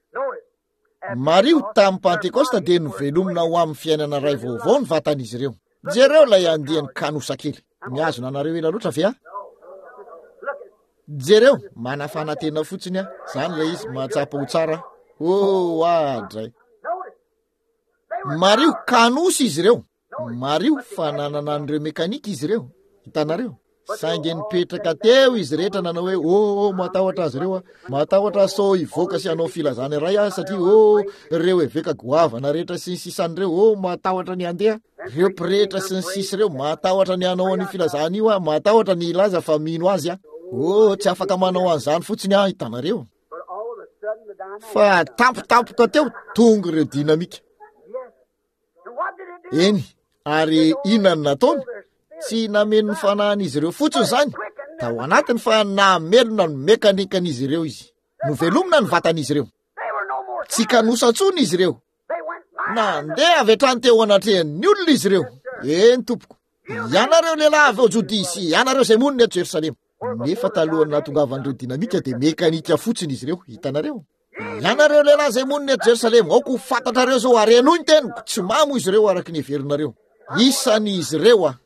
Mariho, tamin'ny Pentekosta dia novelomina ho amin'ny fiainana iray vaovao ny vatan'izy ireo. Jereo ilay andiany kanosa kely. Mihazona anareo ela loatra ve aho? Jereo, manafana tena fotsiny aho. Izany ilay izy, mahatsapa ho tsara. Oh, adray. Mariho, kanosa izy ireo. Mariho fa nanana an'ireo mekanika izy ireo. Hitanareo? Saingy nipetraka teo izy rehetra nanao hoe, oh, oh, matahotra azy ireo aho. Matahotra sao hivoaka sy hanao filazana iray aho, satria, oh, ireo eveka goavana rehetra sy ny sisan'ireo, oh, matahotra ny handeha. Ireo pretra sy ny sisa ireo, matahotra ny hanao an'io filazana io aho, matahotra ny hilaza fa mino azy aho. Oh, tsy afaka manao an'izany fotsiny aho, hitanareo. Fa tampotampoka teo, tonga ireo dinamika. Eny, ary inona no nataony? Tsy nameno ny fanahin'izy ireo fotsiny izany tao anatiny, fa namelona ny mekanikan'izy ireo izy. Novelomina ny vatan'izy ireo. Tsy kanosa intsony izy ireo. Nandeha avy hatrany teo anatrehan'ny olona izy ireo. Eny tompoko, ianareo lehilahy avy ao Jodia sy ianareo izay monina eto Jerosalema. Nefa talohan'ny nahatongavan'ireo dinamika dia mekanika fotsiny izy ireo, hitanareo. Ianareo lehilahy izay monina eto Jerosalema, aoka ho fantatrareo izao ary henoy ny teniko. Tsy mamo izy ireo araka ny heverinareo. Isan'izy ireo aho.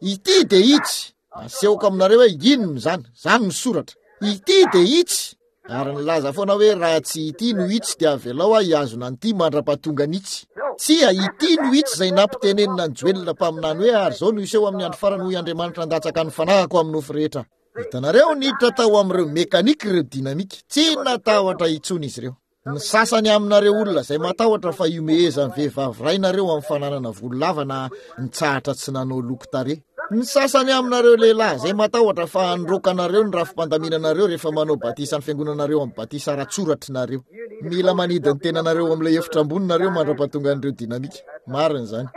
Ity dia itsy. Asehoko aminareo hoe inona izany. Izany no soratra. Ity dia itsy. Ary nilaza foana hoe raha tsy ity no itsy dia avelao aho hihazona an'ity mandra-pahatonga an'itsy. Tsia, ity no itsy izay nampitenenina an'i Joela mpaminany hoe ary izao no hiseho amin'ny andro farany, hoy Andriamanitra, handatsaka ny fanahiko amin'ny nofo rehetra. Hitanareo, niditra tao amin'ireo mekanika ireo dinamika. Tsy natahotra intsony izy ireo. Ny sasany aminareo olona izay matahotra fa ihomehezan'ny vehivavy iray nareo amin'ny fananana volo lava na nitsahatra tsy nanao loko tarehy. Ny sasany aminareo lehilahy izay matahotra fa handroaka anareo ny rafi-pandaminanareo rehefa manao batisa ny fiangonanareo amin'ny batisa ara-tsoratry nareo. Mila manidy ny tenanareo amin'ilay efitra ambony nareo mandra-pahatonga an'ireo dinamika. Marina izany.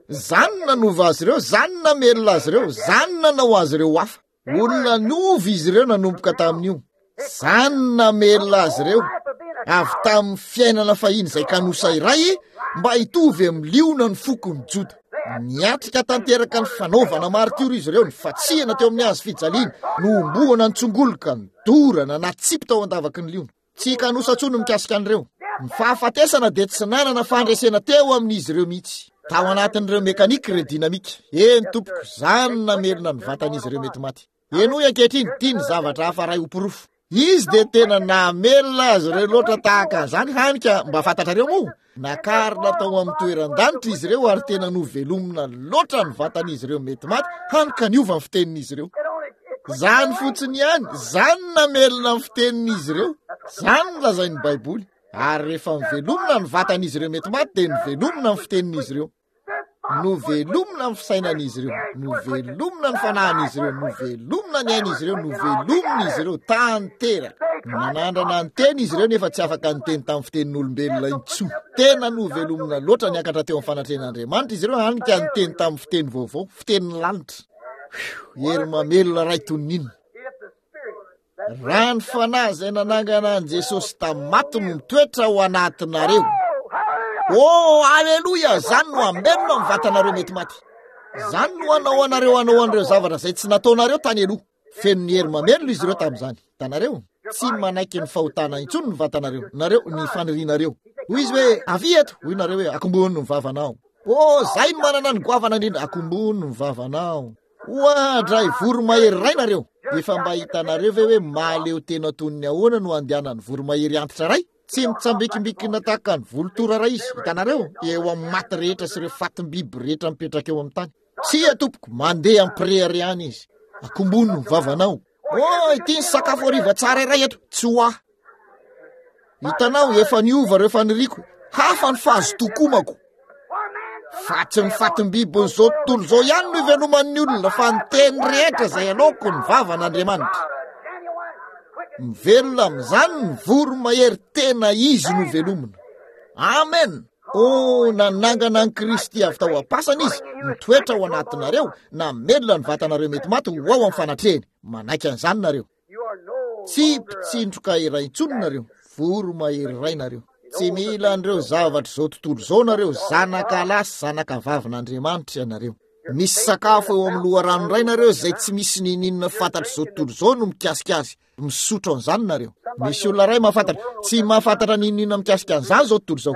Izany no nanova azy ireo, izany no namelona azy ireo, izany no nanao azy ireo hafa. Olona niova izy ireo nanomboka tamin'io. Izany no namelona azy ireo avy tamin'ny fiainana fahiny izay kanosa iray mba hitovy amin'ny liona ny fokon'ny Joda. Niatrika tanteraka ny fanaovana maritiora izy ireo, ny fatsihana teo amin'ny hazo fijaliana, nohomboana ny tsongoloka, nodorana, natsipy tao an-davaky ny liona. Tsy kanosa intsony mikasika an'ireo. Ny fahafatesana dia tsy nanana fandresena teo amin'izy ireo mihitsy. Tao anatin'ireo mekanika ireo dinamika. Eny tompoko, izany no namelona ny vatan'izy ireo mety maty. Henoy ankehitriny, ity ny zavatra hafa iray ho porofo. Izy dia tena namelona azy ireo loatra tahaka an'izany, hany ka mba fantatrareo moa, nakarina tao amin'ny toeran-danitra izy ireo ary tena novelomina loatra ny vatan'izy ireo mety maty, hany ka niova ny fitenin'izy ireo. Izany fotsiny ihany, izany no namelona ny fitenin'izy ireo. Izany no lazain'ny Baiboly. Ary rehefa novelomina ny vatan'izy ireo mety maty dia novelomina ny fitenin'izy ireo. Novelomina ny fisainan'izy ireo, novelomina ny fanahin'izy ireo, novelomina ny ain'izy ireo, novelomina izy ireo tanteraka. Nanandrana niteny izy ireo nefa tsy afaka niteny tamin'ny fitenin'olombelona intsony. Tena novelomina loatra niakatra teo amin'ny fanatrehan'Andriamanitra izy ireo, hany ka niteny tamin'ny fiteny vaovao, fitenin'ny lanitra. Hery mamelona iray toy ny inona? Raha ny fanahy izay nanangana an'i Jesosy tamin'ny maty no mitoetra ao anatinareo. Oh, aleloia! Izany no hamelona ny vatanareo mety maty. Izany no hanao anareo hanao an'ireo zavatra izay tsy nataonareo tany aloha. Feno ny hery mamelona izy ireo tamin'izany. Hitanareo? Tsy manaiky ny fahotana intsony ny vatanareo, nareo, ny fanirianareo. Hoy izy hoe, avia eto. Hoy nareo hoe, akombony ny vavanao. Oh, zay no manana ny goavana indrindra, akombony ny vavanao. Oadray, voromahery iray nareo. Efa mba hitanareo ve hoe mahaleo tena toy ny ahoana no andehanan'ny voromahery antitra iray? Tsy mitsambikimbikina tahaka ny volotora iray izy, hitanareo, eo amin'ny maty rehetra sy ireo fatim-biby rehetra mipetraka eo amin'ny tany. Tsia tompoko, mandeha am-pireharehana izy. Akombony ny vavanao. Oh, ity ny sakafo hariva tsara iray eto, tsy ho ahy. Hitanao, efa niova ireo faniriako, hafa ny fahazotokomako. Fa tsy ny fatim-bibin'izao tontolo izao ihany no iveloman'ny olona, fa ny teny rehetra izay aloako ny vavan'Andriamanitra. Mivelona amin'izany ny voromahery tena izy no velomina. Amen. Oh, nanangana an'i Kristy avy tao am-pasana izy, mitoetra ao anatinareo, namelona ny vatanareo mety maty ho ao amin'ny fanatrehany. Manaiky an'izany nareo. Tsy mpitsindroka iray intsony nareo, voromahery iray nareo. Tsy mila an'ireo zavatra izao tontolo izao nareo, zanaka lahy sy zanaka vavin'Andriamanitra ianareo. Misy sakafo eo amin'ny loharano iray nareo izay tsy misy niniana fantatr'izao tontolo izao no mikasika azy. Misotro an'izany nareo. Misy olona iray mahafantatra, tsy mahafantatra niniana mikasika an'izany izao tontolo izao.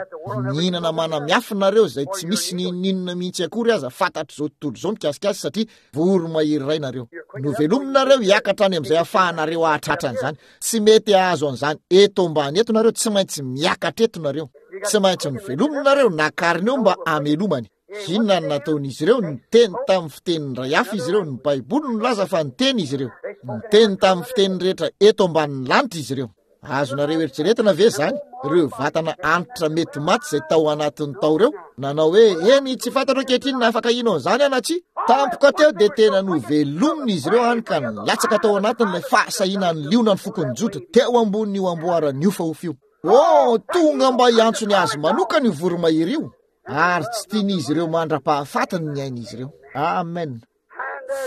Mihinana mana miafina nareo izay tsy misy niniana mihitsy akory aza fantatr'izao tontolo izao mikasika azy, satria voromahery iray nareo. Novelominareo hiakatra any amin'izay ahafahanareo hahatratra an'izany. Tsy mety hahazo an'izany eto ambany eto nareo, tsy maintsy miakatra eto nareo. Tsy maintsy novelominareo, nakarina eo mba hamelomany. Inona no nataon'izy ireo? Niteny tamin'ny fiteny iray hafa izy ireo. Ny Baiboly no nilaza fa niteny izy ireo. Niteny tamin'ny fiteny rehetra eto ambanin'ny lanitra izy ireo. Azonareo eritreretina ve izany? Ireo vatana antitra mety maty izay tao anatin'ny tao ireo, nanao hoe, eny, tsy fantatro ankehitriny na afaka hino an'izany aho na tsia. Tampoka teo dia tena novelomina izy ireo hany ka nilatsaka tao anatin'ilay fahasahiana ny liona ny fokon'ny Joda teo ambonin'io amboara niofahofy io. Oh, tonga mba hiantso ny azy manokana io voromahery io, ary tsy tian'izy ireo mandra-pahafatiny ny ain'izy ireo. Amen.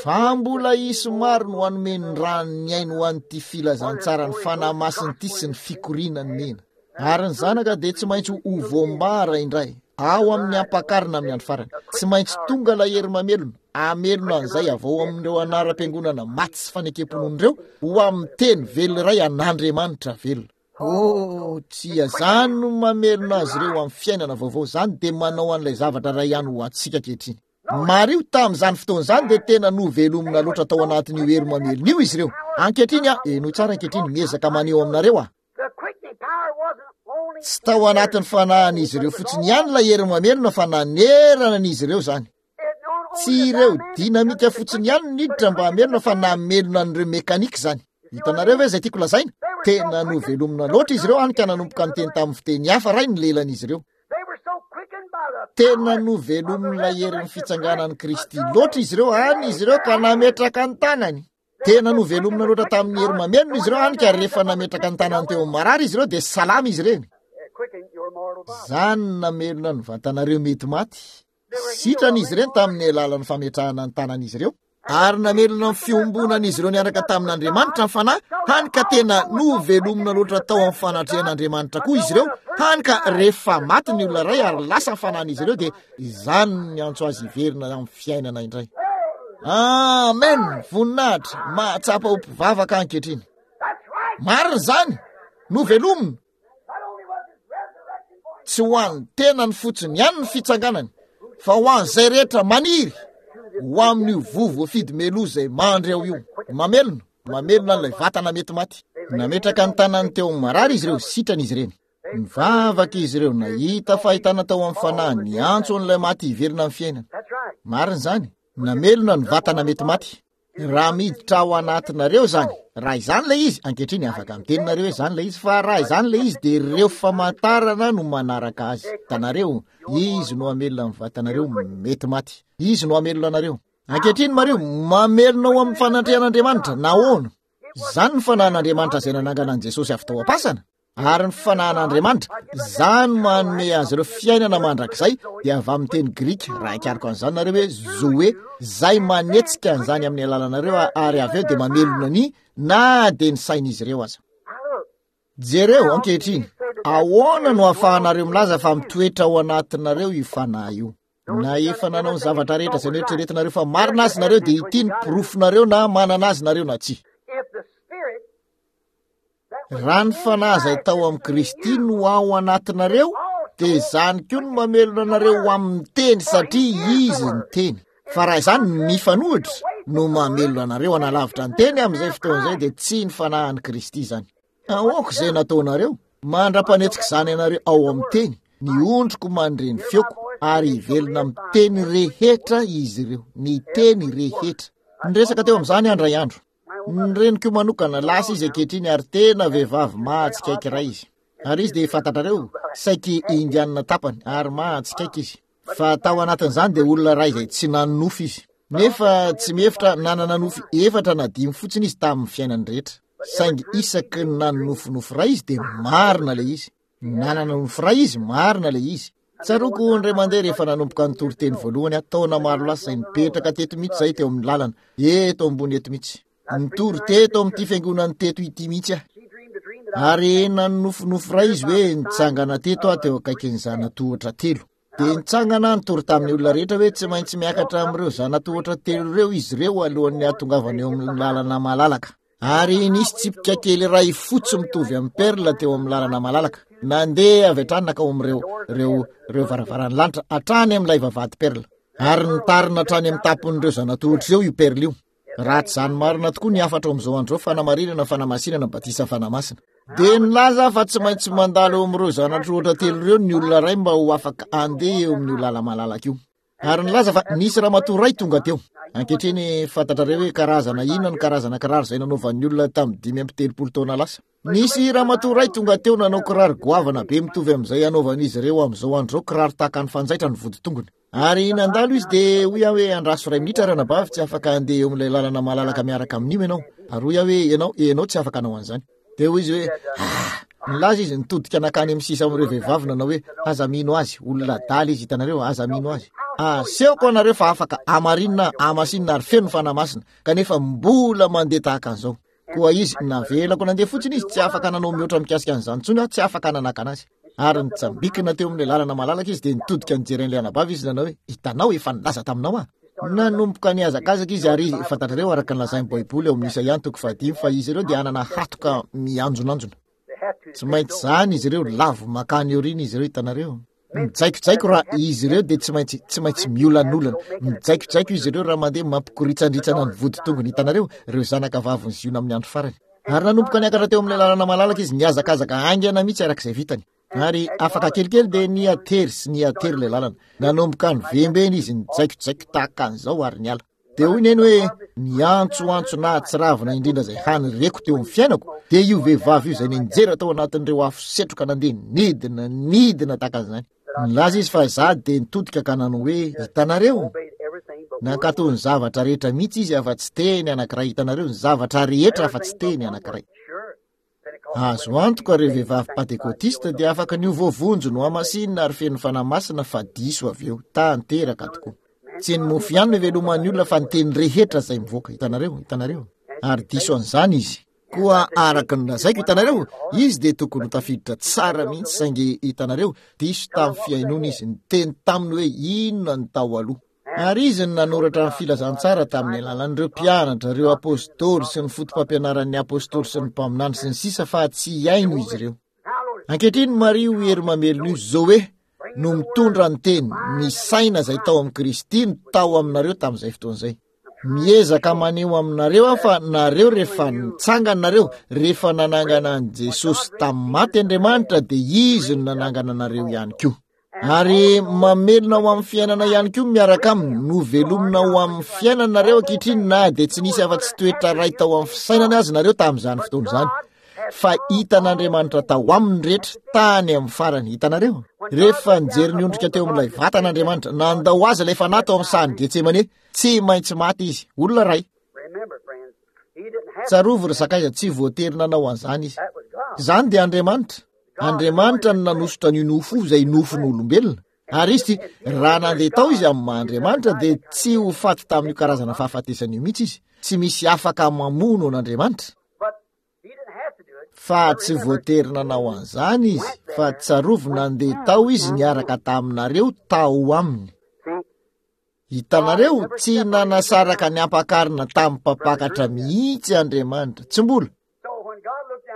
Fa mbola hisy maro no hanome ny ran'ny ainy ho an'ity filazantsaran'ny Fanahy Masina ity sy ny fikorianany mena. Ary ny zanaka dia tsy maintsy ho voambara indray ao amin'ny ampakarina amin'ny andro farany. Tsy maintsy tonga ilay hery mamelona, hamelona an'izay avy ao amin'ireo anaram-piangonana maty sy fanekem-pinoana ireo ho amin'ny teny velona iray an'Andriamanitra velona. Oh, tsia, izany no mamelona azy ireo amin'ny fiainana vaovao. Izany dia manao an'ilay zavatra iray ihany ho antsika ankehitriny. Mariho, tamin'izany fotoana izany dia tena novelomina loatra tao anatin'io hery mamelona io izy ireo. Ankehitriny aho, henoy tsara ankehitriny, miezaka maneho aminareo aho. Tsy tao anatin'ny fanahin'izy ireo fotsiny ihany ilay hery mamelona fa nanerana an'izy ireo izany. Tsy ireo dinamika fotsiny ihany no niditra mba hamelona fa namelona an'ireo mekanika izany. Hitanareo ve izay tiako lazaina? Tena novelomina loatra izy ireo hany ka nanomboka niteny tamin'ny fiteny hafa iray ny lelan'izy ireo. Tena novelomin'ilay herin'ny fitsanganan'i Kristy loatra izy ireo hany izy ireo ka nametraka ny tanany. Tena novelomina loatra tamin'ny hery mamelona izy ireo hany ka rehefa nametraka ny tanany teo amin'ny marary izy ireo dia salama izy ireny. Izany no namelona ny vatanareo mety maty. Sitrana izy ireny tamin'ny alalan'ny fametrahana ny tanan'izy ireo. Ary namelona ny fiombonan'izy ireo niaraka tamin'Andriamanitra ny Fanahy, hany ka tena novelomina loatra tao amin'ny fanatrehan'Andriamanitra koa izy ireo, hany ka rehefa maty ny olona iray ary lasa ny fanahin'izy ireo dia izany no niantso azy hiverina amin'ny fiainana indray. Amen! Voninahitra! Mahatsapa ho mpivavaka ankehitriny. Marina izany! Novelomina! Tsy ho an'ny tenany fotsiny ihany ny fitsanganany, fa ho an'izay rehetra maniry ho amin'io voa voafidy meloa izay mandry ao io. Mamelona, mamelona an'ilay vatana mety maty. Nametraka ny tanany teo amin'ny marary izy ireo, sitrana izy ireny. Nivavaka izy ireo, nahita fahitana tao amin'ny fanahy, niantso an'ilay maty hiverina amin'ny fiainana. Marina izany, namelona ny vatana mety maty. Raha miditra ao anatinareo izany, raha izany ilay izy, ankehitriny afaka miteny nareo hoe izany ilay izy, fa raha izany ilay izy dia ireo famantarana no manaraka azy. Hitanareo, izy no hamelona ny vatanareo mety maty. Izy no hamelona anareo. Ankehitriny mariho, mamelona ao amin'ny fanatrehan'Andriamanitra. Nahoana? Izany ny fanahin'Andriamanitra izay nanangana an'i Jesosy avy tao am-pasana. Ary ny fanahin'Andriamanitra, izany manome azy ireo fiainana mandrakizay, dia avy amin'ny teny grika, raha hikariko an'izany nareo hoe zoe, izay manetsika an'izany amin'ny alalanareo ary avy eo dia mamelona ny na dia ny sain'izy ireo aza. Jereo ankehitriny, ahoana no ahafahanareo milaza fa mitoetra ao anatinareo io fanahy io? Na efa nanao ny zavatra rehetra izay noeritreretinareo fa marina azy nareo, dia ity ny porofonareo na manana azy nareo na tsia. Raha ny fanahy izay tao amin'i Kristy no ao anatinareo, dia izany koa no mamelona anareo ho amin'ny teny, satria izy ny teny. Fa raha izany mifanohitra no mamelona anareo hanalavitra ny teny amin'izay fotoana izay, dia tsy ny fanahin'i Kristy izany. Aoka izay nataonareo, mandra-panetsika izany anareo ao amin'ny teny, ny ondriko mandre ny feoko, ary hivelona amin'ny teny rehetra izy ireo, ny teny rehetra. Niresaka teo amin'izany andray andro. Ny reniko manokana, lasa izy ankehitriny ary tena vehivavy mahatsikaiky iray izy. Ary izy dia fantatrareo, saiky indianina tapany ary mahatsikaiky izy. Fa tao anatin'izany dia olona iray izay tsy nanonofy izy. Nefa tsy mihevitra nanana nofy efatra na dimy fotsiny izy tamin'ny fiainany rehetra. Saingy isaky ny nanonofinofy iray izy dia marina ilay izy. Nanana nofy iray izy, marina ilay izy. Tsaroako indray mandeha rehefa nanomboka nitory teny voalohany aho, taona maro lasa izay, nipetraka teto mihitsy izahay teo amin'ny lalana, eto ambony eto mihitsy. Nitory teto amin'ity fiangonana teto ity mihitsy aho. Ary nanonofinofy iray izy hoe nitsangana teto aho teo akaikin'ny zanatohatra telo. Dia nitsangana nitory tamin'ny olona rehetra hoe tsy maintsy miakatra amin'ireo zanatohatra telo ireo izy ireo alohan'ny hahatongavana eo amin'ny lalana malalaka. Ary nisy tsipika kely iray fotsy mitovy amin'ny perla teo amin'ny lalana malalaka. Nandeha avy hatrany nankao amin'ireo ireo ireo varavaran'ny lanitra hatrany amin'ilay vavahady perla. Ary nitarina hatrany amin'ny tampon'ireo zanatohatra ireo io perla io. Raha tsy izany marina tokoa ny hafatra ao amin'izao andro izao, fanamarinana, fanamasinana, batisa fanamasina. Dia nilaza fa tsy maintsy mandalo eo amin'ireo zanatohatra telo ireo ny olona iray mba ho afaka handeha eo amin'io lala-malalaka io. Ary nilaza fa nisy ramatoa iray tonga teo. Ankehitriny fantatrareo hoe karazana inona ny karazana kiraro izay nanaovan'ny olona tamin'ny dimy amby telopolo taona lasa. Nisy ramatoa iray tonga teo nanao kiraro goavana be mitovy amin'izay anaovan'izy ireo amin'izao andro izao, kiraro tahaka ny fanjaitra ny voditongony. Ary nandalo izy dia hoy aho hoe andraso iray minitra ranabavy, tsy afaka handeha eo amin'ilay lalana malalaka miaraka amin'io ianao. Ary hoy aho hoe ianao, ianao tsy afaka hanao an'izany. Dia hoy izy hoe ah! Nilaza izy nitodika nankany amin'ny sisa amin'ireo vehivavy nanao hoe aza mino azy, olona adala izy, hitanareo, aza mino azy. Asehoko anareo fa afaka amarinina, amasinina ary feno ny fanahy masina, kanefa mbola mandeha tahaka an'izao. Koa izy, navelako nandeha fotsiny izy, tsy afaka nanao mihoatra mikasika an'izany intsony aho, tsy afaka nanakana azy. Ary nitsambikina teo amin'ilay lalana malalaka izy, dia nitodika nijery an'ilay anabavy izy nanao hoe hitanao, efa nilaza taminao aho. Nanomboka nihazakazaka izy ary izy, fantatrareo araka ny lazain'ny Baiboly ao amin'ny Isaia toko fahadimy fa izy ireo dia hanana hatoka mianjonanjona. Tsy maintsy izany izy ireo, lavo mankany aoriana izy ireo, hitanareo. Mijaikojaiko raha izy ireo dia tsy maintsy, tsy maintsy miolanolana. Mijaikojaiko izy ireo raha mandeha mampikoritsanritsana ny voditongony, hitanareo, ireo zanaka vavin'i Ziona amin'ny andro farany. Ary nanomboka niakatra teo amin'ilay lalana malalaka izy, nihazakazaka haingana mihitsy araka izay vitany. Ary afaka kelikely dia nihatery sy nihatery ilay lalana. Nanomboka nivembena izy, nijaikojaiko tahaka an'izao ary niala. Dia hoy neny hoe niantsoantso nahatsiravina indrindra izay hany reko teo amin'ny fiainako, dia io vehivavy io izay nianjera tao anatin'ireo afo setroka nandeha nidina nidina tahaka an'izany. Nilaza izy fa izaho dia nitodika ka nanao hoe hitanareo, nankatò ny zavatra rehetra mihitsy izy afa-tsy teny anankiray, hitanareo, ny zavatra rehetra afa-tsy teny anankiray. Azo antoka ireo vehivavy pantekôtista dia afaka ny ho voavonjy nohamasinina ary feno fanahy masina fa diso avy eo, tanteraka tokoa. Tsy ny mofo ihany no iveloman'ny olona fa ny teny rehetra izay mivoaka, hitanareo, hitanareo. Ary diso an'izany izy. Koa araka ny lazaiko, hitanareo, izy dia tokony ho tafiditra tsara mihitsy, saingy hitanareo, diso tamin'ny fihainoana izy, niteny taminy hoe inona ny tao aloha. Ary izy no nanoratra ny filazantsara tamin'ny alalan'ireo mpianatra, ireo apôstôly sy ny foto-pampianaran'ny apôstôly sy ny mpaminany sy ny sisa fa tsy hihaino izy ireo. Ankehitriny mariho io hery mamelona io, Zoe, no mitondra ny teny, ny saina izay tao amin'i Kristy no tao aminareo tamin'izay fotoana izay. Miezaka maneho aminareo aho fa nareo rehefa nitsangana nareo, rehefa nanangana an'i Jesosy tamin'ny maty Andriamanitra dia Izy no nanangana anareo ihany koa. Ary mamelona ho amin'ny fiainana ihany koa miaraka aminy, novelomina ho amin'ny fiainana nareo ankehitriny na dia tsy nisy afa-tsy toetra iray tao amin'ny fisainany azy nareo tamin'izany fotoana izany. Fa hitan'Andriamanitra tao aminy rehetra tany amin'ny farany, hitanareo? Rehefa nijery ny ondrika teo amin'ilay vatana Andriamanitra, nandao azy ilay fanahy tao amin'ny sahan'i Getsemane, tsy maintsy maty izy, olona iray. Tsarovy ry sakaiza, tsy voatery nanao an'izany izy. Izany dia Andriamanitra. Andriamanitra no nanosotra an'io nofo io izay nofon'olombelona. Ary izy ty, raha nandeha tao izy amin'ny maha Andriamanitra dia tsy ho faty tamin'io karazana fahafatesana io mihitsy izy. Tsy misy afaka mamono an'Andriamanitra. Fa tsy voatery nanao an'izany izy, fa tsarovy nandeha tao izy niaraka taminareo tao aminy. Hitanareo, tsy nanasaraka ny ampakarina tamin'ny mpampakatra mihitsy Andriamanitra, tsy mbola.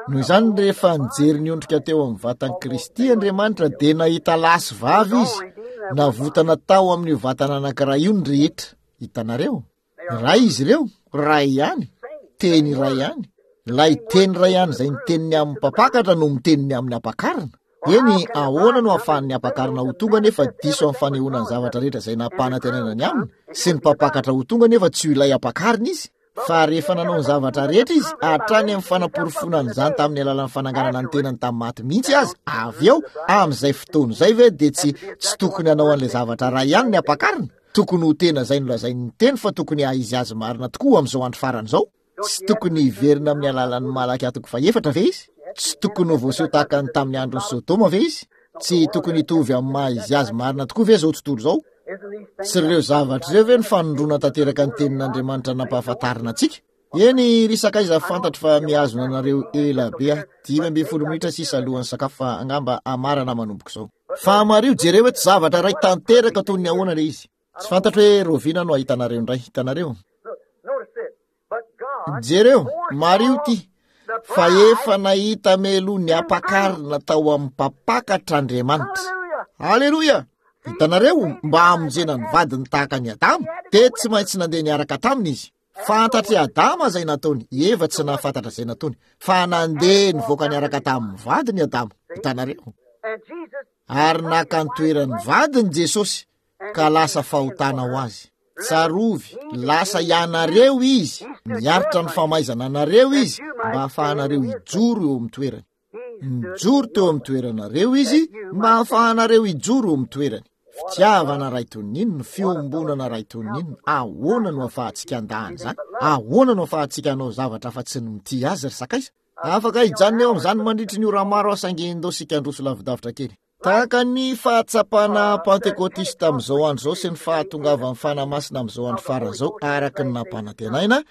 Noho izany, rehefa nijery ny ondrika teo amin'ny vatan'i Kristy Andriamanitra dia nahita lahy sy vavy izy, navotana tao amin'io vatana anankiray io ny rehetra. Hitanareo, iray izy ireo, iray ihany, teny iray ihany. Ilay teny iray ihany izay niteny ny amin'ny mpampakatra no miteny ny amin'ny ampakarina. Eny, ahoana no ahafahan'ny ampakarina ho tonga nefa diso amin'ny fanehoana ny zavatra rehetra izay nampanantenana ny aminy, sy ny mpampakatra ho tonga nefa tsy ho ilay ampakarina izy? Fa rehefa nanao ny zavatra rehetra izy, hatrany amin'ny fanaporofoana an'izany tamin'ny alalan'ny fananganana ny tenany tamin'ny maty mihitsy aza, avy eo, amin'izay fotoana izay ve dia tsy tsy tokony hanao an'ilay zavatra iray ihany ny ampakarina? Tokony ho tena izay nolazain'ny teny fa tokony haha-izy azy marina tokoa amin'izao andro farany izao. Tsy tokony hiverina amin'ny alalan'ny Malakia toko fahefatra ve izy? Tsy tokony ho voaseho tahaka ny tamin'ny andron'ny Sodoma ve izy? Tsy tokony hitovy amin'ny maha-izy azy marina tokoa ve izao tontolo izao? Tsy ireo zavatra ireo ve ny fanondroana tanteraka ny tenin'Andriamanitra nampahafantarina antsika? Eny, ry sakaiza, fantatro fa mihazona anareo ela be aho. Dimy ambin'ny folo minitra sisa alohan'ny sakafo fa angamba hamarana manomboka izao. Fa mariho, jereo eto zavatra iray tanteraka toy ny ahoana ilay izy. Tsy fantatro hoe roviana no ahitanareo indray. Hitanareo? Jereo, mariho ity, fa efa nahita meloa ny ampakarina tao amin'ny mpampakatra Andriamanitra. Aleloia! Hitanareo, mba hamonjena ny vadiny tahaka an'i Adama, dia tsy maintsy nandeha niaraka taminy izy. Fantatr'i Adama izay nataony, i Eva tsy nahafantatra izay nataony, fa nandeha nivoaka niaraka tamin'ny vadiny Adama. Hitanareo? Ary naka ny toeran'ny vadiny Jesosy, ka lasa fahotana ho azy. Tsarovy, lasa ianareo izy, miaritra ny famaizana anareo izy, mba hahafahanareo hijoro eo amin'ny toerany. Nijoro teo amin'ny toeranareo izy, mba hahafahanareo hijoro eo amin'ny toerany. Fitiavana iray toy ny inona, fiombonana iray toy ny inona, ahoana no ahafahantsika handà an'izany? Ahoana no ahafahantsika hanao zavatra afa-tsy ny mitia azy, ry sakaiza? Afaka hijanona eo amin'izany mandritry ny ora maro aho, saingy ndao handroso lavidavitra kely. Tahaka ny fahatsapana pantekôtista amin'izao andro izao sy ny fahatongavan'ny Fanahy Masina amin'izao andro farany izao araka ny nampanantenaina,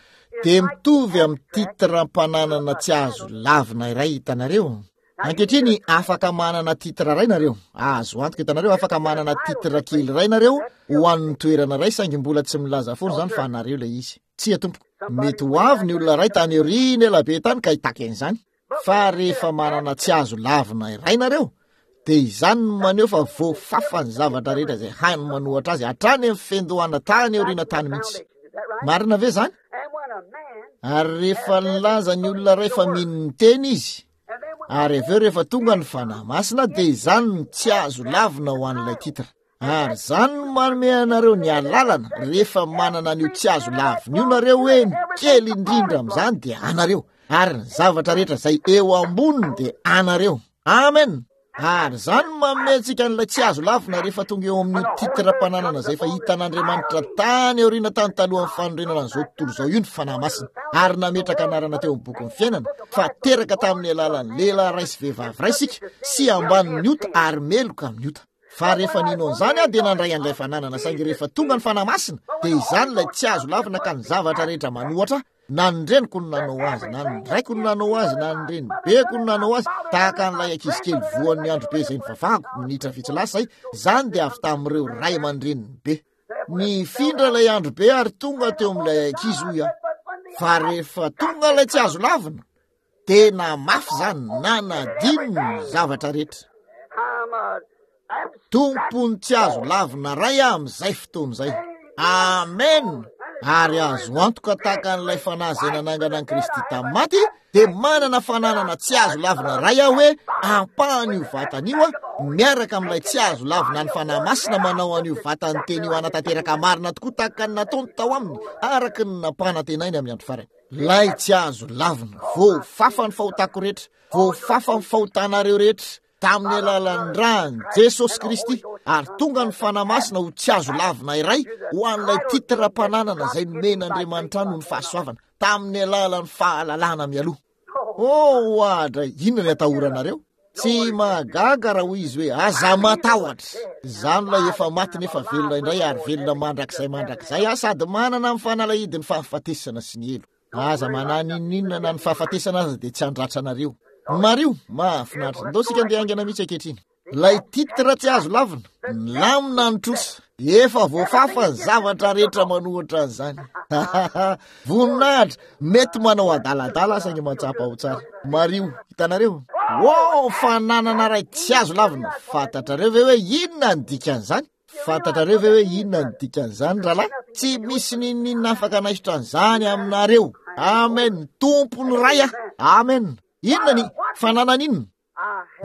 dia mitovy amin'ny titram-pananana tsy azo lavina iray hitanareo. Ankehitriny, afaka manana titra iray nareo, azo antoka hitanareo, afaka manana titra kely iray nareo ho an'ny toerana iray, saingy mbola tsy milaza foana izany fa anareo ilay izy. Tsia tompoko, mety ho avy ny olona iray tany aoriana ela be tany ka hitaky an'izany. Fa rehefa manana tsy azo lavina iray nareo, dia izany no maneho fa voafafa ny zavatra rehetra izay hainy manohatra azy hatrany amin'ny fiandohana tany aoriana tany mihitsy. Marina ve izany? Ary rehefa nilaza ny olona iray fa mino ny teny izy, ary avy eo rehefa tonga ny Fanahy Masina, dia izany no tsy azo lavina ho an'ilay titra. Ary izany no manome anareo ny alalana rehefa manana an'io tsy azo lavina io nareo hoe ny kely indrindra amin'izany dia anareo, ary ny zavatra rehetra izay eo amboniny dia anareo. Amen. Ary izany no manome antsika an'ilay tsy azo lavina rehefa tonga eo amin'ny titram-pananana izay efa hitan'Andriamanitra tany aoriana tany talohan'ny fanorenana an'izao tontolo izao io ny Fanahy Masina, ary nametraka anarana teo amin'ny bokin'ny fiainana fa teraka tamin'ny alalan'ny lehilahy iray sy vehivavy iray isika, sy ambanin'ny ota ary meloka amin'ny ota. Fa rehefa nino an'izany aho dia nandray an'ilay fananana, saingy rehefa tonga ny Fanahy Masina dia izany ilay tsy azo lavina ka ny zavatra rehetra manohatra ahy, na ny reniko no nanao azy, na ny raiko no nanao azy, na ny renibeko no nanao azy, tahaka an'ilay ankizy kely voan'ny andro be izay nivavahako minitra vitsy lasa izay, izany dia avy tamin'ireo ray aman-dreniny be. Nifindra ilay andro be ary tonga teo amin'ilay ankizy hoy aho. Fa rehefa tonga ilay tsy azo lavina, tena mafy izany, nanadino ny zavatra rehetra. Tompony tsy azo lavina ray aho amin'izay fotoana izay. Amen. Ary azo antoka tahaka an'ilay fanahy izay nanangana an'i Kristy tamin'ny maty, dia manana fananana tsy azo lavina ray aho hoe ampahan'io vatana io aho, miaraka amin'ilay tsy azo lavina ny Fanahy Masina manao an'io vatan'ny teny io hanatanteraka marina tokoa tahaka ny nataony tao aminy, araka ny nampanantenainy amin'ny andro farany. Ilay tsy azo lavina, voafafa ny fahotako rehetra, voafafa ny fahotanareo rehetra, tamin'ny alalan'ny ràn'i Jesosy Kristy, ary tonga ny Fanahy Masina ho tsy azo lavina iray ho an'ilay titram-pananana izay nomen'Andriamanitra noho ny fahasoavana, tamin'ny alalan'ny fahalalana mialoha. Oh, oadray, inona ny atahoranareo? Tsy mahagaga raha hoy izy hoe aza matahotra. Izany ilay efa maty nefa velona indray ary velona mandrakizay mandrakizay aho sady manana amin'ny fanalahidin'ny fahafatesana sy ny helo. Aza manahy n'inon'inona na ny fahafatesana aza dia tsy handratra anareo. Mariho, mahafinaritra. Ndao isika andeha haingana mihitsy ankehitriny. Ilay titre tsy azo lavina, milamina ny trosa. Efa voafafa ny zavatra rehetra manohitra an'izany. Voninahitra, mety manao adaladala saingy mahatsapa ho tsara. Mariho, hitanareo? Oh, fananana iray tsy azo lavina. Fantatrareo ve hoe inona ny dikan'izany? Fantatrareo ve hoe inona ny dikan'izany, rahalahy? Tsy misy n'inon'inona afaka hanaisotra an'izany aminareo. Amen. Tompony iray aho. Amen. Inona ny fananana inona?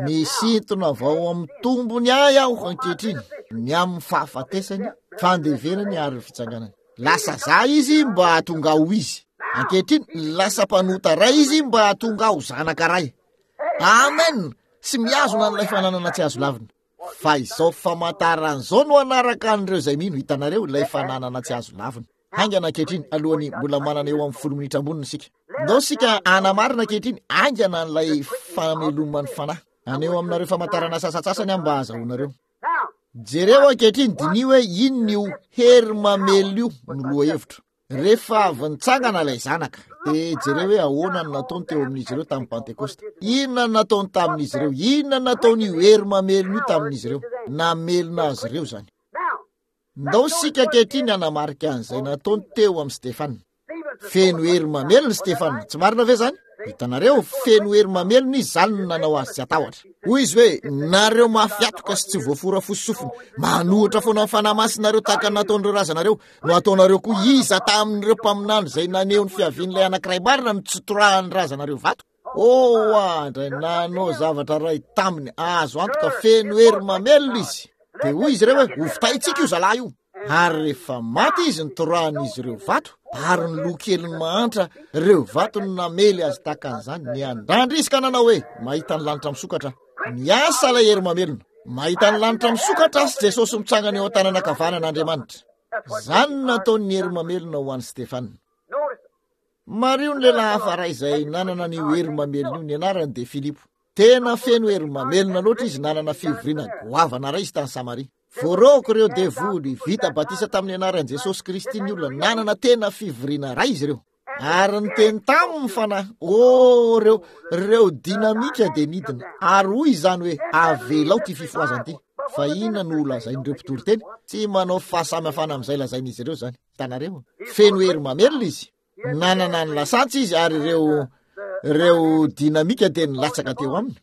Misintona vao amin'ny tombony ahy aho ankehitriny, ny amin'ny fahafatesany, fandevenany ary ny fitsanganany. Lasa za izy mba hahatonga ho izy. Ankehitriny, lasa mpanota ray izy mba hahatonga ho zanaka ray. Amen. Sy mihazona an'ilay fananana tsy azo lavina. Fa izao famantarana izao no hanaraka an'ireo izay mino. Hitanareo, ilay fananana tsy azo lavina. Haingana ankehitriny, alohan'ny mbola manana eo amin'ny folo minitra amboniny isika. Ndao isika hanamarina ankehitriny, haingana an'ilay fameloman'ny fanahy. Haneho aminareo famantarana sasantsasany aho mba hahazahoanareo. Jereo ankehitriny, diniho hoe inona io hery mamelona io no lohahevitra. Rehefa avy nitsangana ilay zanaka, dia jereo hoe ahoana no nataony teo amin'izy ireo tamin'ny Pentekosta. Inona no nataony tamin'izy ireo? Inona no nataon'io hery mamelona io tamin'izy ireo? Namelona azy ireo izany. Ndao isika ankehitriny hanamarika an'izay nataony teo amin'i Stefana. Feno hery mamelona Stefana, tsy marina ve izany? Hitanareo, feno hery mamelona izy, izany no nanao azy tsy hatahotra. Hoy izy hoe, nareo mafy hatoka sy tsy voafora fo sy sofina, manohitra foana ny fanahy masinareo tahaka ny nataon'ireo razanareo, no ataonareo koa. Iza tamin'ireo mpaminany izay naneho ny fiavian'ilay anankiray marina no tsy torahan'ny razanareo vato? Oh, andray, nanao zavatra iray taminy, azo antoka feno hery mamelona izy. Dia hoy izy ireo hoe, hovitaintsika io zalahy io. Ary rehefa maty izy, nitorahan'izy ireo vato, ary ny loha keliny mahantra, ireo vato no namely azy tahaka an'izany. Niandrandra izy ka nanao hoe, mahita ny lanitra misokatra. Miasa ilay hery mamelona. Mahita ny lanitra misokatra sy Jesosy mitsangana eo an-tanana ankavanan'Andriamanitra. Izany no nataon'ny hery mamelona ho an'i Stefana. Mariho ny lehilahy hafa iray izay nanana an'io hery mamelona io, ny anarany dia Filipo. Tena feno hery mamelona loatra izy, nanana fivoriana goavana iray izy tany Samaria. Voaroaka ireo devoly, vita batisa tamin'ny anaran'i Jesosy Kristy ny olona, nanana tena fivoriana iray izy ireo. Ary niteny taminy ny fanahy, oh, ireo, ireo dinamika dia nidina. Ary hoy izany hoe, avelao ity fifohazana ity. Fa inona no holazain'ireo mpitory teny? Tsy manao fahasamihafana amin'izay lazain'izy ireo izany. Hitanareo? Feno hery mamelona izy. Nanana ny lasantsy izy ary ireo, ireo dinamika dia nilatsaka teo aminy.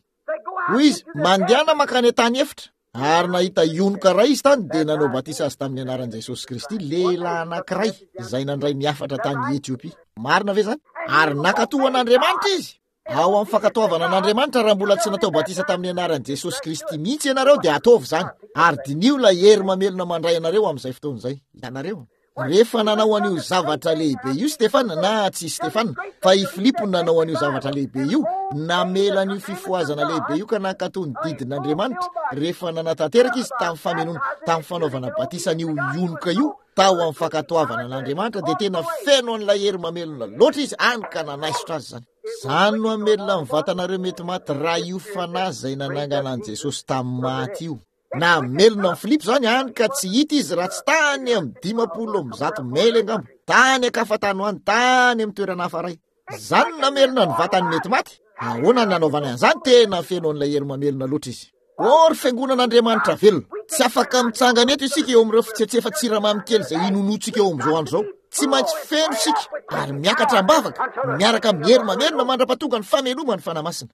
Hoy izy, mandehana mankany an-tany efitra. Ary nahita ionoka iray izy tany dia nanao batisa azy tamin'ny anaran'i Jesosy Kristy, lehilahy anankiray izay nandray ny hafatra tany Etiopia. Marina ve izany? Ary nankatò an'Andriamanitra izy. Ao amin'ny fankatoavana an'Andriamanitra, raha mbola tsy natao batisa tamin'ny anaran'i Jesosy Kristy mihitsy ianareo dia ataovy izany. Ary diniho ilay hery mamelona mandray anareo amin'izay fotoana izay. Hitanareo? Rehefa nanao an'io zavatra lehibe io Stefana, na tsy Stefana, fa i Filipo nanao an'io zavatra lehibe io, namela an'io fifohazana lehibe io ka nankatò ny didin'Andriamanitra, rehefa nanatanteraka izy tamin'ny famenoana, tamin'ny fanaovana batisa an'io ionoka io, tao amin'ny fankatoavana an'Andriamanitra, dia tena feno an'ilay hery mamelona loatra izy, hany ka nanaisotra azy izany. Izany no hamelona ny vatanareo mety maty raha io fanahy izay nanangana an'i Jesosy tamin'ny maty io. Namelona an'i Filipo izany, hany ka tsy hita izy raha tsy tany amin'ny dimampolo amby zato maily angamba, tany an-kafa tany ho any, tany amin'ny toerana hafa iray. Izany no namelona ny vatany mety maty. Ahoana no nanaovany an'izany? Tena feno an'ilay hery mamelona loatra izy. Oh, ry fiangonan'Andriamanitra velona, tsy afaka mitsangana eto isika eo amin'ireo fitsetsefa-tsiramamy kely izay inonoantsika eo amin'izao andro izao. Tsy maintsy feno isika ary miakatra am-bavaka miaraka amin'ny hery mamelona mandra-pahatonga ny fameloman'ny Fanahy Masina.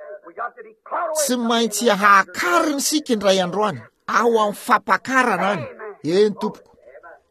Tsy maintsy hakarina isika indray andro any, ao amin'ny fampakarana any. Eny tompoko.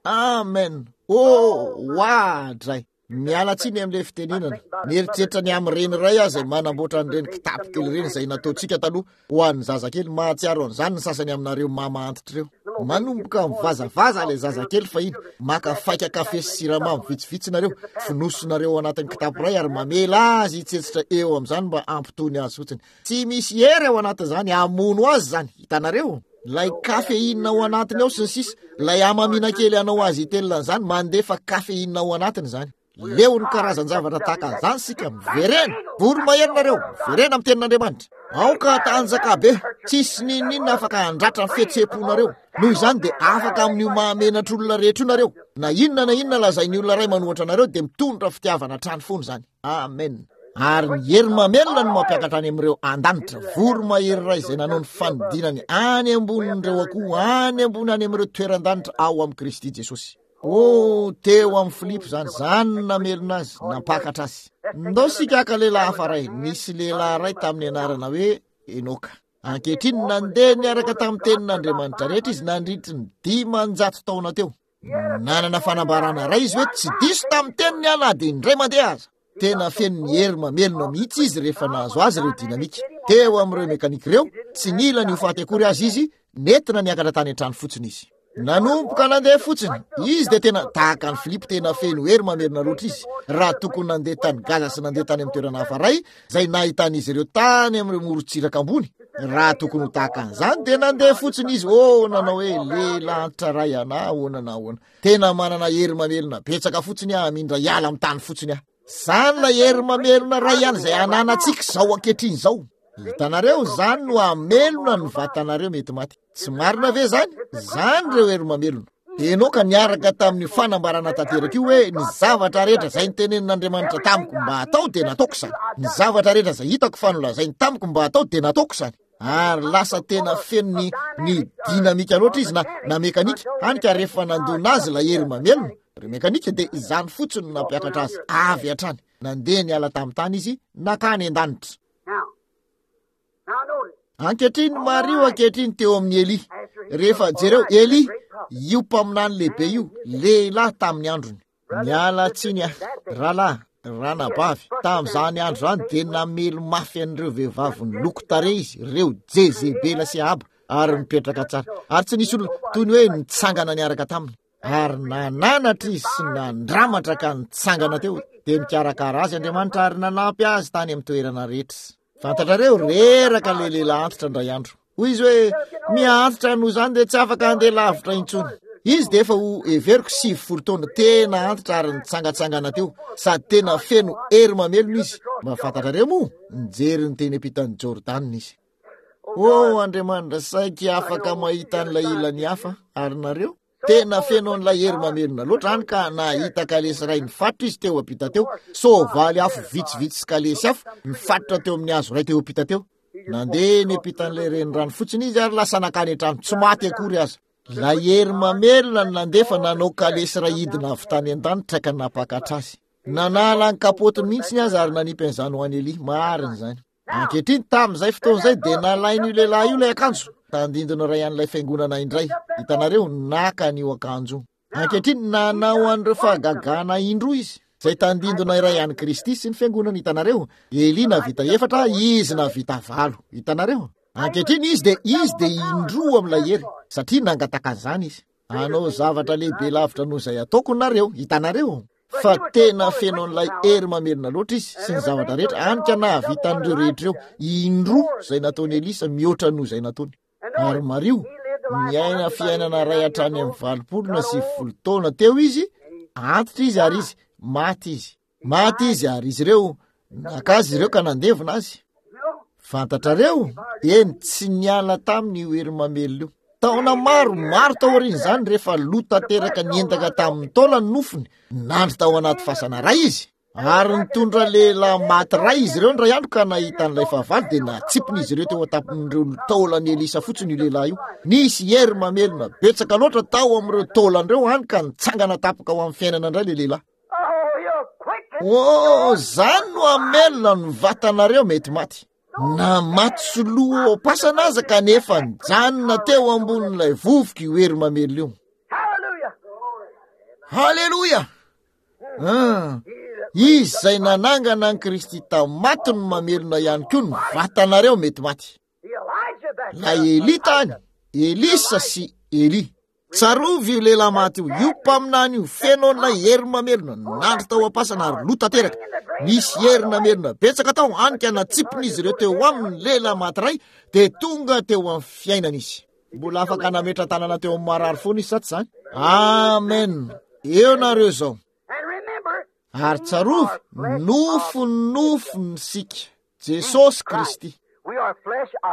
Amen. Oh, oadray. Miala tsiny amin'ilay fitenenana. Mieritreritra ny amin'ireny iray aho izay manamboatra an'ireny kitapo kely ireny izay nataontsika taloha ho an'ny zazakely. Mahatsiaro an'izany ny sasany aminareo mama antitra ireo. Manomboka mivazavaza ilay zazakely fahiny. Maka faika kafe sy siramamy vitsivitsy nareo, fonosinareo ao anatin'ny kitapo iray ary mamela azy hitsetsitra eo amin'izany mba hampitony azy fotsiny. Tsy misy hery ao anatin'izany hamono azy izany. Hitanareo? Ilay kafeina ao anatiny ao sy ny sisa, ilay hamamiana kely hanao azy hitelina an'izany, mandefa kafeina ao anatiny izany. Leo ny karazan-javatra tahaka an'izany isika. Miverena, voromahery nareo, miverena amin'ny tenin'Andriamanitra. Aoka hatanjaka be, tsisy n'inon'inona afaka handratra ny fihetseham-ponareo. Noho izany dia afaka amin'io mahamenatr'olona rehetra io nareo. Na inona na inona lazain'ny olona iray manohatra anareo dia mitondra fitiavana hatrany foana izany. Amen. Ary ny hery mamelona no mampiakatra any amin'ireo an-danitra. Voromahery iray izay nanao ny fanidinany any ambonin'ireo akoho, any ambony any amin'ireo toeran-danitra ao amin'i Kristy Jesosy. Oh, teo amin'ny Filipo izany, izany no namelona azy, nampakatra azy. Ndao isika haka lehilahy hafa iray. Nisy lehilahy iray tamin'ny anarana hoe Enoka. Ankehitriny, nandeha niaraka tamin'ny tenin'Andriamanitra rehetra izy nandritry ny dimanjato taona teo. Nanana fanambarana iray izy hoe tsy diso tamin'ny teniny aho na dia indray mandeha aza. Tena feno ny hery mamelona mihitsy izy rehefa nahazo azy ireo dinamika. Teo amin'ireo mekanika ireo, tsy nila ny ho faty akory azy izy, nentina niakatra tany an-trano fotsiny izy. Nanomboka nandeha fotsiny izy dia tena tahaka an'i Filipo, tena feno hery mamelona loatra izy. Raha tokony nandeha tany Gaza sy nandeha tany amin'ny toerana hafa iray, izay nahitan'izy ireo tany amin'ireo morontsiraka ambony, raha tokony ho tahaka an'izany dia nandeha fotsiny izy. Oh, nanao hoe lehilahy antitra iray aho, na ahoana na ahoana. Tena manana hery mamelona betsaka fotsiny aho, hamindra hiala amin'ny tany fotsiny aho. Izany ilay hery mamelona iray ihany izay ananantsika izao ankehitriny izao. Hitanareo, izany no hamelona ny vatanareo mety maty. Tsy marina ve izany? Izany ireo hery mamelona. Enoka niaraka tamin'ny fanambarana tanteraka io hoe ny zavatra rehetra izay nitenenin'Andriamanitra tamiko mba hatao dia nataoko izany. Ny zavatra rehetra izay hitako fa nolazainy tamiko mba hatao dia nataoko izany. Ary lasa tena feno ny, ny dinamika loatra izy na, na mekanika, hany ka rehefa nandona azy ilay hery mamelona, ireo mekanika, dia izany fotsiny no nampiakatra azy avy hatrany. Nandeha niala tamin'ny tany izy, nankany an-danitra. Ankehitriny, mariho ankehitriny teo amin'i Elia. Rehefa, jereo, Elia, io mpaminany lehibe io, lehilahy tamin'ny androny. Miala tsiny aho, rahalahy, ranabavy, tamin'izany andro izany dia namely mafy an'ireo vehivavy niloko tarehy izy, ireo Jezebela sy Ahaba, ary nipetraka tsara. Ary tsy nisy olona toy ny hoe nitsangana niaraka taminy. Ary nananatra izy sy nandramatra ka nitsangana teo, dia nikarakara azy Andriamanitra ary nanampy azy tany amin'ny toerana rehetra. Fantatrareo, reraka ilay lehilahy antitra indray andro. Hoy izy hoe, miha-antitra noho izany dia tsy afaka handeha lavitra intsony. Izy dia efa ho heveriko sivifolo taona, tena antitra ary nitsangatsangana teo, sady tena feno hery mamelona izy. Mba fantatrareo moa, nijery ny teny ampitan'i Jordana izy. Oh, Andriamanitra, saiky afaka mahita an'ilay ilany hafa, ary nareo? Tena feno an'ilay hery mamelona loatra any ka nahita kalesy iray nifaritra izy teo ampita teo, soavaly afo vitsivitsy sy kalesy afo nifaritra teo amin'ny hazo iray teo ampita teo. Nandeha ny ampitan'ilay renirano fotsiny izy ary lasa nankany an-trano, tsy maty akory aza. Ilay hery mamelona no nandefa nanao kalesy iray hidina avy tany an-danitra ka nampakatra azy. Nanala ny kapaotiny mihitsy aza ary nanipy an'izany ho an'i Elia. Marina izany. Ankehitriny, tamin'izay fotoana izay dia nalain'io lehilahy io ilay akanjo. Tandindona iray an'ilay fiangonana indray. Hitanareo, naka an'io akanjo io. Ankehitriny, nanao an'ireo fahagagana indroa izy, izay tandindona iray an'i Kristy sy ny fiangonana. Hitanareo, Elia nahavita efatra, izy nahavita valo. Hitanareo? Ankehitriny, izy dia, izy dia indroa amin'ilay hery, satria nangataka an'izany izy. Hanao zavatra lehibe lavitra noho izay ataoko nareo. Hitanareo? Fa tena feno an'ilay hery mamelona loatra izy sy ny zavatra rehetra, hany ka nahavita an'ireo rehetra ireo indroa izay nataon'i Elisa mihoatra noho izay nataony. Ary mariho, niaina fiainana iray hatrany amin'ny valopolo na sivifolo taona teo izy, antitra izy ary izy, maty izy. Maty izy ary izy ireo, naka azy ireo ka nandevona azy. Fantatrareo, eny, tsy niala taminy io hery mamelona io. Taona maro, maro taorian'izany, rehefa lo tanteraka niendaka tamin'ny taolany nofony, nandry tao anaty fasana iray izy. Ary nitondra lehilahy maty iray izy ireo indray andro ka nahita an'ilay fahavalo, dia natsipin'izy ireo teo an-tampon'ireo taolan'i Elisa fotsiny io lehilahy io. Nisy hery mamelona betsaka loatra tao amin'ireo taolany ireo, hany ka nitsangana tampoka ho amin'ny fiainana indray ilay lehilahy. Oh, zany no hamelona ny vatanareo mety maty. Na maty sy loha ao am-pasana aza kanefa nijanona teo ambonin'ilay vovoka io hery mamelona io. Haleloia! Ah, izy izay nanangana an'i Kristy tamin'ny maty no mamelona ihany koa ny vatanareo mety maty. Ilay Elia tany, Elisa sy Elia. Tsarovy io lehilahy maty io, io mpaminany io, feno an'ilay hery mamelona, nandry tao am-pasana ary lo tanteraka. Nisy hery namelona betsaka tao, hany ka natsipin'izy ireo teo aminy ny lehilahy maty iray, dia tonga teo amin'ny fiainana izy. Mbola afaka nametra-tanana teo amin'ny marary foana izy, sa tsy izany? Amen. Eo nareo izao. Ary tsarovy, nofon'ny nofony isika, Jesosy Kristy.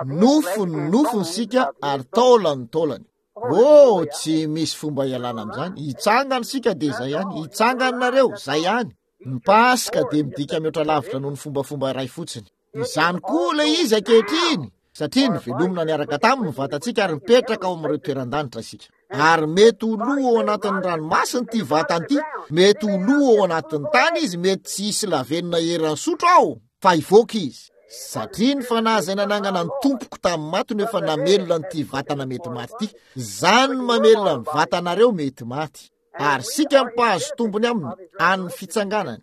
Nofon'ny nofony isika ary taolan'ny taolany. Oh, tsy misy fomba ialana amin'izany. Hitsangana isika dia izay ihany. Hitsangana nareo, izay ihany. Ny Paska dia midika mihoatra lavitra noho ny fombafomba iray fotsiny. Izany koa ilay izy ankehitriny, satria novelomina niaraka taminy ny vatantsika ary mipetraka ao amin'ireo toeran-danitra isika. Ary mety ho lo ao anatin'ny ranomasina ity vatana ity, mety ho lo ao anatin'ny tany izy, mety tsy hisy lavenona eran'ny sotro ao, fa hivoaka izy. Satria ny fanahy izay nanangana ny tompoko tamin'ny maty no efa namelona an'ity vatana mety maty ity. Izany no mamelona ny vatanareo mety maty. Ary isika mpahazo tombony aminy an'ny fitsanganany,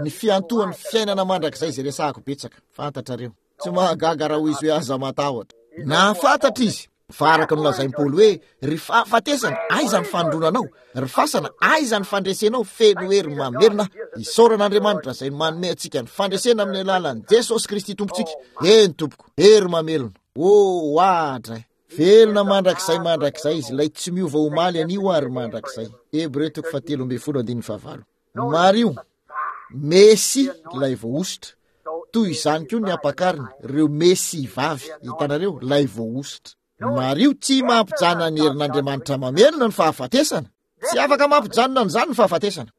ny fiantohan'ny fiainana mandrakizay izay resahako betsaka. Fantatrareo. Tsy mahagaga raha hoy izy hoe aza matahotra. Nahafantatra izy fa araka ny nolazain'i Paoly hoe ry fahafatesana, aiza ny fandronanao? Ry fasana, aiza ny fandresenao? Feno hery mamelona. Isaorana Andriamanitra izay manome antsika ny fandresena amin'ny alalan'i Jesosy Kristy Tompontsika. Eny tompoko, hery mamelona. Oh, oadray. Velona mandrakizay mandrakizay izy, ilay tsy miova omaly anio ary mandrakizay. Hebreo toko fahatelo ambin'ny folo andininy fahavalo. Mariho, Mesia ilay voahosotra. Toy izany koa ny ampakariny, ireo Mesia vavy, hitanareo, ilay voahosotra. Mariho, tsy mampijanona ny herin'Andriamanitra mamelona ny fahafatesana. Tsy afaka mampijanona an'izany ny fahafatesana.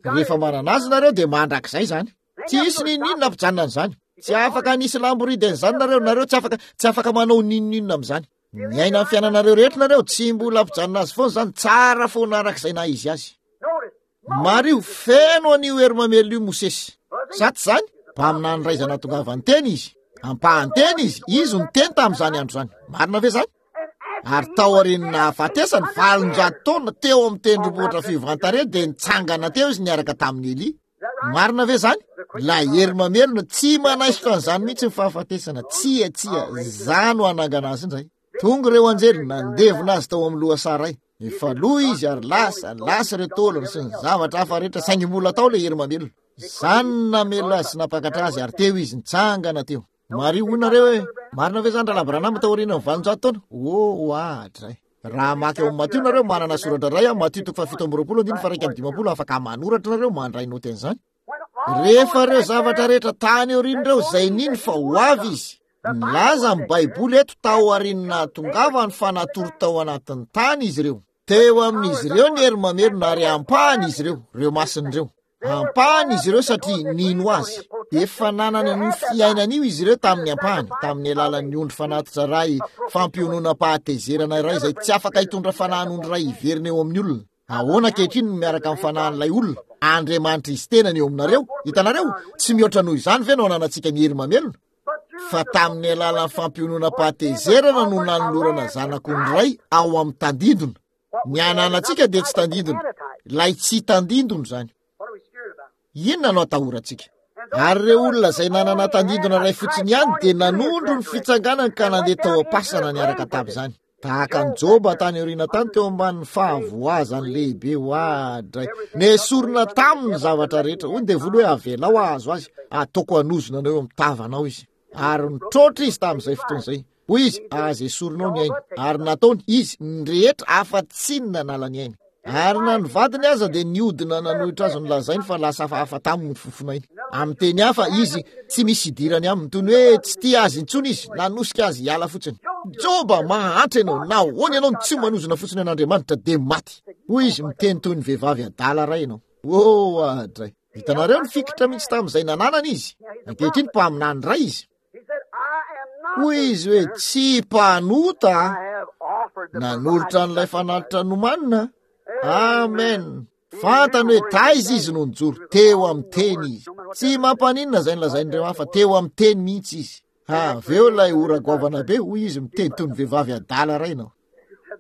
Rehefa manana azy nareo dia mandrakizay izany. Tsy hisy n'inon'inona hampijanona an'izany. Tsy afaka nisy lamboridy an'izany nareo, nareo tsy afaka, tsy afaka manao n'inon'inona amin'izany. Miaina ny fiainanareo rehetra nareo, tsy mbola hampijanona azy foana izany, tsara foana arak'izay na izy azy. Mariho, feno an'io hery mamelona io Mosesy. Sa tsy izany? Mpaminany iray izay nahatongavany teny izy. Ampahan-teny izy, izy no teny tamin'izany andro izany. Marina ve izany? Ary tao aorian'ny nahafatesany, valonjato taona teo amin'ny tendrombohitra fiovan-tarehy dia nitsangana teo izy niaraka tamin'i Elia. Marina ve izany? Ilay hery mamelona tsy manaisotra an'izany mihitsy ny fahafatesana. Tsia, tsia, za no hanangana azy indray. Tonga ireo anjely nandevona azy tao amin'ny lohasaha iray. Efa lo izy ary lasa, lasa ireo taolana sy ny zavatra hafa rehetra, saingy mbola tao ilay hery mamelona. Izany no namelona azy sy nampakatra azy ary teo izy nitsangana teo. Mariho, hoy nareo hoe, marina ve izany Rahalahy Branham tao aorian'ny valonjato taona? Oh, oadray. Raha maka eo amin'ny Matio nareo, manana soratra iray aho, Matio toko fahafito amby roapolo andininy faha-iraika amby dimampolo, afaka manoratra nareo, mandray noty an'izany. Rehefa ireo zavatra rehetra tany aoriana ireo izay nino fa ho avy izy, nilaza ny Baiboly eto tao aorian'ny nahatongavany fa natory tao anatin'ny tany izy ireo. Teo amin'izy ireo ny hery mamelona ary ampahany izy ireo, ireo masina ireo. Ampahany izy ireo satria nino azy. Efa nanana an'io fiainana io izy ireo tamin'ny ampahany, tamin'ny alalan'ny ondry fanatitra iray, fampiononam-pahatezerana iray izay tsy afaka hitondra fanahin'ondry iray hiverina eo amin'ny olona. Ahoana ankehitriny no miaraka amin'ny fanahin'ilay olona? Andriamanitra izy tenany eo aminareo. Hitanareo? Tsy mihoatra noho izany ve no ananantsika ny hery mamelona? Fa tamin'ny alalan'ny fampiononam-pahatezerana no nanolorana zanak'ondry iray ao amin'ny tandindona. Ny ananantsika dia tsy tandindona. Ilay tsy tandindona izany. Inona no atahorantsika? Ary ireo olona izay nanana tandindona iray fotsiny ihany dia nanondro ny fitsanganany ka nandeha tao am-pasana niaraka tamin'izany. Tahaka an'i Joba tany aoriana tany teo ambanin'ny fahavoazany lehibe oadray. Nesorina taminy ny zavatra rehetra. Hoy ny devoly hoe avelao hahazo azy, ataoko hanozona anao eo amin'ny tavanao izy. Ary nitroatra izy tamin'izay fotoana izay. Hoy izy, aza esorinao ny ainy. Ary nataony izy ny rehetra afa-tsy ny nanala ny ainy. Ary na ny vadiny aza dia niodina nanohitra azy, nolazainy fa lasa hafahafa taminy ny fofonainy. Amin'ny teny hafa, izy tsy misy idirany aminy, toy ny hoe tsy tia azy intsony izy, nanosika azy hiala fotsiny. Joba, mahantra ianao, nahoana ianao no tsy manozona fotsiny an'Andriamanitra dia maty? Hoy izy, miteny toy ny vehivavy adala iray ianao. Oh, adray. Hitanareo, nifikitra mihitsy tamin'izay nananany izy. Ankehitriny mpaminany iray izy. Hoy izy hoe, tsy mpanota nanolotra an'ilay fanatitra nomanina. Amen. Fantany hoe taiza izy no nijoro, teo amin'ny teny izy. Tsy mampaninona izay nolazain'ireo hafa, teo amin'ny teny mihitsy izy. Ha, avy eo ilay ora goavana be, hoy izy, miteny toy ny vehivavy adala iray ianao.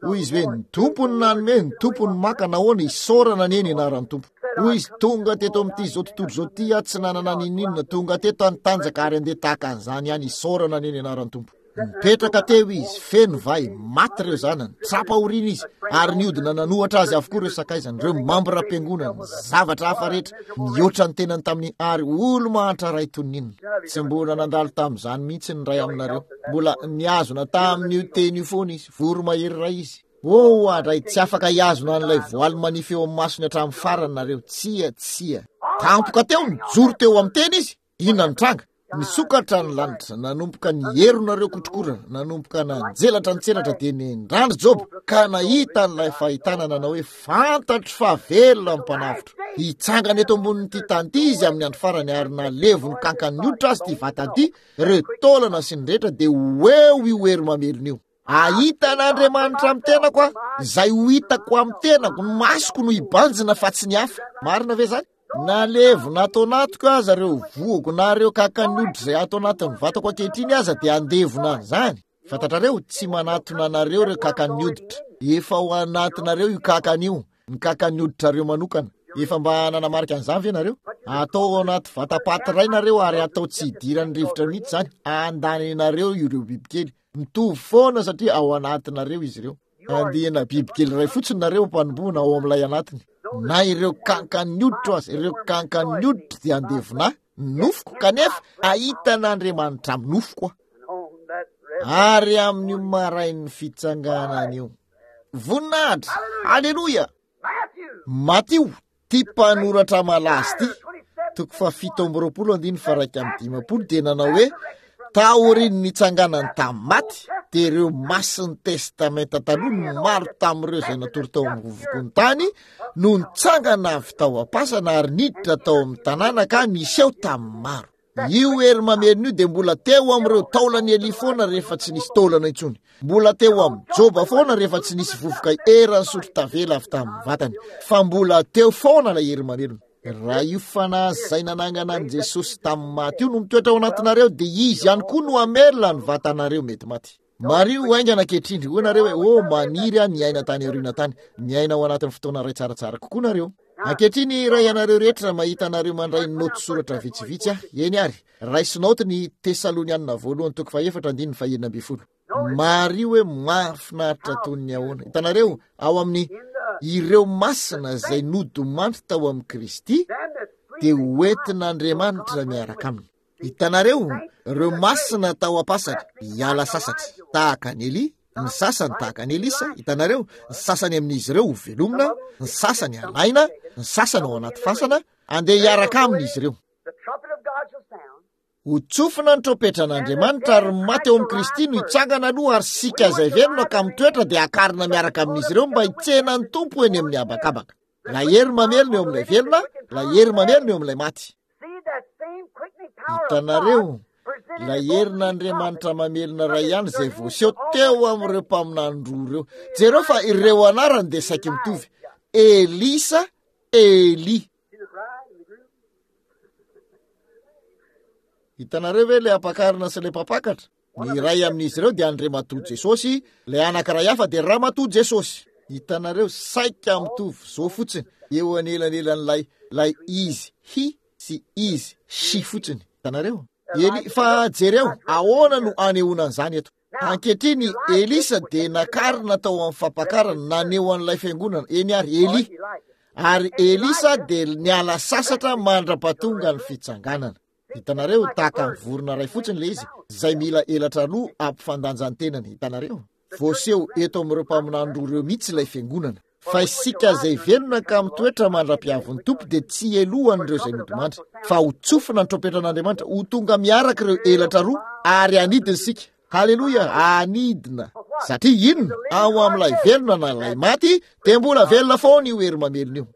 Hoy izy hoe, ny Tompo no nanome, ny Tompo no maka, nahoana isaorana anie ny anaran'ny Tompo. Hoy izy, tonga teto amin'ity izao tontolo izao ity aho, tsy nanana n'inon'inona, tonga teto aho nitanjaka ary andeha tahaka an'izany ihany, isaorana anie ny anaran'ny Tompo. Nipetraka teo izy, feno vay, maty ireo zanany, tsapa-aoriana izy, ary niodina nanohatra azy avokoa ireo sakaizany, ireo mambram-piangonany, zavatra hafa rehetra, nihoatra ny tenany tamin'ny ary olo-mahantra iray toy ny inona. Tsy mbola nandalo tamin'izany mihitsy ny iray aminareo. Mbola nihazona tamin'io teny io foana izy, voromahery iray izy. Oh, andray, tsy afaka hihazona an'ilay voaly manify eo amin'ny masony hatramin'ny farany nareo. Tsia, tsia. Tampoka teo, nijoro teo amin'ny teny izy. Inona ny tranga? Nisokatra ny lanitra, nanomboka nierona ireo kotrokorana, nanomboka nanjelatra ny tselatra, dia nendrandry Joba ka nahita an'ilay fahitana nanao hoe fantatro fa velona ny mpanavotra. Hitsangana eto ambonin'ity tany ity izy amin'ny andro farany, ary nalevony kankan'ny hoditra azy ity vatany ity, ireo taolana sy ny rehetra, dia ho eo io hery mamelona io. Ahita an'Andriamanitra amin'ny tenako aho, izay ho hitako amin'ny tenako, ny masoko no hibanjina fa tsy ny hafa. Marina ve izany? Nalevina ato anatiko aza ireo vohoko na ireo kakan'ny hoditra izay ato anatin'ny vatako ankehitriny aza dia andevona an'izany. Fantatrareo, tsy manatona anareo ireo kakan'ny hoditra. Efa ao anatinareo io kakany io, ny kakan'ny hoditrareo manokana. Efa mba nanamarika an'izany ve nareo? Atao ao anaty vatapaty iray nareo ary atao tsy hidiran'ny rivotra mihitsy izany. Andaninareo ireo bibikely. Mitovy foana satria ao anatinareo izy ireo. Andiana bibikely iray fotsiny nareo mpanomboana ao amin'ilay anatiny. Na ireo kankan'ny hoditro aza, ireo kankan'ny hoditro dia andevona nofoko, kanefa ahita an'Andriamanitra amin'ny nofoko aho. Ary amin'io marain'ny fitsanganana io. Voninahitra! Aleloia! Matio, ty mpanoratra malaza ty, toko fahafito amby roapolo andininy faha-iraika amby dimampolo, dia nanao hoe taorian'ny nitsanganany tamin'ny maty, dia ireo masin'ny testamenta taloha no maro tamin'ireo izay natory tao amin'ny vovokon'ny tany no nitsangana avy tao am-pasana ary niditra tao amin'ny tanàna ka niseho tamin'ny maro. Io hery mamelona io dia mbola teo amin'ireo taolan'i Elia foana rehefa tsy nisy taolana intsony. Mbola teo amin'ny Joba foana rehefa tsy nisy vovoka eran'ny sotro tavela avy tamin'ny vatany. Fa mbola teo foana ilay hery mamelona. Raha io fanahy izay nanangana an'i Jesosy tamin'ny maty io no mitoetra ao anatinareo, dia izy ihany koa no hamelona ny vatanareo mety maty. Mariho haingana ankehitriny, hoy nareo hoe, oh, maniry aho niaina tany aoriana tany. Niaina ao anatin'ny fotoana iray tsaratsara kokoa nareo. Ankehitriny, raha ianareo rehetra mahita anareo mandray naoty soratra vitsivitsy aho, eny ary, raiso naoty ny Tesalonianina voalohany toko fahefatra andininy fahenina ambin'ny folo. Mariho hoe mahafinaritra toy ny ahoana. Hitanareo, ao amin'ny ireo masina izay nodimandry tao amin'i Kristy dia hoentin'Andriamanitra miaraka aminy. Hitanareo, ireo masina tao am-pasana hiala sasatra tahaka an'i Elia, ny sasany tahaka an'i Elisa, hitanareo, ny sasany amin'izy ireo ho velomina, ny sasany halaina, ny sasany ao anaty fasana, andeha hiaraka aminy izy ireo. Ho tsofina ny trompetran'Andriamanitra ary maty eo amin'i Kristy no hitsangana aloha, ary sika izay velona ka mitoetra dia hakarina miaraka amin'izy ireo mba hitsena ny Tompo eny amin'ny habakabaka. Ilay hery mamelona eo amin'ilay velona, ilay hery mamelona eo amin'ilay maty. Hitanareo, ilay herin'Andriamanitra mamelona iray ihany izay voaseho teo amin'ireo mpaminany roa ireo. Jereo fa ireo anarany dia saiky mitovy. Elisa, Elia. Hitanareo ve ilay ampakarina sy ilay mpampakatra? Ny iray amin'izy ireo dia Andriamatoa Jesosy, ilay anankiray hafa dia Ramatoa Jesosy. Hitanareo, saika mitovy zo fotsiny eo anelanelan'ilay ilay izy hi sy izy shi fotsiny. Hitanareo? Eli, fa jereo, ahoana no anehoana an'izany eto? Ankehitriny, Elisa dia nakarina tao amin'ny fampakarana, naneho an'ilay fiangonana, eny ary, Elia. Ary Elisa dia niala sasatra mandra-pahatonga ny fitsanganana. Hitanareo, tahaka ny vorona iray fotsiny ilay izy, izay mila elatra roa hampifandanja ny tenany. Hitanareo? Voaseho eto amin'ireo mpaminany roa ireo mihitsy ilay fiangonana. Fa isika izay velona ka mitoetra mandra-piavin'ny Tompo dia tsy helohan'ireo izay nodimandry, fa ho tsofina ny trompetran'Andriamanitra, ho tonga miaraka ireo elatra roa, ary hanidina isika. Haleloia! Hanidina! Satria inona? Ao amin'ilay velona na ilay maty, dia mbola velona foana io hery mamelona io.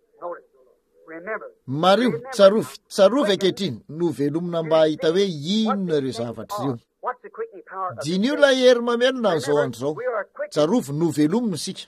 Mariho, tsarovy, tsarovy ankehitriny, novelomina mba hahita hoe inona ireo zavatra ireo. Diniho ilay hery mamelona an'izao andro izao. Tsarovy, novelomina isika.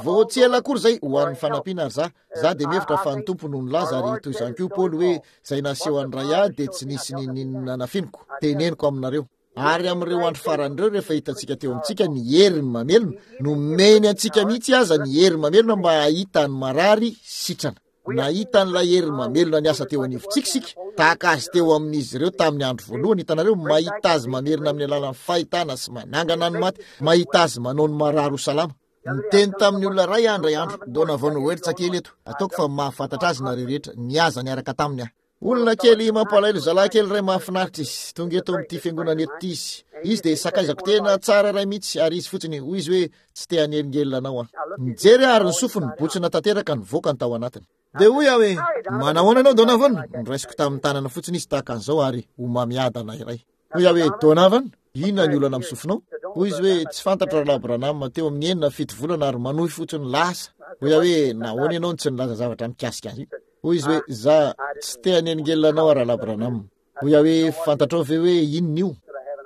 Vao tsy ela akory izay, ho an'ny fanampiana ary za, za dia mihevitra fa ny Tompo no nilaza, ary toy izany koa Paoly hoe, izay naseho an'ny Ray ahy dia tsy nisy n'inon'inona nafiniko, teneniko aminareo. Ary amin'ireo andro farany ireo, rehefa hitantsika teo amintsika ny heriny mamelona, nomeny antsika mihitsy aza ny hery mamelona mba hahita ny marary sitrana. Nahita an'ilay hery mamelona niasa teo anivontsika isika, tahaka azy teo amin'izy ireo tamin'ny andro voalohany. Hitanareo, mahita azy mamerina amin'ny alalan'ny fahitana sy manangana ny maty, mahita azy manao ny marary ho salama. Niteny tamin'ny olona iray aho indray andro, Donovan Weerts kely eto, ataoko fa mahafantatra azy nareo rehetra, nihaza niaraka taminy aho. Olona kely mampalahelo, zalahy kely iray mahafinaritra izy. Tonga eto amin'ity fiangonana eto ity izy. Izy dia sakaizako tena tsara iray mihitsy, ary izy fotsiny hoy izy hoe tsy te hanelingelina anao aho. Nijery aho ary ny sofiny botsina tanteraka nivoaka ny tao anatiny. Dia hoy aho hoe, manahoana ianao Donovan? Noraisiko tamin'ny tanana fotsiny izy tahaka an'izao ary ho mamiadana iray. Hoy aho hoe, Donovan, inona ny olana amin'ny sofinao? Hoy izy hoe, tsy fantatro rahalahy Branham, teo amin'ny enina fito volana ary manohy fotsiny lasa. Hoy aho hoe, nahoana ianao no tsy nilaza zavatra mikasika azy io? Hoy izy hoe, za tsy te hanelingelina anao rahalahy Branham. Hoy aho hoe, fantatrao ve hoe inona io?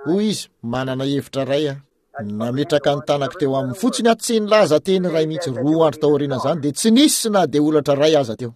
Hoy izy, manana hevitra iray aho. Nametraka ny tanako teo aminy fotsiny aho, tsy nilaza teny iray mihitsy. Roa andro tao aorianan'izany dia tsy nisy na dia olatra iray aza teo.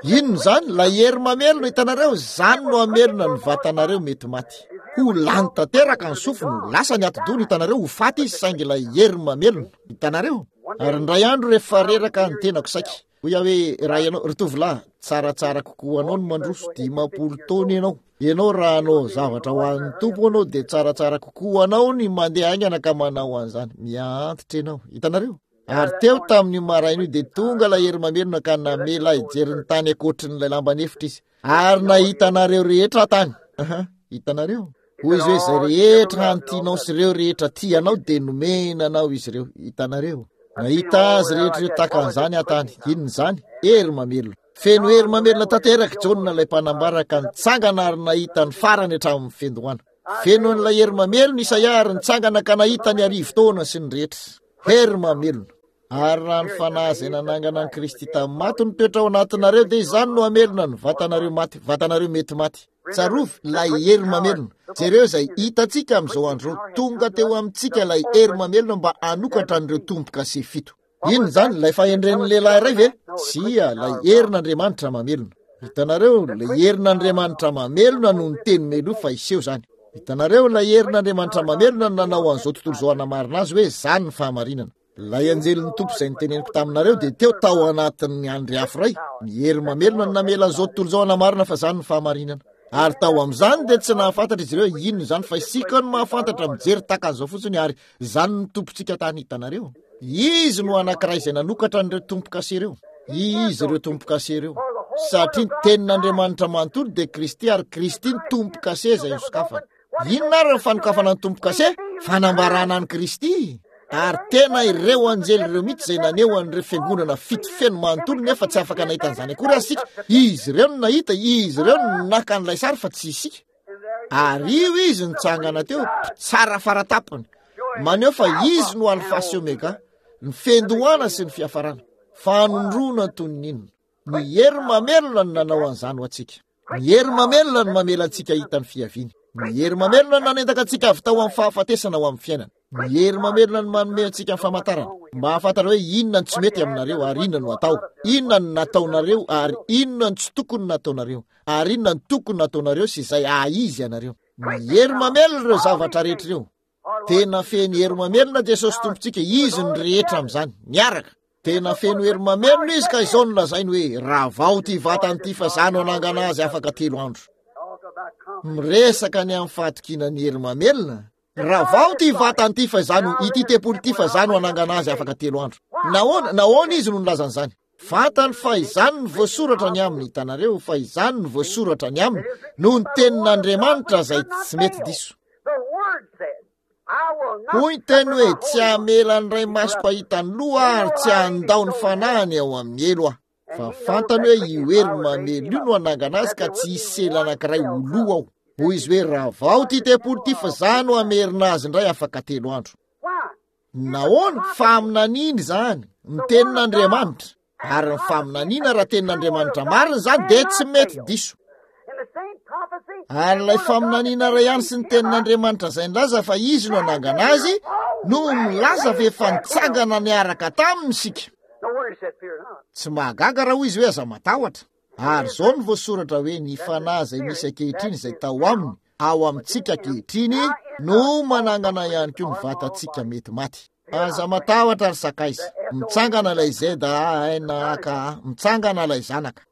Inona izany? Ilay hery mamelona, hitanareo, izany no hamelona ny vatanareo mety maty. Ho lany tanteraka ny sofiny, ho lasa ny atidohany, hitanareo, ho faty izy, saingy ilay hery mamelona, hitanareo. Ary indray andro rehefa reraka ny tenako saiky, hoy aho hoe, raha ianao, ry tovolahy, tsaratsara kokoa anao ny mandroso dimampolo taona ianao. Ianao raha hanao zavatra ho an'ny Tompo ianao dia tsaratsara kokoa anao ny mandeha haingana ka manao an'izany. Miha-antitra ianao, hitanareo. Ary teo tamin'io maraina io dia tonga ilay hery mamelona ka namela ahy hijery ny tany ankoatrin'ilay lamban'efitra izy. Ary nahita anareo rehetra tany. Aha, hitanareo. Hoy izy hoe, izay rehetra hantianao sy ireo rehetra tianao dia nomena anao izy ireo. Hitanareo. Nahita azy rehetra ireo tahaka an'izany aho tany. Inona izany? Hery mamelona. Feno hery mamelona tanteraka Jaona ilay mpanambara ka nitsangana ary nahita ny farany hatramin'ny fiandohana. Feno an'ilay hery mamelona Isaia ary nitsangana ka nahita ny arivo taona sy ny rehetra. Hery mamelona. Ary raha ny fanahy izay nanangana an'i Kristy tamin'ny maty no mitoetra ao anatinareo dia izany no hamelona ny vatanareo maty, vatanareo mety maty. Tsarovy ilay hery mamelona. Jereo izay hitantsika amin'izao andro izao. Tonga teo amintsika ilay hery mamelona mba hanokatra an'ireo tombo-kase fito. Inona izany? Ilay fahendren'ny lehilahy iray ve? Tsia, ilay herin'Andriamanitra mamelona. Hitanareo, ilay herin'Andriamanitra mamelona no niteny meloa fa hiseho izany. Hitanareo, ilay herin'Andriamanitra mamelona no nanao an'izao tontolo izao hanamarina azy hoe izany ny fahamarinana. Ilay anjelin'ny Tompo izay niteneniko taminareo dia teo tao anatin'ny andry afo iray. Ny hery mamelona no namela an'izao tontolo izao hanamarina fa izany ny fahamarinana. Ary tao amin'izany dia tsy nahafantatra izy ireo inona izany, fa isika no mahafantatra, mijery tahaka an'izao fotsiny, ary izany no tompontsika tany, hitanareo. Izy no anankiray izay nanokatra an'ireo tombo-kase ireo. Izy ireo tombo-kase ireo. Satria ny tenin'Andriamanitra manontolo dia Kristy, ary Kristy ny tombo-kase izay nosokafana. Inona ary ny fanokafana ny tombo-kase? Fanambarana an'i Kristy. Ary tena ireo anjely ireo mihitsy izay naneho an'ireo fiangonana fito feno manontolo, nefa tsy afaka nahita an'izany akory aza isika. Izy ireo no nahita, izy ireo no naka an'ilay sary fa tsy isika. Ary io izy nitsangana teo, mpitsara faratapony, maneho fa izy no Alfa sy Omega, ny fiandohana sy ny fiafarana. Fanondroana toy ny inona? Ny hery mamelona no nanao an'izany ho antsika. Ny hery mamelona no mamela antsika hita ny fiaviany. Ny hery mamelona no nanendaka antsika avy tao amin'ny fahafatesana ho amin'ny fiainana. Ny hery mamelona no manome antsika ny famantarana mba hahafantatra hoe inona no tsy mety aminareo ary inona no atao, inona no nataonareo ary inona no tsy tokony nataonareo, ary inona no tokony nataonareo sy izay haha-izy anareo. Ny hery mamelona ireo zavatra rehetra ireo. Tena feno hery mamelona Jesosy Tompontsika, Izy ny rehetra amin'izany, miaraka. Tena feno hery mamelona Izy ka izao no lazainy hoe, ravao ity vatany ity fa za no hanangana azy afaka telo andro. Miresaka ny amin'ny fahatokiana ny hery mamelona. Ravao ity vatany ity fa za no, ity tempoly ity fa za no hanangana azy afaka telo andro. Nahoana, nahoana Izy no nilaza an'izany? Fantany fa izany no voasoratra ny aminy, hitanareo, fa izany no voasoratra ny aminy noho ny tenin'Andriamanitra izay tsy mety diso. Hoy ny teny hoe, tsy hamela ny ray masoko hahita ny loha ary tsy handao ny fanahiny ao amin'ny helo aho. Fa fantany hoe io hery mamely io no hanangana azy ka tsy hisy sela anankiray ho lo ao. Hoy izy hoe, ravao ity tempoly ity fa za no hamerina azy indray afaka telo andro. Nahoana? Faminaniana izany, ny tenin'Andriamanitra. Ary ny faminaniana, raha tenin'Andriamanitra marina izany, dia tsy mety diso. Ary ilay faminaniana iray ihany sy ny tenin'Andriamanitra izay nilaza fa izy no hanangana azy, no milaza fa efa nitsangana niaraka taminy isika. Tsy mahagaga raha hoy izy hoe aza matahotra. Ary izao no voasoratra hoe ny fanahy izay misy ankehitriny izay tao aminy, ao amintsika ankehitriny, no manangana ihany koa ny vatantsika mety maty. Aza matahotra ry sakaiza. Mitsangana ilay Z A N A K A, mitsangana ilay zanaka.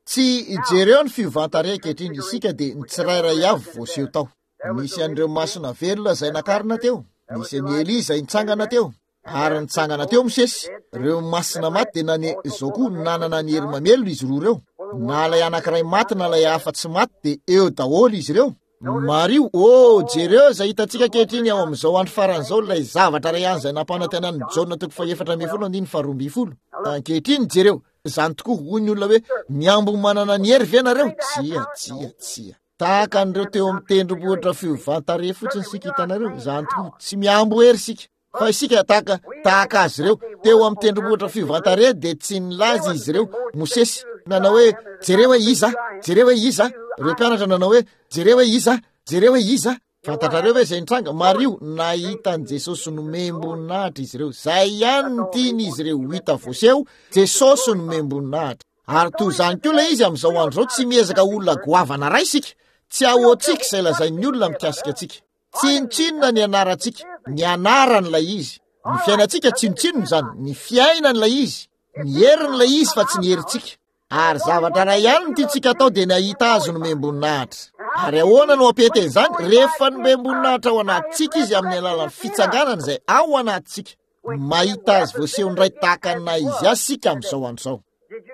Tsy jereo ny fiovan-tarehy ankehitriny, isika dia ny tsirairay avy voaseho tao. Nisy an'ireo masina velona izay nakarina teo, nisy an'i Elia izay nitsangana teo, ary nitsangana teo Mosesy. Ireo masina maty dia nane izao koa, nanana ny hery mamelona izy roa ireo. Na ilay anankiray maty na ilay hafa tsy maty, dia eo daholo izy ireo. Mariho, oh, jereo izay hitantsika ankehitriny ao amin'izao andro faran'izao, ilay zavatra iray ihany izay nampanantenan'i Jaona toko fahefatra ambin'ny folo andininy faharoa ambin'ny folo. Ankehitriny, jereo, izany tokoa, hoy ny olona hoe, mihambo manana ny hery ve nareo? Tsia, tsia, tsia. Tahaka an'ireo teo amin'ny tendrombohitra fiovan-tarehy fotsiny isika, hitanareo, izany tokoa, tsy mihambo hery isika. Fa isika tahaka, tahaka azy ireo teo amin'ny tendrombohitra fiovan-tarehy, dia tsy nilaza izy ireo, Mosesy nanao hoe, jereo hoe iza, jereo hoe iza. Ireo mpianatra nanao hoe, jereo hoe iza, jereo hoe iza. Fantatrareo ve izay nitranga? Mariho, nahita an'i Jesosy nomem-boninahitra izy ireo. Izay ihany no tiany izy ireo ho hita voaseho, Jesosy nomem-boninahitra. Ary toy izany koa ilay izy amin'izao andro izao, tsy miezaka olona goavana iray isika. Tsy ahoantsika izay lazain'ny olona mikasika antsika. Tsinontsinona ny anarantsika, ny anaran'ilay izy. Ny fiainantsika tsinontsinona izany, ny fiainan'ilay izy, ny herin'ilay izy fa tsy ny herintsika. Ary zavatra iray ihany no tiantsika atao dia ny hahita azy nomem-boninahitra. Ary ahoana no hampety an'izany? Rehefa nomem-boninahitra ao anatintsika izy amin'ny alalan'ny fitsanganana izay ao anatintsika. Mahita azy voaseho indray tahaka ny naha izy azy isika amin'izao andro izao.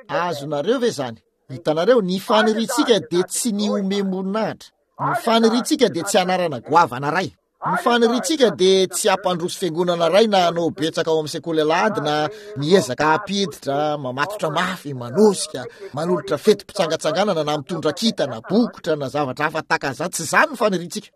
Azonareo ve izany? Hitanareo, ny faniriantsika dia tsy ny homem-boninahitra. Ny faniriantsika dia tsy anarana goavana iray. Ny faniriantsika dia tsy hampandroso fiangonana iray na hanao betsaka ao amin'ny sekoly alahady na miezaka hampiditra, mamatotra mafy, manosika, manolotra fetim-pitsangatsanganana na mitondra kintana, bokotra na zavatra hafa tahaka an'izany. Tsy izany ny faniriantsika.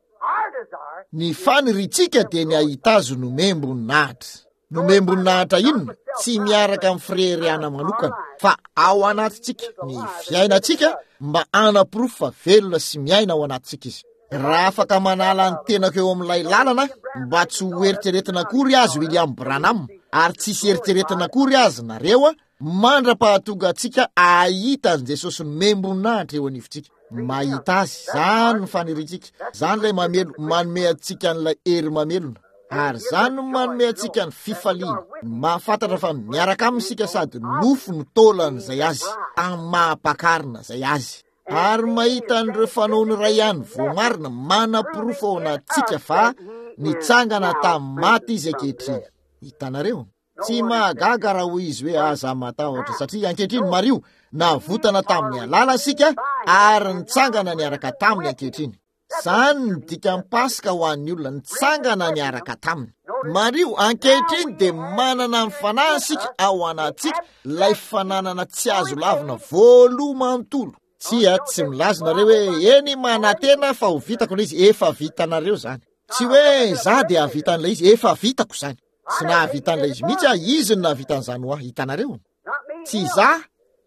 Ny faniriantsika dia ny hahita azy nomem-boninahitra. Nomem-boninahitra inona? Tsy miaraka amin'ny fireharehana manokana, fa ao anatintsika, ny fiainantsika, mba hanaporofo fa velona sy miaina ao anatintsika izy. Raha afaka manala ny tenako eo amin'ilay lalana, mba tsy ho eritreretina akory azy William Branham, ary tsy hisy eritreretina akory azy nareo, mandra-pahatonga antsika hahita an'i Jesosy nomem-boninahitra eo anivontsika. Mahita azy, izany ny faniriantsika, izany ilay mamelo, manome antsika an'ilay hery mamelona. Ary izany no manome antsika ny fifaliana, ny mahafantatra fa miaraka aminy isika sady nofo no taolan'izay azy, amin'ny maha-mpakarina izay azy. Ary mahita an'ireo fanaony iray ihany voamarina manaporofo ao anatintsika fa nitsangana tamin'ny maty izy ankehitriny. Hitanareo? Tsy mahagaga raha hoy izy hoe aza matahotra, satria ankehitriny, mariho, navotana tamin'ny alàlany isika ary nitsangana niaraka taminy ankehitriny. Izany no dikan'ny Paska ho an'ny olona, nitsangana niaraka taminy. Mariho, ankehitriny dia manana ny fanahy isika ao anatintsika, ilay fananana tsy azo lavina voaloha manontolo. Tsia, tsy milaza nareo hoe, eny, manantena fa ho vitako ilay izy. Efa vitanareo izany. Tsy hoe za dia hahavita an'ilay izy, efa vitako izany. Tsy nahavita an'ilay izy mihitsy aho, izy no nahavita an'izany ho ahy. Hitanareo? Tsy za,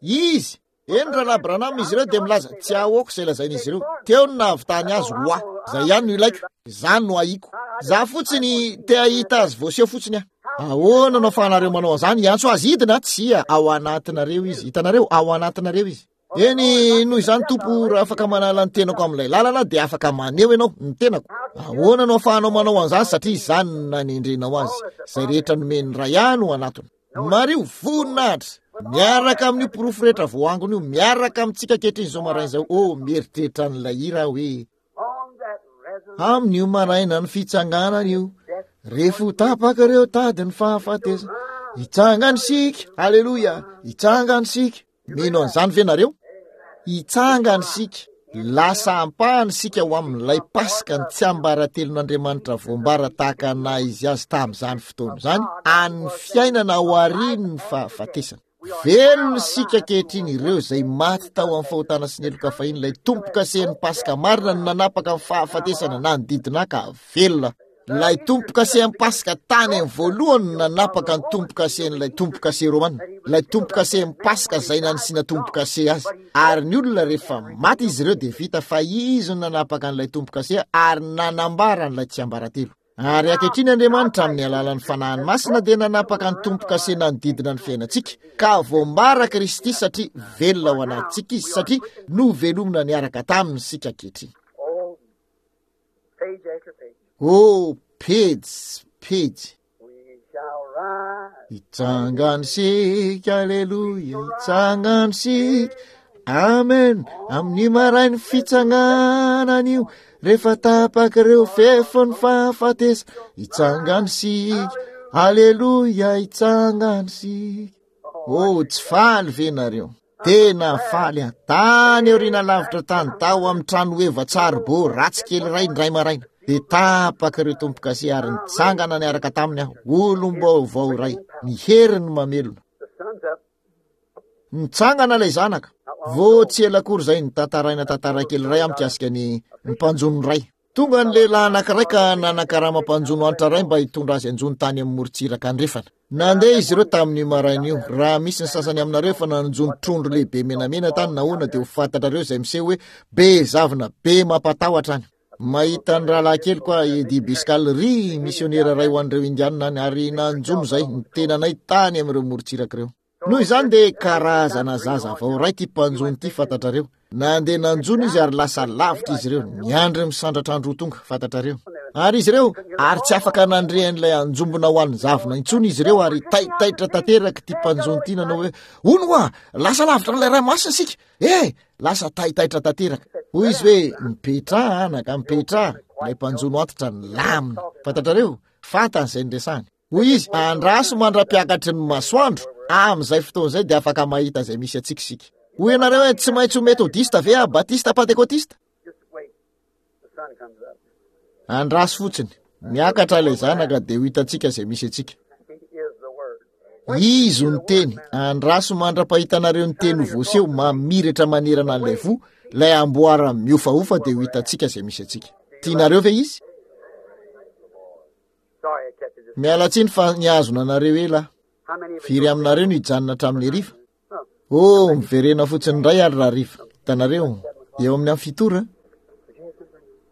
izy. Eny, Rahalahy Branham, izy ireo dia milaza, tsy ahoako izay lazain'izy ireo. Teo no nahavitany azy ho ahy. Izay ihany no ilaiko. Izany no ahiko. Za fotsiny te hahita azy voaseho fotsiny aho. Ahoana no ahafahanareo manao an'izany? Hiantso azy hidina? Tsia, ao anatinareo izy. Hitanareo, ao anatinareo izy. Eny, noho izany, Tompo, raha afaka manala ny tenako amin'ilay lalana, dia afaka maneho ianao ny tenako. Ahoana no ahafahanao manao an'izany? Satria izany no nanendrenao azy. Izay rehetra nomen'ny Ray ahy no anatony. Mariho, voninahitra, miaraka amin'io porofo rehetra voaangona io, miaraka amintsika ankehitriny izao maraina izao. Oh, mieritreritra an'ilay hira aho hoe, amin'io maraina ny fitsanganana io, rehefa ho tapaka ireo tadin'ny fahafatesana, hitsangana isika, haleloia, hitsangana isika. Mino an'izany ve nareo? Hitsangana isika. Lasa ampahany isika ho amin'ilay Paska ny tsiambaratelon'Andriamanitra voambara tahaka ny naha izy azy tamin'izany fotoana izany, an'ny fiainana aorian'ny fahafatesana. Velona isika ankehitriny, ireo izay maty tao amin'ny fahotana sy ny heloka fahiny, ilay tombo-kasen'ny Paska marina no nanapaka ny fahafatesana nanodidina ka velona. Ilay tombo-kasen'ny Paska tany amin'ny voalohany no nanapaka ny tombo-kasen'ilay tombo-kase romana, ilay tombo-kasen'ny Paska izay nanisiana tombo-kase azy. Ary ny olona rehefa maty izy ireo dia vita fa izy no nanapaka an'ilay tombo-kase ary nanambara an'ilay tsiambaratelo. Ary ankehitriny Andriamanitra amin'ny alalan'ny Fanahiny Masina dia nanapaka ny tombo-kase nanodidina ny fiainantsika, ka voambara Kristy satria velona ao anatintsika izy, satria novelomina niaraka taminy isika ankehitriny. Oh, pejy, pejy. Hitsangana isika, aleloia, hitsangana isika. Amen. Amin'ny marain'ny fitsanganana io, rehefa tapaka ireo fefin'ny fahafatesana, hitsangana isika, aleloia, hitsangana isika. Oh, tsy faly ve nareo? Tena faly aho. Tany aoriana lavitra tany, tao amin'ny trano heva tsaribo ratsy kely iray indray maraina. Dia tapaka ireo tombo-kase ary nitsangana niaraka taminy aho, olom-baovao iray, ny heriny mamelona. Nitsangana ilay zanaka. Vao tsy ela akory izay nitantaraina tantara kely iray mikasika ny mpanjono iray. Tonga ny lehilahy anankiray ka nanakarama mpanjono antra iray mba hitondra azy anjono tany amin'ny morontsiraka andrefana. Nandeha izy ireo tamin'io maraina io. Raha misy ny sasany aminareo efa nanjono trondro lehibe menamena tany nahoana dia ho fantatrareo izay miseho hoe be zavona, be mampatahotra any. Mahita ny rahalahy kely koa Eddie Biscal, ry misionera iray ho an'ireo Indianina any, ary nanjono izay ny tenanay tany amin'ireo morontsiraka ireo. Noho izany dia karazana zaza vao iray ity mpanjono ity, fantatrareo. Nandeha nanjono izy ary lasa lavitra izy ireo, niandry misandratra andro ho tonga, fantatrareo. Ary izy ireo, ary tsy afaka nandre an'ilay anjombona ho an'ny zavona intsony izy ireo, ary taitaitra tanteraka ity mpanjono ity nanao hoe, hono hoa, lasa lavitra an'ilay ranomasina isika, eh, lasa taitaitra tanteraka. Hoy izy hoe, mipetraha anaka, mipetraha, ilay mpanjono antitra nilamina, fantatrareo, fantany izay niresahany. Hoy izy, andraso mandra-piakatry ny masoandro, amin'izay fotoana izay dia afaka mahita izay misy antsika isika. Hoy ianareo hoe, tsy maintsy ho metodista ve aho, batista, pentekotista? Andraso fotsiny, miakatra ilay zanaka dia ho hitantsika izay misy antsika. Izy no teny, andraso mandra-pahitanareo ny teny ho voaseho mamiratra manerana an'ilay voa, ilay amboara miofaofa dia ho hitantsika izay misy antsika. Tianareo ve izy? Miala tsiny fa nihazona anareo ela. Firy aminareo no hijanona hatramin'ny hariva? Oh, miverena fotsiny indray ary raha hariva. Hitanareo, eo amin'ny amin'ny fito ora.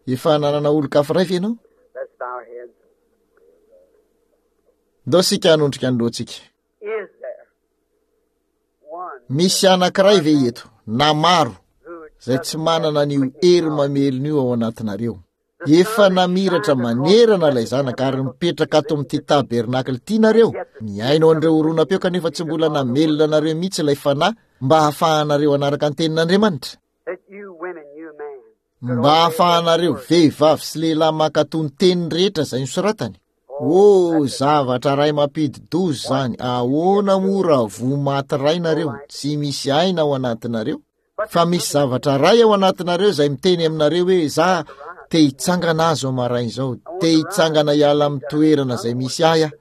Efa nanana olon-kafa iray ve ianao? Ndao isika hanondrika ny lohantsika. Misy anankiray ve eto, na maro, izay tsy manana an'io hery mamelona io ao anatinareo? Efa namiratra manerana ilay zanaka ary mipetraka ato amin'ity tabernakla ity nareo, mihaino an'ireo horonam-peo kanefa tsy mbola namelona anareo mihitsy ilay fanahy mba hahafahanareo hanaraka ny tenin'Andriamanitra. Mba hahafahanareo vehivavy sy lehilahy mankatò ny teny rehetra izay nosoratany. Oh, zavatra iray mampidi-doza izany. Ahoana moa raha voa maty iray nareo, tsy misy aina ao anatinareo? Fa misy zavatra iray ao anatinareo izay miteny aminareo hoe, za te hitsangana aho izao maraina izao, te hitsangana hiala amin'ny toerana izay misy ahy aho,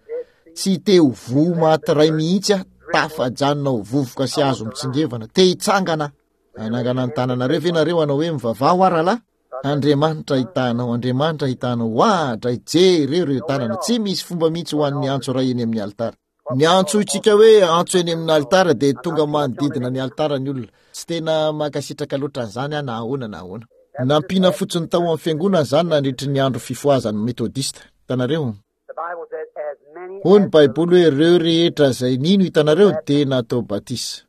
tsy te ho voa maty iray mihitsy aho, tafajanona ho vovoka sy hazo mitsingevana, te hitsangana aho. Hanangana ny tananareo ve nareo hanao hoe, mivavaha ho aho rahalahy? Andriamanitra hitanao, Andriamanitra hitanao, ohatra, jereo ireo tanana, tsy misy fomba mihitsy ho an'ny antso iray eny amin'ny alitara. Ny antsointsika hoe antso eny amin'ny alitara dia tonga manodidina ny alitara ny olona. Tsy tena mankasitraka loatra an'izany aho na ahoana na ahoana. Nampiana fotsiny tao amin'ny fiangonana izany nandritry ny andro fifohazan'ny metodista. Hitanareo? Hoy ny Baiboly hoe ireo rehetra izay nino, hitanareo, dia natao batisa.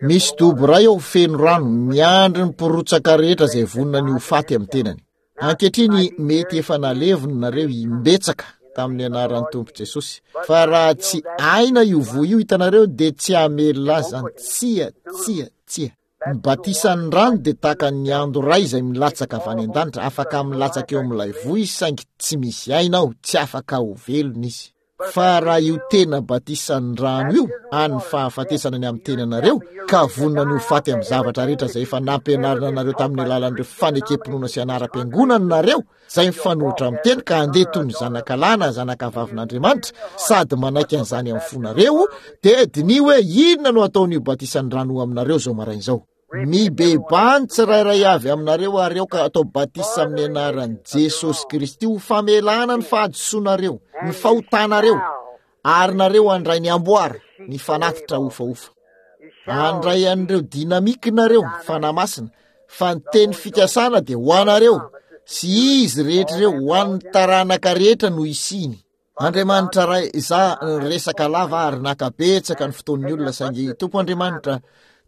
Misy dobo iray ao feno rano, miandry ny mpirotsaka rehetra izay vonona ny ho faty amin'ny tenany. Ankehitriny mety efa nalevina nareo imbetsaka tamin'ny anaran'ny Tompo Jesosy. Fa raha tsy aina io voa io, hitanareo, dia tsy hamelona azy izany. Tsia, tsia, tsia. Ny batisan'ny rano dia tahaka ny ando iray izay milatsaka avy any an-danitra, afaka milatsaka eo amin'ilay voa izy, saingy tsy misy aina ao, tsy afaka ho velona izy. Fa raha io tena batisan'ny rano io, any fahafatesana ny amin'ny tenanareo, ka vonona ny ho faty amin'ny zavatra rehetra izay efa nampianarina anareo tamin'ny alalan'ireo fanekem-pinoana sy anaram-piangonana nareo, izay mifanohitra amin'ny teny ka handeha toy ny zanakalahy na zanakavavin'Andriamanitra, sady manaiky an'izany amin'ny fonareo, dia diniho hoe inona no ataon'io batisan'ny rano aminareo izao maraina izao. Mibebaha ny tsirairay avy aminareo ary aoka atao batisa amin'ny anaran'i Jesosy Kristy ho famelana ny fahadisoanareo, ny fahotanareo, ary nareo handray ny amboara, ny fanatitra hofahofa. Handray an'ireo dinamika nareo, Fanahy Masina, fa ny teny fikasana dia ho anareo sy izy rehetra ireo, ho an'ny taranaka rehetra no hisiany. Andriamanitra Ray, izaho niresaka lava ary naka betsaka ny fotoan'ny olona, saingy Tompo Andriamanitra,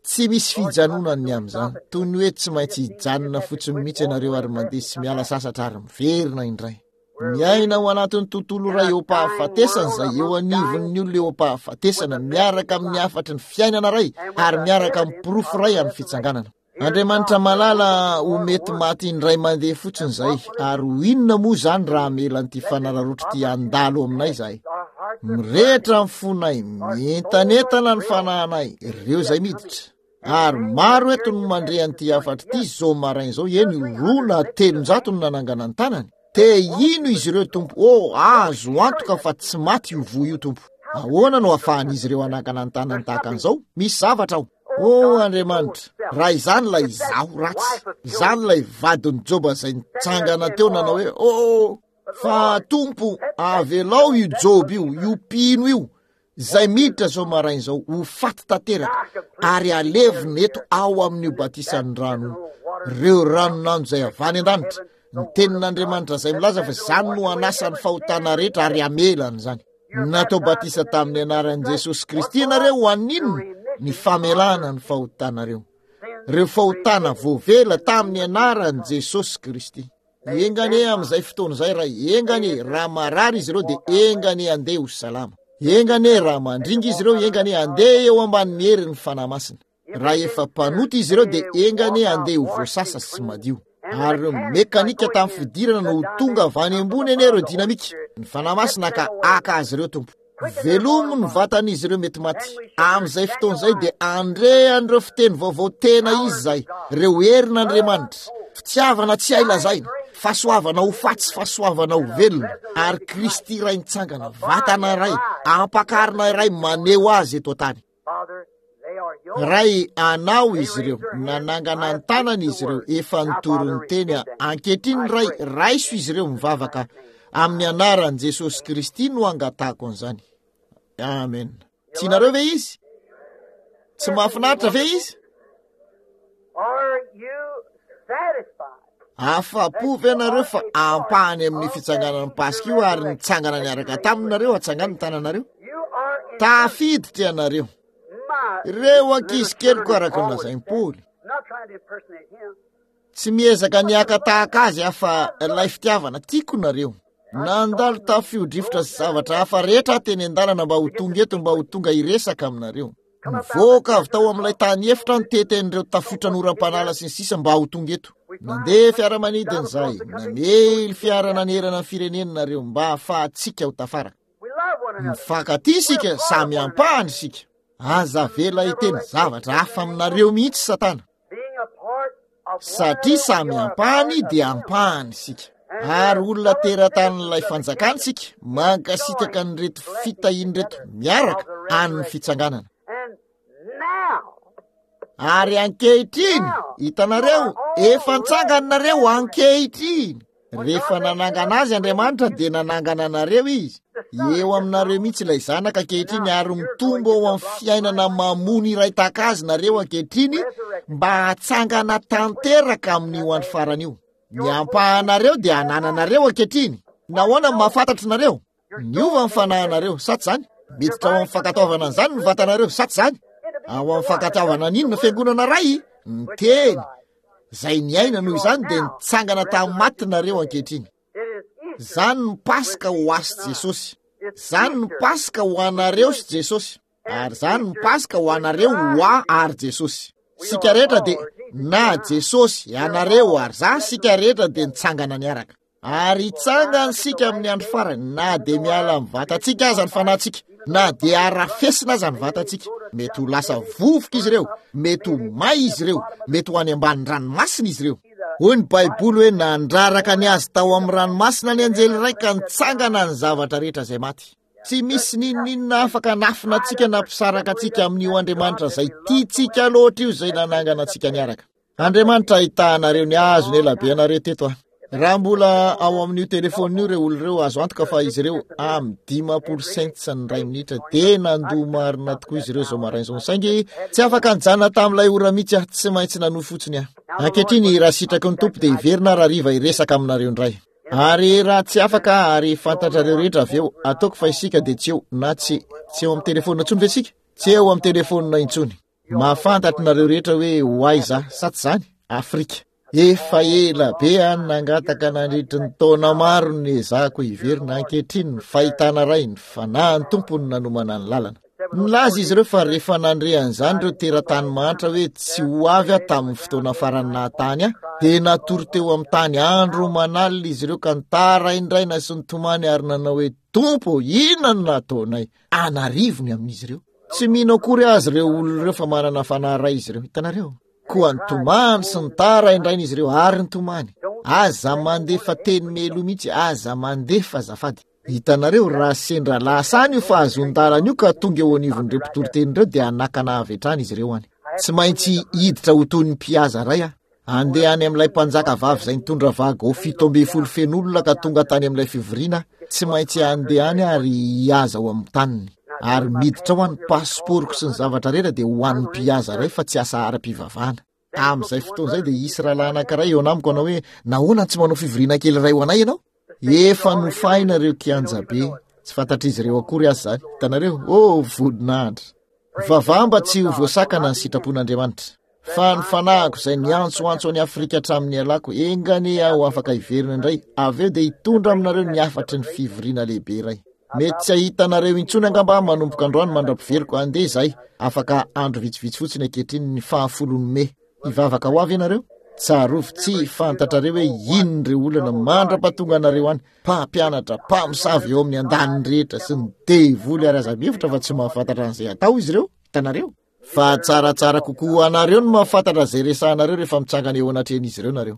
tsy misy fijanonany ny amin'izany. Toy ny hoe tsy maintsy hijanona fotsiny mihitsy ianareo ary mandeha sy miala sasatra ary miverina indray. Miaina ao anatin'ny tontolo iray eo am-pahafatesana izay eo anivon'ny olona eo am-pahafatesana, miaraka amin'ny hafatry ny fiainana iray ary miaraka amin'ny porofo iray amin'ny fitsanganana. Andriamanitra malala, ho mety maty indray mandeha fotsiny izay, ary ho inona moa izany raha hamela an'ity fanararaotra ity handalo aminay izahay? Mirehitra ny fonay, mientanentana ny fanahinay, ireo izay miditra. Ary maro eto no mandre an'ity hafatra ity izao maraina izao, eny roa na telonjato no nanangana ny tanany. Te hino izy ireo, Tompo. Oh, azo antoka fa tsy maty io voa io, Tompo. Ahoana no ahafahan'izy ireo hanangana ny tanany tahaka an'izao? Misy zavatra ao. Oh, Andriamanitra, raha izany ilay izaho ratsy, izany ilay vadin'i Joba izay nitsangana teo nanao hoe, oh, fa Tompo, avelao io Joba io, io mpino io, izay miditra izao maraina izao, ho faty tanteraka, ary alevina eto ao amin'io batisan'ny rano, ireo ranon'andro izay avy any an-danitra, ny tenin'Andriamanitra izay milaza fa izany no hanasa ny fahotana rehetra ary hamela an'izany. Natao batisa tamin'ny anaran'i Jesosy Kristy ianareo ho an'inona? Ny famelana ny fahotanareo. Ireo fahotana voavela tamin'ny anaran'i Jesosy Kristy. Enga anie amin'izay fotoana izay, Ray, enga anie raha marary izy ireo dia enga anie handeha ho salama. Enga anie raha mandringa izy ireo, enga anie handeha eo ambanin'ny herin'ny Fanahy Masina. Raha efa mpanota izy ireo dia enga anie handeha ho voasasa sy madio. Ary ireo mekanika tamin'ny fidirana no ho tonga avy any ambony anie ireo dinamika. Ny Fanahy Masina ka haka azy ireo, Tompo. Velomo ny vatan'izy ireo mety maty. Amin'izay fotoana izay dia handre an'ireo fiteny vaovao tena izy izay, ireo herin'Andriamanitra, fitiavana tsy hay lazaina, fahasoavana ho faty sy fahasoavana ho velona, ary Kristy iray nitsangana, vatana iray, ampakarina iray maneho azy eto an-tany. Ray, anao izy ireo, nanangana ny tanany izy ireo, efa nitory ny teny aho. Ankehitriny, Ray, raiso izy ireo mivavaka amin'ny anaran'i Jesosy Kristy no angatahako an'izany. Amen. Tianareo ve izy? Tsy mahafinaritra ve izy? Are you satisfied? Afa-po ve nareo fa ampahany amin'ny fitsanganan'ny Paska io ary nitsangana niaraka taminareo, atsangano ny tananareo? You are in Tafiditra ianareo. my Ireo ankizy keliko araka ny lazain'i Paoly. Not trying to impersonate him. Tsy miezaka ny haka tahaka azy aho fa ilay fitiavana tiako nareo. Nandalo tafio-drivotra sy zavatra hafa rehetra aho teny an-dalana mba ho tonga eto, mba ho tonga hiresaka aminareo. Nivoaka avy tao amin'ilay tany efitra nitety an'ireo tafiotra noram-panala sy ny sisa mba ho tonga eto. Nandeha fiaramanidina izahay, namely fiara nanerana ny firenena nareo mba hahafahantsika ho tafaraka. We love one another. Mifankatia isika, samy ampahany isika. Aza avela hiteny zavatra hafa aminareo mihitsy Satana. Being a part of one Satria another, samy we are a ampahany part of dia him. ampahany isika. Ary olona teratany fanjakana isika, mankasitraka an'ireto fitahian'ireto miaraka an'ny fitsanganana. And now, Ary ankehitriny, hitanareo, efa nitsanganareo ankehitriny. Rehefa nanangana azy Andriamanitra dia nanangana anareo izy. Eo aminareo mihitsy ilay zanaka ankehitriny ary mitombo ao amin'ny fiainana mamony iray tahaka azy nareo ankehitriny mba hatsangana tanteraka amin'io andro farany io. Ny ampahanareo dia anananareo ankehitriny. Nahoana no mahafantatra nareo? Niova ny fanahinareo, sa tsy izany? Miditra ao amin'ny fankatoavana an'izany ny vatanareo, sa tsy izany? Ao amin'ny fankatoavana an'inona fiangonana iray? Ny teny izay niaina noho izany dia nitsangana tamin'ny maty nareo ankehitriny. it is Easter. Izany no Paska ho ahy sy Jesosy. Izany no Paska ho anareo sy Jesosy. Ary izany no Paska ho anareo ho ahy ary Jesosy. Sika rehetra dia na Jesosy, ianareo ary za, sika rehetra dia nitsangana niaraka. Ary hitsangana isika amin'ny andro farany, na dia miala amin'ny vatantsika aza ny fanahintsika, na dia arafesina aza ny vatantsika. Mety ho lasa vovoka izy ireo, mety ho may izy ireo, mety ho any ambany ranomasina izy ireo. Hoy ny Baiboly hoe nandraraka ny azy tao amin'ny ranomasina ny anjely iray ka nitsangana ny zavatra rehetra izay maty. Tsy misy n'inon'inona afaka hanafina antsika na hampisaraka antsika amin'io Andriamanitra izay tiantsika loatra io izay nanangana antsika niaraka. Andriamanitra ahitahanareo ny hazo ny elabe anareo teto aho. Raha mbola ao amin'io telefônina io ireo olona ireo, azo antoka fa izy ireo amin'ny dimampolo cents ny iray minitra dia nandoa marina tokoa izy ireo izao maraina izao. Saingy tsy afaka nijanona tamin'ilay ora mihitsy aho, tsy maintsy nanohy fotsiny aho. Ankehitriny raha sitraky ny Tompo dia hiverina raha hariva hiresaka aminareo indray. Ary raha tsy afaka ary fantatrareo rehetra avy eo, ataoko fa isika dia tsy eo na tsy, tsy eo amin'ny telefônina intsony ve isika? Tsy eo amin'ny telefônina intsony. Mahafantatra nareo rehetra hoe ho aiza, sa tsy izany? Afrika. Efa ela be aho nangataka nandritry ny taona maro ny ezahako hiverina. Ankehitriny ny fahitana iray, ny fanahin'ny Tompo no nanomana ny lalana. Nilaza izy ireo fa rehefa nandre an'izany ireo teratany mahantra hoe tsy ho avy aho tamin'ny fotoana farany nahatany ahy, dia natory teo amin'ny tany andro manalina izy ireo ka nitaraindraina sy nitomany ary nanao hoe, Tompo, inona no nataonay? An'arivony amin'izy ireo. Tsy mino akory azy ireo olona ireo fa manana fanahy iray izy ireo. Hitanareo? Koa nitomany sy nitaraindraina izy ireo ary nitomany. Aza mandefa teny melo mihitsy, aza mandefa azafady. Hitanareo, raha sendra lasa any io fahazoan-dalana io ka tonga eo anivon'ireo mpitoriteny ireo dia hanakana avy hatrany izy ireo any. Tsy maintsy hiditra ho toy ny mpihaza iray aho. Andeha any amin'ilay mpanjaka vavy izay nitondra vago fito ambin'ny folo feno olona ka tonga tany amin'ilay fivoriana, tsy maintsy andeha any ary hihaza ao amin'ny taniny. Ary miditra ao any pasiporoko sy ny zavatra rehetra dia ho an'ny mpihaza iray fa tsy asa ara-pivavahana. Amin'izay fotoana izay dia hisy rahalahy anankiray eo anamiko hanao hoe, nahoana tsy manao fivoriana kely iray ho anay ianao? Efa nofaina ireo kianja be, tsy fantatr'izy ireo akory aza izany. Hitanareo? Oh, voninahitra! Mivavaha mba tsy ho voasakana ny sitrapon'Andriamanitra. Fa ny fanahiko izay niantsoantso an'i Afrika hatramin'ny alako, enga anie aho afaka hiverina indray, avy eo dia hitondra aminareo ny hafatry ny fivoriana lehibe iray. Mety tsy hahita anareo intsony angamba aho manomboka androany mandra-piveriko. Andeha izahay, afaka andro vitsivitsy fotsiny ankehitriny ny fahafolon'ny mey. Hivavaka ho avy ianareo? Tsarovy, tsy fantatrareo hoe inona ireo olana mandra-pahatonga anareo any. Mpampianatra, mpamosavy eo amin'ny andaniny rehetra sy ny devoly ary aza mihevitra fa tsy mahafantatra an'izay atao izy ireo. Hitanareo? Fa tsaratsara kokoa ho anareo ny mahafantatra izay resahanareo rehefa mitsangana eo anatrehan'izy ireo nareo.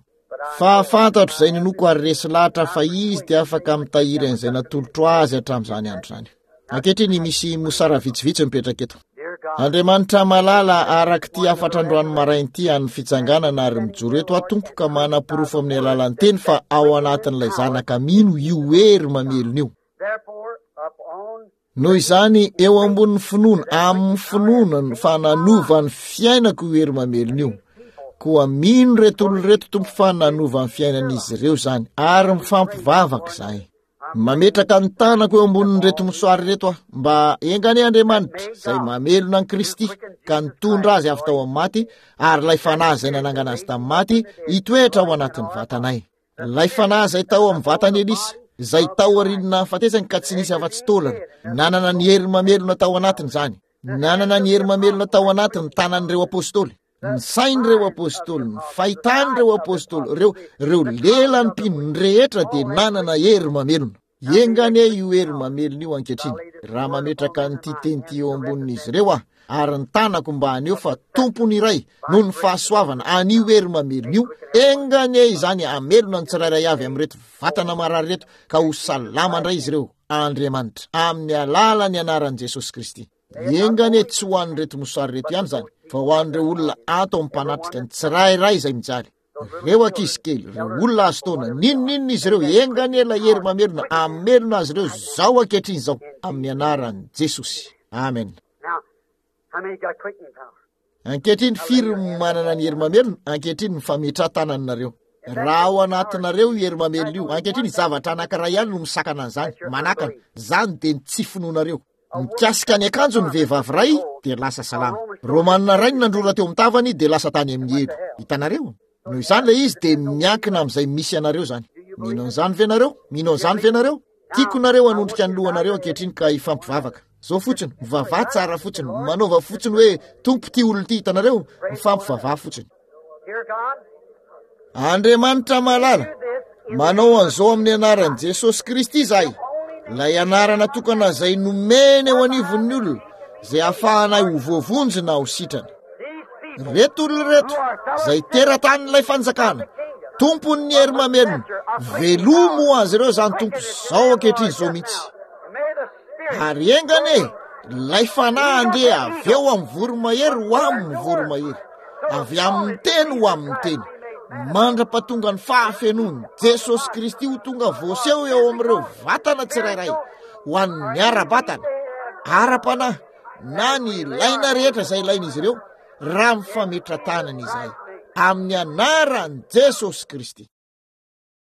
Fa fantatro izay ninoako ary resy lahatra fa izy dia afaka mitahiry an'izay natolotro azy hatramin'izany andro izany. Ankehitriny misy mosara vitsivitsy mipetraka eto. Andriamanitra malala, araka ity hafatra androany maraina ity an'ny fitsanganana ary mijoro eto aho Tompo ka manaporofo amin'ny alalan'ny teny fa ao anatin'ilay zanaka mino io hery mamelona io. Noho izany, eo ambonin'ny finoana, amin'ny finoana no fa nanova ny fiainako io hery mamelona io. Koa mino ireto olona ireto Tompo fa nanova ny fiainan'izy ireo izany, ary mifampivavaka izahay. Mametraka ny tanako eo ambonin'ireto mosoary ireto aho, mba enga anie Andriamanitra izay mamelona an'i Kristy ka nitondra azy avy tao amin'ny maty, ary ilay fanahy izay nanangana azy tamin'ny maty hitoetra ao anatin'ny vatanay. Ilay fanahy izay tao amin'ny vatan'i Elisa, izay tao aorian'ny nahafatesany ka tsy nisy afa-tsy taolana, nanana ny hery mamelona tao anatiny izany, nanana ny hery mamelona tao anatiny ny tanan'ireo apôstôly, ny sain'ireo apôstôly, ny fahitan'ireo apôstôly, ireo, ireo lelan'ny mpino, ny rehetra dia nanana hery mamelona. Enga anie io hery mamelona io ankehitriny, raha mametraka an'ity teny ity eo ambonin'izy ireo aho, ary ny tanako mba haneho fa tompony iray noho ny fahasoavana an'io hery mamelona io, enga anie izany hamelona ny tsirairay avy amin'ireto vatana marary ireto ka ho salama indray izy ireo, Andriamanitra, amin'ny alalan'ny anaran'i Jesosy Kristy. Enga anie tsy ho an'ireto mosary ireto ihany izany, fa ho an'ireo olona ato amin'ny mpanatrika ny tsirairay izay mijaly. Ireo ankizy kely, ireo olona azo taona, n'inon'inona izy ireo, enga anie ilay hery mamelona hamelona azy ireo izao ankehitriny izao, amin'ny anaran'i Jesosy. Amen. Ankehitriny firy no manana ny hery mamelona? Ankehitriny mifametraha-tananareo. Raha ao anatinareo io hery mamelona io, ankehitriny zavatra anankiray ihany no misakana an'izany, manakana, izany dia ny tsy finoanareo. Mikasika ny akanjo ny vehivavy iray dia lasa salama. Romanina iray no nandrora teo amin'ny tavany dia lasa tany amin'ny helo. Hitanareo? Noho izany ilay izy dia miankina amin'izay misy anareo izany. Mino an'izany ve nareo? Mino an'izany ve nareo? Tiako nareo hanondrika ny lohanareo ankehitriny ka hifampivavaka. Zao fotsiny, mivavaha tsara fotsiny, manaova fotsiny hoe Tompo ity olona ity, hitanareo? Mifampivavaha fotsiny. Andriamanitra malala, manao an'izao amin'ny anaran'i Jesosy Kristy izahay, ilay anarana tokana izay nomena eo anivon'ny olona, izay ahafahanay ho voavonjy na ho sitrana. Ireto olona ireto, izay teratany-ilay fanjakana, tompon'ny hery mamelona, velomo ho azy ireo izany Tompo izao ankehitriny izao mihitsy. Ary enga anie ilay fanahy handeha avy eo amin'ny voromahery ho amin'ny voromahery, avy amin'ny teny ho amin'ny teny, mandra-pahatonga ny fahafenoan'i Jesosy Kristy ho tonga voaseho eo amin'ireo vatana tsirairay, ho an'ny ara-batana, ara-panahy, na ny ilaina rehetra izay ilain'izy ireo, raha mifametra-tanana izahay, amin'ny anaran'i Jesosy Kristy.